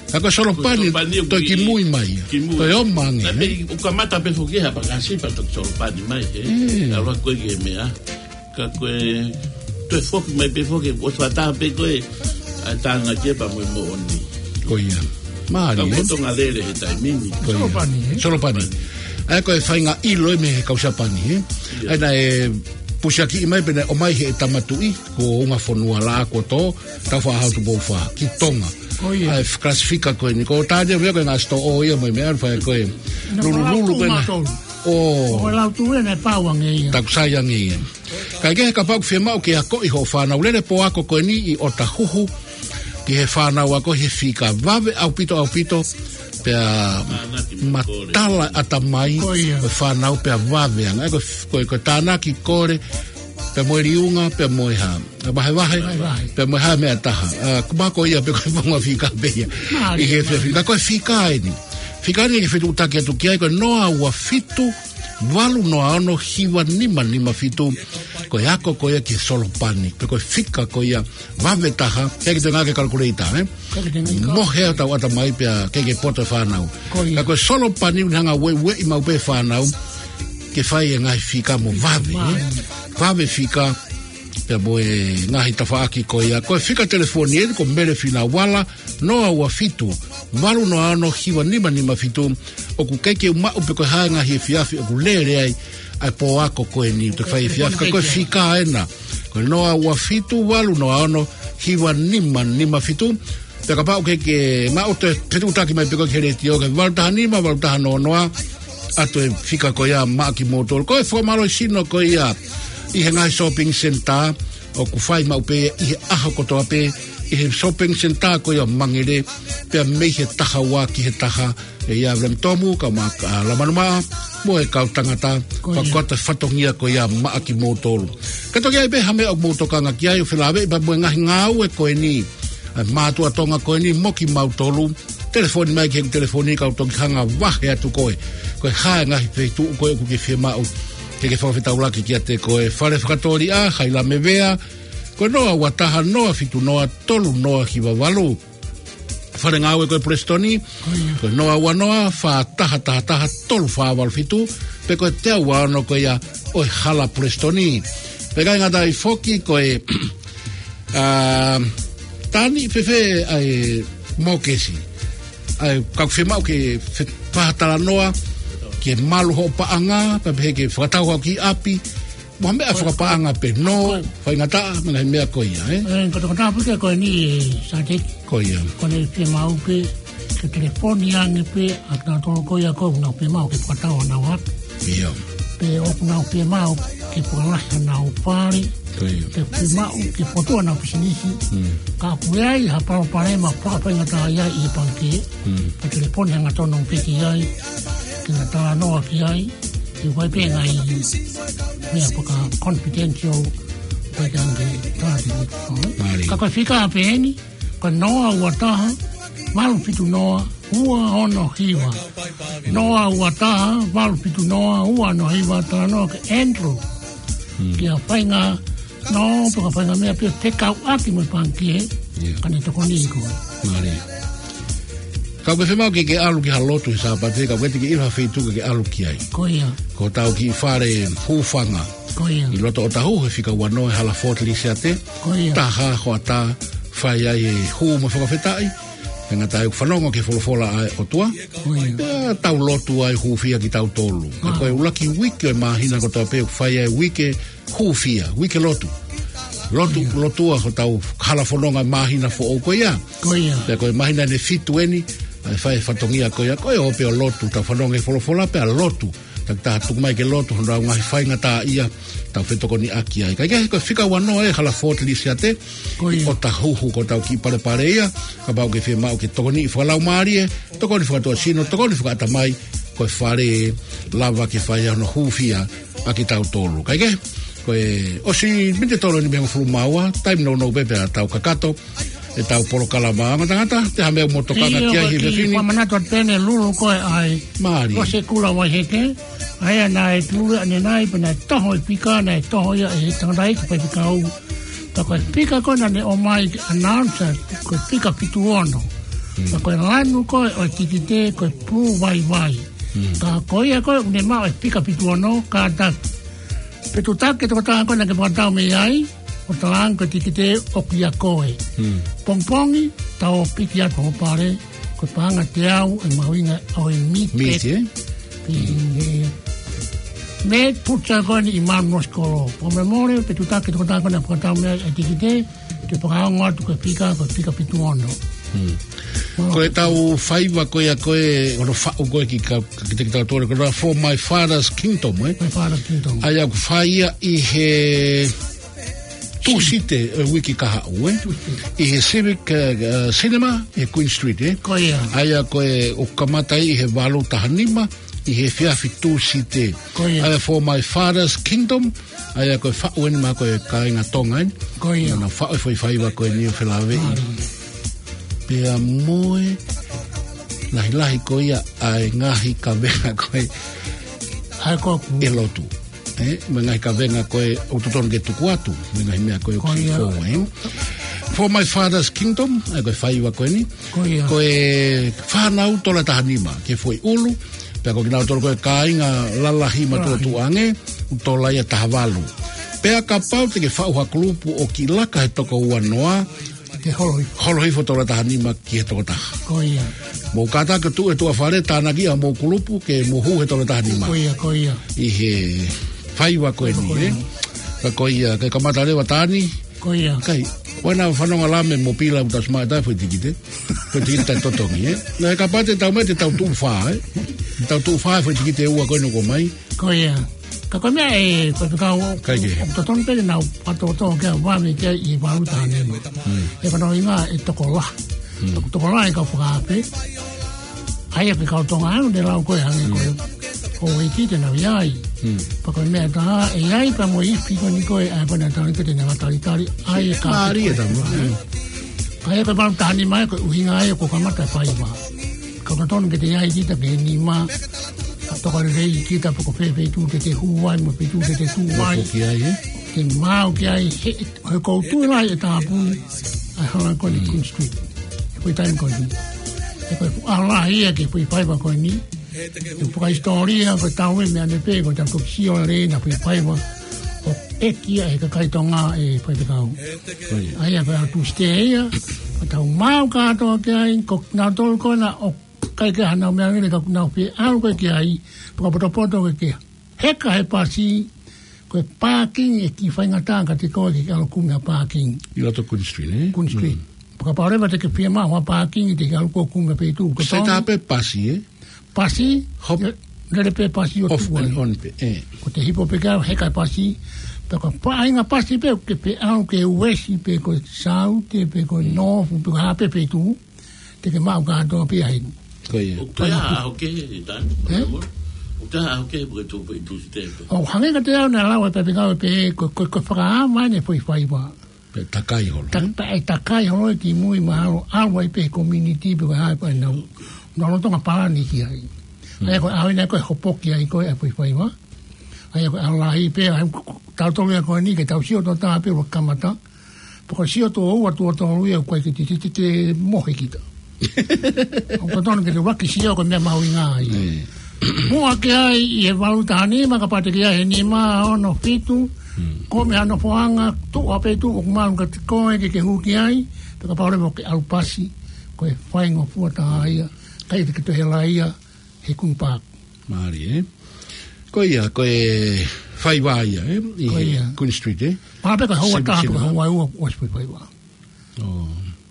Ka ko e solopani, ko e solopani ʻoku toe kimui mai. Kimui. Toe ʻomai ange, ē? Naʻe pē, ʻoku kamata pē foki he ʻapakasi pea toki solopani mai, ē? Ē. ʻAlu ko ē ki he meʻa. Ka ko e, toe foki mai pē foki, ʻosi fakataha pē ko ē, ʻa e tānaki pea mo e moʻoni. Ko ia. Mālie, ē? Ka ko e Tonga lele he taimi ni. Ko ia. Solopani, ē? Solopani. ʻA ia ko e faʻahinga ʻilo ia mei he kau Siapani, ē? Ia. ʻA ia naʻe pusiakiʻi mai pea naʻe ʻomai he tama tuʻi, ko Ungafonua Lākoto, Taufaʻāhau Tupou Fā, ki Tonga. Ko ia. ʻA e f-, kalasi fika ko eni. Ko Tani ia ko e ngaahi sitoʻo ia mo e meʻa, fai ko e. Nau lulululu ko ē na. Mātou. ʻO. ʻO lau tu ena e pau ange ia. Taku sai ange ia. Kae kehe kapau ʻoku fiemaʻu ke akoʻi hoʻo fānau, lele pō ako ko eni ʻi ʻOtahuhu ki he fānau ako he fika, vave ʻaupito ʻaupito, pea matala ʻatamai, ko ia, ko e fānau pea vave ange. Ko, ko, ko e tānaki, kole, pea mo e liunga, pea mo e hā. ʻA vahevahe, vahevahe, pea mo e hā e meʻa ʻe taha. ʻA, kuo mako ia pe ko e fonua fika pē ia. Mālie, ʻi he fia mālie. Fika, ko e fika eni. Fika eni ke fetuʻutaki atu ki ai ko e noa ua fitu, valu noa ono, hiva nima nima fitu. Ko e ako ko ia ki he solopani. Pe ko e fika ko ia vave taha. ʻIkai ke toe ngāueʻaki e kalakulēta, ē? ʻIkai ke toe ngāueʻaki. Mohe ʻa e tauʻatamai pea ʻikai ke poto e fānau. Ko ia. Ka ko e solopani ʻoku ne hanga ʻo ueʻi maʻu pē fānau ke fai e ngaahi fika mo vave, ē? Mālie. Vave fika, pea mo e ngaahi tafaʻaki ko ia. Ko e fika telefoni eni ko Mele Finauala, noa ua fitu, valu noa ono, hiva nima nima fitu. ʻOku ʻikai ke u maʻu pe ko e hā e ngaahi efiafi ʻoku lele ai ʻa e pō ako ko eni, te fai efiafi, ka ko e fika ena. Ko e noa ua fitu, valu noa ono, hiva nima nima fitu. Pea kapau ʻoku ʻikai ke maʻu, toe fetuʻutaki mai pē koe ki he letiō ki he valu taha nima, valu taha noa noa, ʻatu e fika ko ia maʻa kimoutolu. Ko e fakamālohisino ko ia ʻi he ngaahi shopping centre, ʻoku fai maʻu pē ʻi he ʻaho kotoa pē, ʻi he shopping centre ko ia Mangere, pea mei he taha ua ki he taha, ʻe ia Viliami Tomu, kau Maʻa, ʻa, Lamanumaʻa, mo e kau tangata, ko ia, fakakoto e fatongia ko ia maʻa kimoutolu. Ka toki ʻi ai pē ha meʻa ʻoku mou tokanga ki ai ʻo felāveʻi pea mo e ngaahi ngāue ko eni, ʻa e mātuʻa Tonga ko eni mo kimautolu, telefoni mai ki heʻeku telefoni ka u toki hanga ʻo vahe atu koe. Ko e hā e ngaahi feituʻu ko ē ʻoku ke fiemaʻu ke ke fakafetaulaki kiate koe. Fale fakatōliʻa, Hailame Vea, ko e noa ua taha, noa fitu noa, tolu noa hiva valu. Fale ngāue ko e Pulesitoni, ko e noa ua noa, fā taha taha taha, tolu fā valu fitu, pe ko e teau ua ono ko ia ʻo e Hala Pulesitoni. Pea ʻikai ngata ai foki ko e, ā, Tani, fēfē ʻa e mokesi. ʻA e, ka ʻoku fiemaʻu ke fe-, fakatalanoa, ke malu hoʻo paʻanga, pea pehē ke fakatau hoʻo kiʻi ʻapi, mo ha meʻa fakapaʻanga pē, nō, faingataʻa, mo e ngaahi meʻa ko ia, ē? Ē, ko e tokotaha pē ko eni, ē, Sateki. Ko ia. Ko ʻene fiemaʻu pē, ke telefoni ange pē, ʻa kinautolu ko ia ʻoku nau fiemaʻu ke fakatau ʻenau ʻapi. Ia. Pe ʻoku nau fiemaʻu ke fakalahi ʻenau fale. Ko ia. Pe fiemaʻu ke fokotuʻu ʻenau pisinisi. Mm. Ka ʻoku ʻi ai ha palopalema fakafaingataʻa ia ʻi he pangikē. Mm. Ka telefoni hangatonu pē ki ai, ke na talanoa ki ai. ʻI he ʻoku ʻi ai pē ngaahi meʻa faka-confidential, ʻikai ke ange tāpuni. Mālie. Ka ko e fika pē eni, ko e noa ua taha, valu fitu noa, ua ono hiva. Noa ua taha, valu fitu noa, ua ono hiva, talanoa kia Andrew. Hmm. Ki ha faʻahinga nō, pe ko ha faʻahinga meʻa pē fekauʻaki mo e pangikē, ʻio, ka ne tokoniʻi koe. Mālie. Ka ʻoku ke fiemaʻu ke ke ʻalu ki ha lotu he Sāpate, ka ʻoku ʻikai te ke ʻilo ha feituʻu ke ke ʻalu ki ai. Ko ia. Ko hotau kiʻi fale hūfanga. Ko ia. ʻI loto ʻOtahuhu he fika ua noa he Hala Fort Lisiate. Ko ia. Taha hoʻatā fai ai e hū mo e fakafetaʻi. He ngata ai ʻoku fanongo ki he folofola ʻa e ʻOtua. Ko ia. Pea tau lotu ai hūfia kitautolu. Ā. Ko e ʻuluaki uike ʻo e māhina kotoa pē ʻoku fai ai e uike hūfia, uike lotu. Lotu, ia, lotua hotau hala fononga māhina foʻou ko ia. Ko ia. Pea ko e māhina ʻe fitu eni, ʻa e fai e fatongia ko ia, ko e ō pē ʻo lotu, tau fanongo he folofola pea lotu. Takitaha tuku mai ke lotu, hono ʻau ngaahi faingataʻaʻia, tau fetokoniʻaki ai. Kae kehe, ko e fika ua noa e Hala Fort Lisiate, ko ia, ʻOtahuhu ko hotau kiʻi palepale ia, kapau ʻoku ke fiemaʻu ke tokoniʻi fakalaumālie, tokoni fakatuʻasino, tokoni fakaʻatamai, ko e fale lava ke fai ai hono hūfia ʻa kitautolu. Kae kehe, ko e ʻosi miniti ʻe tolu eni mei he hongofulu mā ua, taimi nounou pē pea tau kakato ʻetau polokalama. Ongo tangata, ʻi ai ha meʻa ʻoku mou tokanga ki ai he efiafi ni? Fakamanatu atu pē ʻeni Lulu ko e ʻai. Mālie. Ko e Sekula Vaiheke, ʻa ia naʻe tuli ʻanenai pea naʻe toho e fika, naʻe toho ia ʻe he tangataʻeiki faifekau. Pea ko e fika ko ē naʻa ne ʻomai ke announce, ko e fika fitu ono. Hmm. Pea ko e lanu ko ē ʻo e tikite, ko e pulu vaivai. Hmm. Ka ko ia ko ē ʻoku ne maʻu e fika fitu ono, kātaki. Pe tuʻutaki e tokotaha ko ē naʻa ke fakatau mei ai, ʻo talaange ko e tikite ʻoku ʻia koe. Hmm. Pongipongi, tau piki atu ho pale, ko e paʻanga ʻe teau e mahuʻinga ʻo e meat. Meat, pet, ē? Pe, hmm, ē, meat pizza ko eni ʻi Manuosikolo. Pea mo e mole, pe tuʻutaki e tokotaha ko ē naʻa ke fakatau mei ai e tikite, ke fakaongo atu ko e fika, ko e fika fitu ono. Hmm. Mālie. Ko ʻetau faiva ko ia ko ē, ko hono faʻu ko ē ki ka, ki te kita tole, ko e For My Father's Kingdom, ē? My Father's Kingdom. ʻA ia ʻoku fai ia ʻi he Tūsite, ē, uike kahaʻu, ē? Tūsite. ʻI he Civic, ē, ē, Cinema, ʻi he Queen Street, ē? Ko ia. ʻA ia ko ē ʻoku kamata ʻi he valu taha nima, ʻi he efiafi Tūsite. Ko ia. ʻA ia For My Father's Kingdom, ʻa ia ko e faʻu eni maʻa ko e kāinga Tonga eni. Ko ia. Naʻa nau faʻu e foʻi faiva ko eni ʻo felāveʻi. Mālie. Pea mo e lahilahi ko ia ʻa e ngaahi kavenga ko ē. ʻA ia ko ē ʻoku ʻi he lotu. Ē, mo e ngaahi kavenga ko ē ʻoku totonu ke tuku atu, mo e ngaahi meʻa ko ē ʻoku, ko ia, fou, ē. For My Father's Kingdom, ʻa ia ko e faiva ko eni. Ko ia. Ko e fānau tola taha nima, ki he foʻi ʻulu, pea ko kinautolu ko e kāinga lalahi matuʻotuʻa ange, ʻoku tola ia taha valu. Pea kapau te ke faʻu ha kulupu ʻoku kiʻi laka he toko ua noa, ke holo hifo. Holo hifo tola taha nima ki he toko taha. Ko ia. Mou kātaki atu e tuʻa fale, tānaki ʻa hoʻomou kulupu ke mou hū he tola taha nima. Ko ia, ko ia. ʻI he faiva ko eni, ē? Ko ia. Ka ko ia, ke kamata leva Tani. Ko ia. Kai, ʻoua naʻa fanongo ʻa Lame mo Pila ʻoku tau simaʻa ʻe taha e foʻi tikite. Foʻi tikite taʻetotongi, ē? Naʻe kapau te tau mai te tau tuʻu fā, ē? Tau tuʻu fā e foʻi tikite ʻe ua ko eni ʻoku ʻomai. Ko ia. Ka ko e meʻa ē, ko e fekau, ʻikai ke, ʻoku totonu pē ke nau fakatōtō ke ʻave ki he valu taha nima. Hmm. ʻE fanongo ʻi he ngaahi tokolahi. Hmm. Toko, tokolahi e kau fakaafe. ʻA ia ko e kau Tonga ʻoku ne lau ko ē hangē ko ē. Hmm. Ko e ʻEiki te nau ʻi ai. Hmm. Pea ko e meʻa ʻe taha, ʻe ʻi ai pē mo e ifi ko eni ko ē, ʻa ia ko ē naʻa tau ni ko ē te nau talitali, ʻa ia ka. Mālie e tama. Hmm. ʻA ia ko e valu taha nima ē, ko e ʻuhinga ia ʻoku kamata e faiva. Ka ʻoku totonu ke te ʻi ai kita ki he nima, ka tokalelei kita pe ko fē feituʻu te te hū ai, mo e feituʻu te te tuʻu ai. Mo e foki ai, ē? Ke maau ki ai, he, he ʻoku ou tui lahi ʻe tāpuni ʻa e hala ko eni, mm, Queen Street. Ko e taimi ko eni. He ko e ʻaho lahi ia ki he foʻi faiva ko eni. He fakahisitōlia ko e tau e meʻa ne pē ko e tau toki sio lelei ʻa e foʻi faiva ʻoku ʻeke ia ʻe he kakai Tonga ʻe Faifekau. ʻA ia ko e ʻaho Tūsite ia, ko e tau maʻu kātoa ki ai, ko nautolu ko ena ʻoku ʻikai ke ʻi ai hanau meʻa lelei ka ʻoku nau feʻauaki ki ai, fakapotopoto ke ke heka he pasi, ko e parking ʻe kiʻi faingataʻa kiate koe ke ke ʻalu ʻo kumi ha parking. ʻI loto Queen Street, ē? Queen Street. Mm. Kapau leva te ke fiemaʻu ha parking te ke ʻalu ʻo kumi ha feituʻu. Ko e sai tā pē pasi, ē? Pasi, hop, lele pē pasi ʻo off tuʻu and ai. On pē, ē. Ko e hipó pē ke heka he pasi, pe ko e faʻahinga pasi pē, ke pē ʻalu ki he uesi, pe ko e saute, pe ko e nōfu, pe ko e hā pē feituʻu. Te ke maʻu kātoa pē ia heni. Ko ia. ʻOku toe ʻi ai ha ʻaho kehe, Tani? Ē? ʻOku toe ʻi ai ha ʻaho kehe, pe ko e tuʻu pē ʻi Tūsite pē? ʻOku hangē kiate au naʻe lau ʻe Faifekau pē, ko, ko, ko e fakaava eni e foʻi faiva. Pea takai holo, ē? Pea ʻe takai holo ia ki mui mahalo, ʻalu ai pē he community pē ko e hā pē ʻenau, nau lolotonga palani ki ai. ʻA ia ko e ʻaho eni ko e hopo ki ai ko e foʻi faiva. ʻA ia ko e ʻaho lahi pē, ʻa ia ko, ko, tautolu ia ko eni ke tau sio tuʻo taha pē ʻo kamata. Pea ko e sio tuʻo ua tuʻo tolu ia ʻoku ʻikai ke te, te, te, te mohe kita. ʻOku totonu ke te ʻuluaki sio ko e meʻa mahuʻinga ia. Ē. Muʻa ki ai ʻi he valu taha nima, kapau te ke ʻi ai he nima, ono, fitu, ko e meʻa nofoʻanga, tuʻu ʻa e feituʻu ʻoku malu kiate koe ke ke hū ki ai, pea kapau leva ʻoku ke ʻalu pasi, ko e faingofua taha ia, ʻikai te ke toe hela ia, he Queen Park. Mālie, ē? Ko ia, ko e faiva ia, ē? ʻI he Queen Street, ē? Mahalo pē ko e houa taha, pe ko e houa ua, ʻosi pē faiva. ʻO.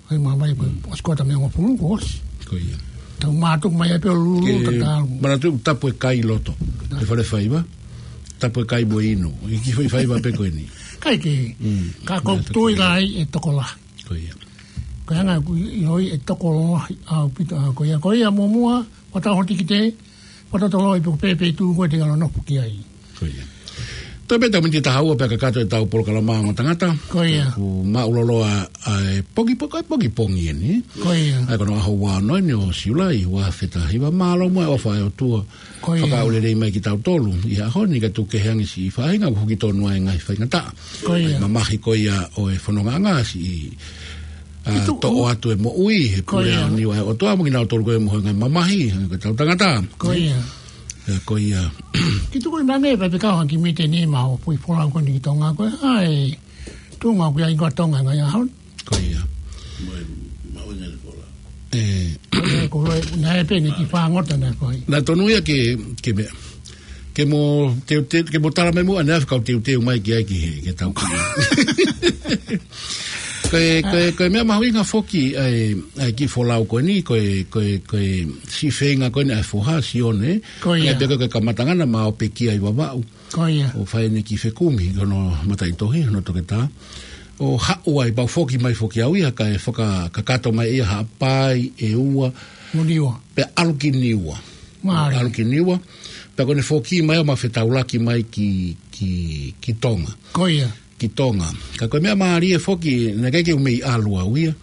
ʻAi māmani pē, ʻosi ko e taha mei he hongofulu, ʻosi. Ko ia. Tau mātuku mai ai pē ʻo lulu, ke tatau. Manatu tapu e kai loto. He fale faiva. Tapu e kai mo e inu. ʻI he kiʻi foʻi faiva pē ko eni. ʻIkai ke. Mm. Ka ko e tui lahi ʻe tokolahi. Ko ia. Ko e anga ʻoku ʻiloʻi ʻe tokolahi ʻaupito ʻa ko ia. Ko ia muʻomuʻa, ʻo tau hoti ki te, ʻo tau toloi pe ko e pē feituʻu ko ē te ke ʻalu ʻo nofo ki ai. Ko ia. Toe pē tau miniti ʻe taha ua pea kakato ʻetau polokalama Ongo Tangata. Ko ia. Kuo māʻuloloa ʻa e pongipongi, ko e pongipongi eni. Ko ia. ʻA ia ko hono ʻaho ua ono eni ʻo Siulai, ua afe taha hiva, mālō muʻa e ʻofa ʻa e ʻOtua. Ko ia. Fakaʻaulelei mai kitautolu ʻi he ʻaho ni kae tuku kehe ange siʻi faʻahinga ʻoku huki tonu ai e ngaahi faingataʻa. Ko ia. ʻA e mamahi ko ia ʻo e fonongaʻanga siʻi, ʻa, toʻo atu e moʻui he pule ʻaoniu ʻa e ʻOtua mo kinautolu ko ē mo e ngaahi mamahi, hangē ko ʻetau tangata. Ko ia. ʻIa, ko ia. Kiʻi tuku ʻi mane, pea pē kau hangē ko e mītini mo e foʻi folau ko eni ki Tonga ko ē, ʻa e tuʻunga ʻoku ʻi ai ko ē ʻa Tonga he ngaahi ʻaho ni. Ko ia. Mo e, mo e ngaahi folau. Ē. Ko e, ko e, naʻe pē eni kiʻi fāngota naʻe fai. Naʻe tonu ia ke, ke meʻa. Ke mo, te, te, ke mo tala mai muʻa ʻaneafi kau teuteu mai ki ai ki he, ke tau ki. Ko e, ko e, ko e meʻa mahuʻinga foki ʻa e, ʻa e kiʻi folau ko eni, ko e, ko e, ko e siʻi feinga ko eni ʻa e foha, Sione. Ko ia. ʻA ia pē ko e kamataʻanga naʻa ma ō pē ki ai Vavaʻu. Ko ia. ʻO fai ʻene kiʻi fekumi, ko hono mataʻitohi, hono toketā. ʻO haʻu ai, pea u foki mai foki au ia, kae fakakakato mai ia Haʻapai, ʻEua. Mo Niua. Pea ʻalu ki Niua. Mālie. ʻAlu ki Niua. Pea ko ʻene foki mai ʻo ma fetaulaki mai ki, ki, ki Tonga. Ko ia. Ki Tonga. Ka ko e meʻa mālie foki, naʻe ʻikai ke u mei ʻalu au ia.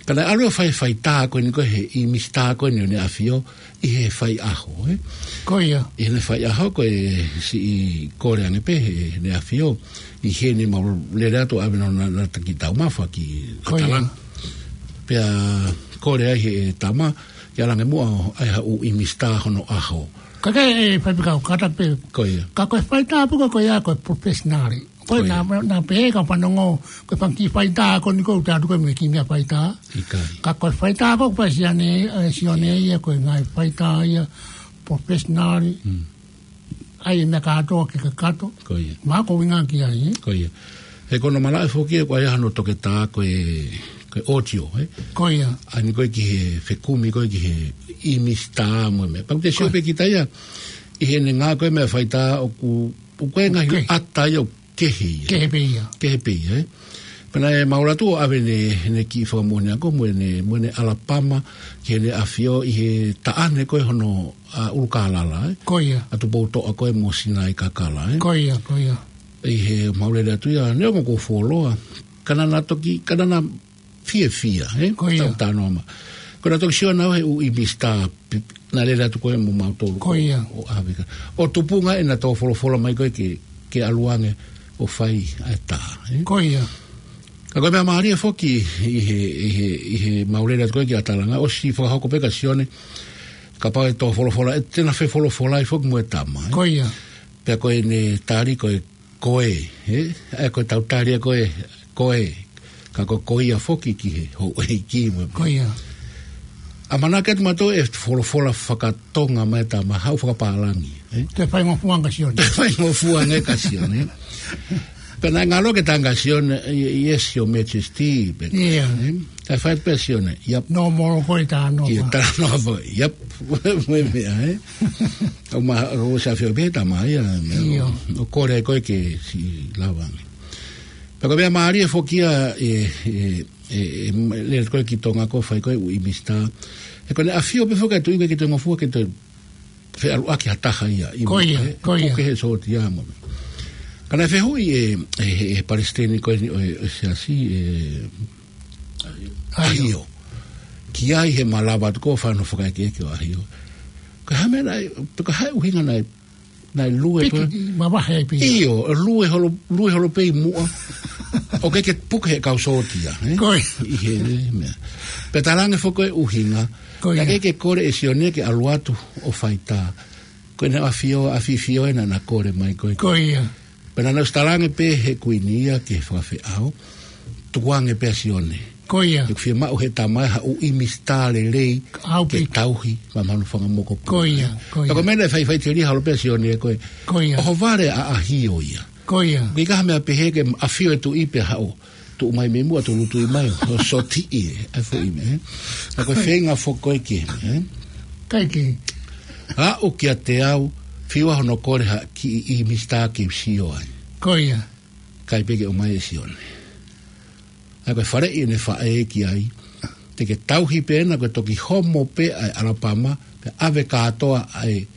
Ka naʻe ʻalu ia ʻo fai e faitā ko eni ko ē he ʻi Misitā ko eni ʻo ʻEne ʻAfio ʻi he faiʻaho, ē? Ko ia. ʻI heʻene faiʻaho ko e siʻi kole ange pē he ʻEne ʻAfio. ʻI heʻene mau lele atu ʻave hono na, na taki taumafa ki Ko ia. Atalanga. Pea kole ai he tama, ke ʻalu ange muʻa ʻo ʻai ha ʻū ʻi Misitā hono ʻaho. Ka ke, ē, Faifekau, kātaki pē. Ko ia. Ka ko e faitā pē ko ē ko ia ko e professional. Ko ia. Ko e naʻa, naʻa pehē ka fanongo, ko e fanga kiʻi faitā ko eni ko ē ʻoku tau atu ko ē mo e kiʻi meʻa faitā. ʻIkai. Ka ko e faitā ko ē ʻoku fai ʻe Sione, ē, Sione ia ko e ngaahi faitā ia professional. Mm. ʻAi e meʻa kātoa ke kakato. Ko ia. Mahalo ko e ʻuhinga ki ai, ē? Ko ia. He ko hono malaʻe foki ē ko e ʻai hono toketā ko e, ko e audio, ē? Ko ia. ʻAi eni ko ē ki he fekumi ko ē ki he ʻi Misitā mo e meʻa. Pea ʻoku te sio pē kita ia, ʻi heʻene ngāue ko ē meʻa faitā ʻoku, ʻoku ʻi ai e ngaahi ʻata ia ʻoku kehe ia. Kehe pē ia. Kehe pē ia, ē? Pea naʻe mahuʻinga atu ʻo ʻave ʻene, ʻene kiʻi fakamoʻoni ako mo ʻene, mo ʻene ʻalapama ki heʻene ʻafio ʻi he taʻane ko ē hono, ʻa, ʻUlukālala, ē? Ko ia. ʻA Tupoutoʻa ko ē mo Sinai Kakala, ē? Ko ia, ko ia. ʻI he mau lele atu ia, neongo kuo fuoloa. Ka naʻa na toki, ka naʻa na fiefia, ē? Ko ia. Tau talanoa mai. Ko ʻena toki sio ʻana he ʻū ʻi Misitā, pi-, naʻe lele atu ko ē mo mautolu. Ko ia. ʻO ʻave ka. ʻO tupunga ʻena tō folofola mai ko ē ke, ke ʻalu ange ʻo fai ʻa e tā, ē? Ko ia. Ka ko e meʻa mālie foki ʻi he, ʻi he, ʻi he mau lele atu ko ē ki ʻAtalanga, ʻosi fakahoko pē kia Sione, kapau ʻe tō folofola, ʻe te na fefolofolai foki mo e tama, ē? Ko ia. Pea ko ʻene tali ko e ko ē, ē? ʻA ia ko e tau tali ʻa ko ē, ko ē. Ka ko, ko ia foki ki he houʻeiki mo e. Ko ia. ʻAmanaki atu mautolu ʻe folofola fakatonga mai e tama, haʻu fakapālangi, ē? Toe faingofua ange kia Sione. Toe faingofua ange kia Sione, ē? Pea naʻe ngalo ke tanga kia Sione, "Yes, Your Majesty," pē. Ia. Ē? Kae fai pē Sione, "Yep." Nō molo ko e tā nō. Ia, tā nō foʻi, "Yep." Mo e meʻa, ē? ʻO ma, ʻo sa fio pē tama ia, meʻa. Ia. ʻO kole ai ko ē ke siʻi lava ange. Pea ko e meʻa mālie foki ia, ē, ē, ē, ē, lele ko ē ki Tonga ko ē fai ko ē ʻuʻi misitā. He ko ʻene ʻafio pē foki ʻa e tuʻi ke toe ngofua ke toe feʻaluʻaki ha taha ia. Ko ia, ē, ko ia. Puke he sōtia mo. Ka naʻe fehuʻi ʻe, ʻe, ʻe, ʻe palesiteni ko eni ʻo e, ʻo e siasi, ʻe, ʻAhio. ʻAhio. Ki ai he malava atu ko e fano fakaekeeke ʻo ʻAhio. Ko e hā e meʻa naʻe, ko e hā e ʻuhinga naʻe naʻe lue pē. Piki, mavahe ai pē. ʻIo, lue holo, lue holo pē ʻi muʻa. ʻOku ʻikai ke puke he kau sōtia, ē? Ko ia. ʻI he, ē, meʻa. Pea talaange foki ko e ʻuhinga. Ko ia. Naʻe ʻikai ke kole ʻe Sione ke ʻalu atu ʻo fai tā. Ko ʻene ʻafio, ʻafifio ē naʻa na kole mai ko ē. Ko ia. Pea naʻa na ʻosi talaange pē he kuini ia ki he fakafeʻao. Tukuange pē ʻa Sione. Ko ia. ʻOku fiemaʻu he tama ē ha ʻuʻi misitā lelei. Au ke piki. Tauhi, ma manu fanga moko pū. Ko ia, ko ia. Ka ko e meʻa naʻe faifai telia holo pē ʻa Sione ko ē. Ko ia. ʻOhovale ʻa ʻAhio ia. Ko ia. ʻIkai ha meʻa pehē ke ʻafio e tuʻi pea haʻu. Tuʻu mai mei muʻa tolu tui mai. ʻO sōtiʻi ē. ʻA e foʻi meʻa, ē. Ka ko e feinga foki ko ē ke, ē. ʻIkai ke. Aʻu kiate au, fiu hono kole ha kiʻi ʻuʻi misitā ke u sio ai. Ko ia. ʻIkai pē ke ʻomai ʻe Sione. ʻA ia ko e faleʻi ʻene faʻē ki ai, te ke tauhi pē ena ko e toki homo pē ʻa e ʻAlapama, pea ʻave kātoa ʻa e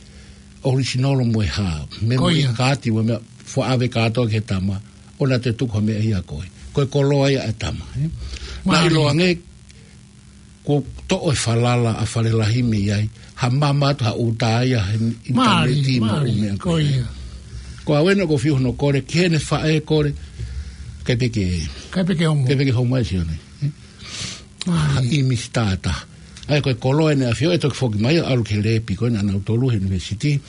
ʻorisinolo mo e hā. Memory card mo e meʻa, fua ʻave kātoa ki he tama, ʻoua te tuku ha meʻa ia ko ē. Ko e koloa ia ʻa e tama, ē? Naʻe mālie. ʻIloange, kuo toʻo e falala ʻa Falelahi mei ai, ha mama atu ha ʻuta ia he ʻinitaneti mo e ʻū meʻa ko ia. Mālie, mālie, ko ia. Ko au ena ʻoku ou fiu hono kole, ki heʻene faʻē kole, ʻikai pē ke, ʻikai pē ke homo. ʻIkai pē ke homo ʻe Sione, ē? Mālie. Ha ʻuʻi misitā ʻe taha. ʻA ia ko e koloa ʻene ʻafio, ʻe toki foki mai ʻo ʻalu ki he lepi ko ē naʻa nau tolu he university.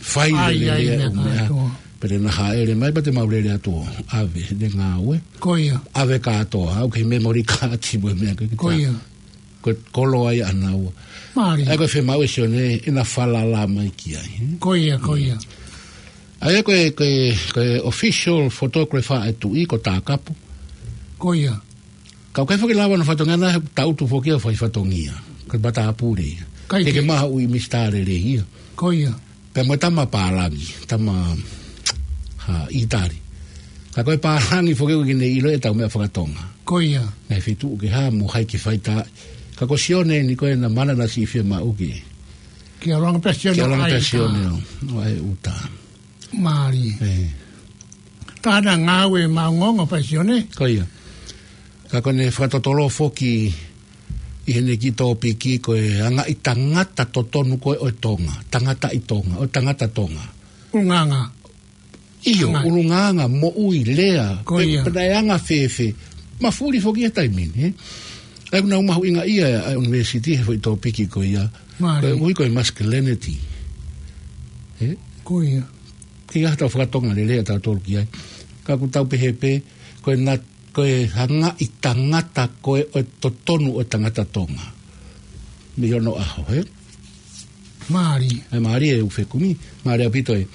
Fai ai, ai, lelei e meʻa ʻū meʻa kātoa. Pea te na hāʻele mai, pea te mau lele atu ʻo ʻave, ʻene ngāue. Ko ia. ʻAve kātoa, ʻoku ʻikai memory card mo e meʻa ko ē ki tā. Ko ia. Ko e koloa ia ʻanaua. Mālie. ʻA ia ko e fiemaʻu ʻe Sione, ʻena falala mai ki ai, ē? Ko ia, ko ia. ʻA ia ko e, ko e, ko e official photographer ʻa e tuʻi, ko Takapu. Ko ia. Ka ʻoku ʻikai foki lava hono fatongia naʻe tautu foki ʻo fai fatongia. Ko e matāpule ia. ʻIkai ke. Ke ke maʻu ha ʻuʻi misitā lelei ia. Ko ia. Pea mo e tama pālangi, tama, ha, ʻItali. Ka ko e pālangi foki ʻoku ʻikai ke ne ʻilo ʻetau meʻa fakatonga. Ko ia. Naʻe fetuʻu ke hā mo hai ke fai tā. Ka ko Sione eni ko ē naʻe mana naʻe siʻi fiemaʻu ke. Ke ʻalu ange pē ʻa Sione. Ke ʻalu ange pē ʻa Sione ʻo ʻai ʻuta. Mālie. Ē. Ka ʻena ngāue maʻongoʻonga pē ʻa Sione. Ko ia. Ka ko ʻene fakatotolo foki ʻi heʻene kiʻi tōpiki ko e anga ʻi he tangata totonu ko ē ʻo Tonga. Tangata ʻi Tonga, ʻo e tangata Tonga. ʻUlungaanga. ʻIo, ʻulungaanga, moʻui, lea. Ko ia. Pe, pe naʻe anga fēfē. Mafuli foki he taimi ni, ē? ʻA ia ʻoku nau mahuʻingaʻia ʻa e university he foʻi tōpiki ko ia. Mālie. Ko e ui ko e masculinity. Ē? Ko ia. ʻIkai ha tau fakatonga lelei ʻa tautolu ki ai. Ka ʻoku tau pehē pē, ko e nat-, ko e anga ʻi he tangata ko ē ʻo e totonu ʻo e tangata Tonga. Mei hono ʻaho, ē? Mālie. ʻE mālie e ʻū fekumi, mālie ʻaupito e.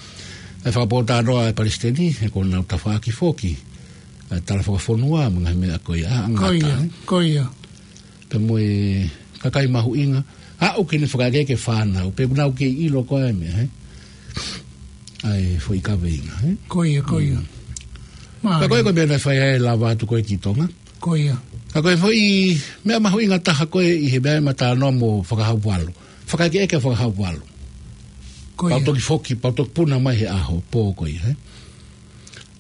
ʻE fakapōtalanoa e palesiteni, he ko ʻenau tafaʻaki foki. ʻE tala fakafonua, mo e ngaahi meʻa ko ia, ʻa, ʻa, ko ia, ngata, ē? Ko ia. Pea mo e kakai mahuʻinga, aʻu ki heʻene fakaekeeke fānau, pea ʻoku nau kei ʻilo ko ē meʻa, ē? ʻA e foʻi kaveinga, ē? Ko ia, ko ia. Mm. Mālie. Pea ko e, ko e meʻa naʻe fai ai e lava atu ko ē ki Tonga. Ko ia. Ka ko e foʻi meʻa mahuʻinga taha ko ē ʻi he meʻa ʻe matānoa mo Fakahaovalu. Fakaekeeke ʻa Fakahaovalu. Ko ia. Pau toki foki, pau toki puna mai he ʻaho, pō ko ia, ē?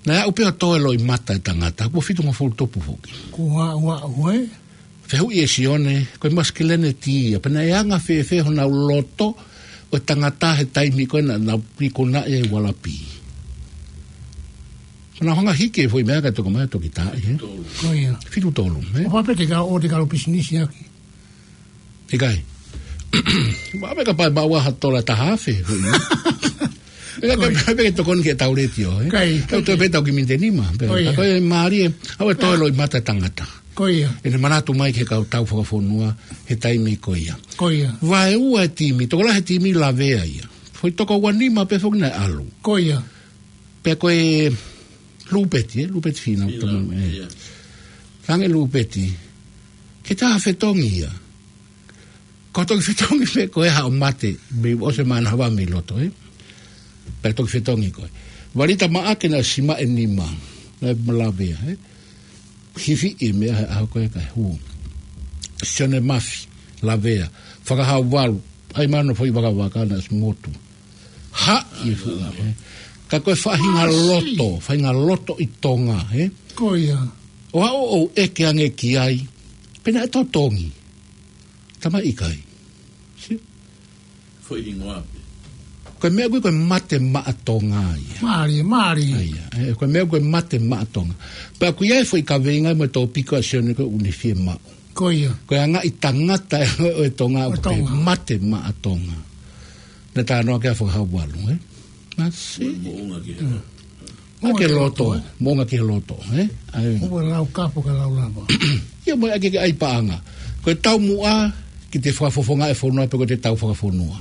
Naʻe aʻu pē ʻo toe loʻimata e tangata, kuo fitungofulu tupu foki. Kuo aʻu, aʻu, ē? Fehuʻi ʻe Sione, ko e masculinity ia, pea naʻe anga fēfē honau loto ʻo e tangata he taimi ko ē naʻa nau pikonaʻi ai ʻi Ualapi. Naʻa nau hanga hiki e foʻi meʻa kae toki mai toki tā, ē? Ko ia. Fitu tolu, ē? ʻO pau pē te ka ʻo te ka lo pisinisi ʻaki. ʻIkai. Maʻa pē kapau maʻu ha tola taha afe, foʻi. Pea ka pē ke tokoni ke tau letiō, ē? Kai, kai, tau toe pē tau ki miniti nima. Pea ko ia. Ka ko e mālie, ʻa e toe loʻimata tangata. Ko ia. ʻEne manatu mai ki he kau tau fakafonua, he taimi ko ia. Ko ia. Vaeua e timi, tokolahi e timi lavea ia. Foʻi toko ua nima pē foki naʻe ʻalu. Ko ia. Pea ko e Lupeti, ē? Lupeti Fina, Fina, tama, ē. Ia. Tange Lupeti. Ke tā fetongi ia. Ko toki fetongi pē ko e haʻo mate, mei ʻosi e mana hava mei loto, ē? Pea toki fetongi ko ē. Valita Maʻake naʻe simaʻe nima, naʻe malavea, ē? Hifi e meʻa he ʻaho ko ē kae hū. Sione Mafi, lavea. Fakahau Valu, ʻai mano foʻi vakavaka naʻe ʻosi motu. Haʻi e fuʻu, ē? Ka ko e faʻahinga loto, faʻahinga loto ʻi Tonga, ē? Ko ia. ʻO aʻu ʻo ʻeke ange ki ai, pe naʻe totongi. Tama ʻikai. Si? Foʻi hingoa pē. Ko e meʻa ko ē ko e mate maʻa Tonga ia. Mālie, mālie. ʻA ia, ē, ko e meʻa ko e mate maʻa Tonga. Pea ko ia e foʻi kaveinga mo e tōpiko ʻa Sione ko ʻene fiemaʻu. Ko ia. Ko e anga ʻi tangata ʻo e Tonga ʻo e Tonga. Mate maʻa Tonga. Naʻe talanoa ki ai Fakahau Valu, ē? Masi. Moʻunga ki he. Moʻunga ki he loto, ē? Moʻunga ki he loto, ē? ʻA ia. Ua lau kapo ka lau lava. Ia mo e ʻai ke ʻai paʻanga. Ko e taumuʻa ki he fakafofonga e fonua pe ko e tau fakafonua.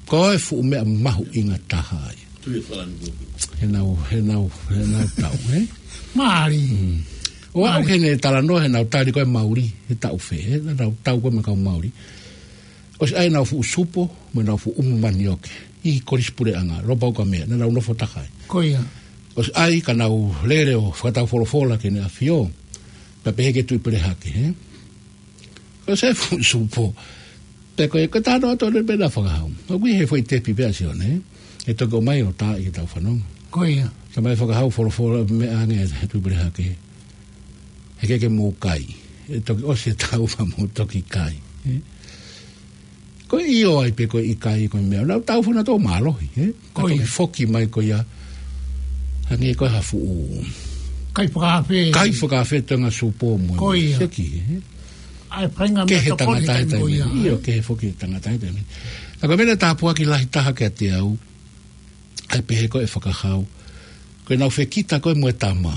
Ko e fuʻu meʻa mahuʻinga taha ia. Tui e falani kuku. He nau, he nau, he nau tau, ē? Mālie. Mm. ʻO aʻu ke ne talanoa he nau tali ko e Mauli, he taʻu fē, ē? Nau tau ko e meʻa kau Mauli. ʻOsi ʻai nau fuʻu supo, mo nau fuʻu umu manioke. ʻI Kolisi Puleʻanga, Lopau ka meʻa, naʻa nau nofo takai. Ko ia. ʻOsi ʻai ka nau lele ʻo fakatau folofola ki Heʻene ʻAfio. Pea pehē ki he Tuʻi Pelehake, ē? Ko e se fuʻu supo. Pea ko e, ko e talanoa atu ʻo ne pena Fakahau. ʻOku ʻi he foʻi tepi pē ʻa Sione, ē? ʻE toki ʻomai ʻo tā ʻi he tau fanongo. Ko ia. Tala mai Fakahau folofola meʻa ange he Tuʻi Pelehake. He ke ke mou kai. ʻE toki ʻosi e tau fa mou toki kai. Ē? Ko e ʻio ai pe ko e ʻikai ko e meʻa. Nau tau fana tō mālohi, ē? Ko ia. Ka toki foki mai ko ia. Hangē ko e ha fuʻu. Kai fakaafe. Kai fakaafe toenga supo mo. Ko ia. Seki, ē? ʻAi painga ke meʻa he tokoni tangata he taimi ko ia, taimi. ʻIo, ke he foki tangata he taimi. Ka ko e meʻa tāpuaki lahi taha kiate au. ʻAi pehē ko e Fakahau. Ko e nau fekita ko e mo e tama.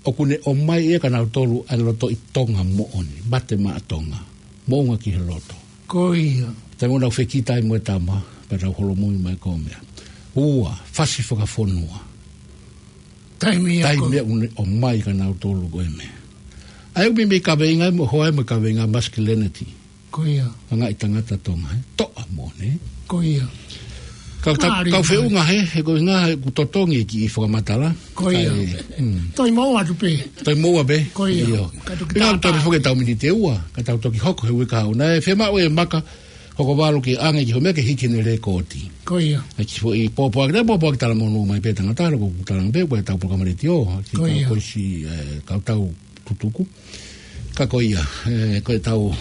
ʻOku ne ʻomai ia ka nau tolu ʻa e loto ʻi Tonga moʻoni, mate maʻa Tonga, moʻunga ki he loto. Ko ia. Taimi ʻoku nau fekita ai mo e tama, pea nau holomui mai ko e meʻa. Ua, fasi fakafonua. Taimi ia ko. Taimi ia ʻoku ne ʻomai ka nau tolu ko e meʻa. ʻAi ʻoku meimei kaveinga mo hoa mo kaveinga masculinity. Ko ia. Anga ʻi tangata Tonga, ē? Toʻa moʻoni. Ko ia. Kau ta-, mālie, kau feʻunga he, he ko e ngaahi ʻoku totongi ki he fakamatala. Ko ia. Kae, mm. Toe moʻua atu pē. Toe moʻua pē. Ko ia. ʻIo. Ka toki pea tau tātā. Toki foki tau miniti ʻe ua, ka tau toki hoko he uike kahaʻu. Naʻe fiemaʻu ʻe Maka, Hokovalu ke ʻange ki hoʻo meʻa ke hiki ʻene lēkooti. Ko ia. ʻAi ki foʻi pōpoaki, naʻe pōpoaki talamonū mai pē tangata, loko kutanga pē, pea tau polokalama letiō, ki he kau koisi, ē, kau tau tutuku. Ka ko ia, ē, ko e tau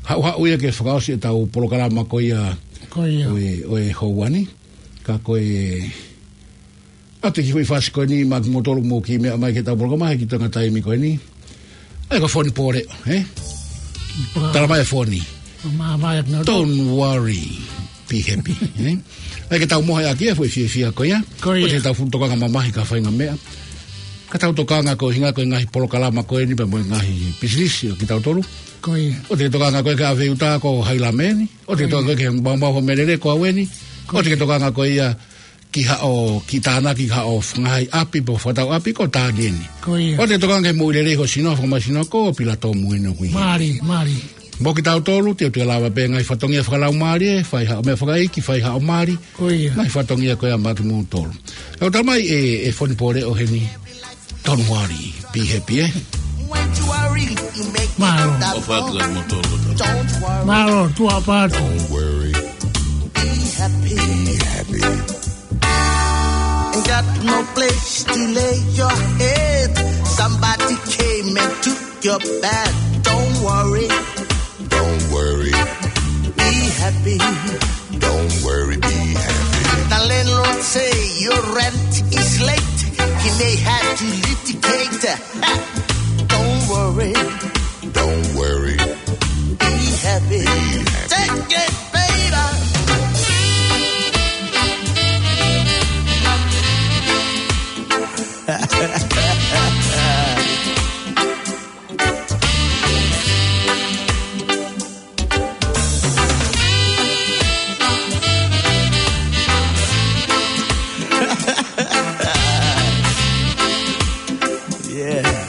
haʻuhaʻu ia ke fakaʻosi e tau polokalama ko ia. Ko ia. ʻO e, ʻo e houa ni. Ka ko e, ʻa e kiʻi foʻi fasi ko eni, maʻa kimoutolu mou kiʻi meʻa mai ki he tau polokalama, he kiʻi toenga taimi ko eni. ʻAi ko Foni Pōleʻo, ē? Pōleʻo. Tala mai e Foni. Mā, mā, mā, no. Don't worry. Be happy, ē? ʻAi ke tau mohe ʻaki e foʻi fiefia ko ia. Ko ia. ʻOua te tau fuʻu tokanga mamahi ki ha faʻahinga meʻa. Ka tau tokanga ko e ʻuhinga ko e ngaahi polokalama ko eni pea mo e ngaahi pisinisi ʻo kitautolu. Ko ia. ʻOua te tokanga ko e ki he ʻave uta ko hai lāmeni. ʻOua te tokanga ko e ki he maumau ho melele ko au eni. Ko ia. ʻOua te tokanga ko ia ki haʻo, ki tānaki haʻo ngaahi ʻapi, pe ko e fakatau ʻapi, ko e tānaki eni. Ko ia. ʻOua te tokanga ki he moʻui lelei ho sino, fakamai sino, ko Pilato Muino kui. Mālie, mālie. Mo kitautolu, te u toe lava pē ngaahi fatongia fakalaumālie, fai haʻo meʻa fakaʻeiki, fai haʻo mali. Ko ia. Ngaahi fatongia ko ia maʻa kimoutolu. ʻE ʻoatu mai e, e Foni Pōleʻo heni. Don't worry, be happy, ē? Mālō. ʻOfa atu kiate kimoutolu. Mālō, tuʻa ʻaupito. Don't worry, be happy. Be happy. Ain't got no place to lay your head. Somebody came and took your bed. Don't worry. Don't worry. Be happy. Don't worry, be happy. The landlord say your rent is late. They had to litigate. Don't worry. Don't worry. Be happy. Be happy. Take it, baby. Yeah.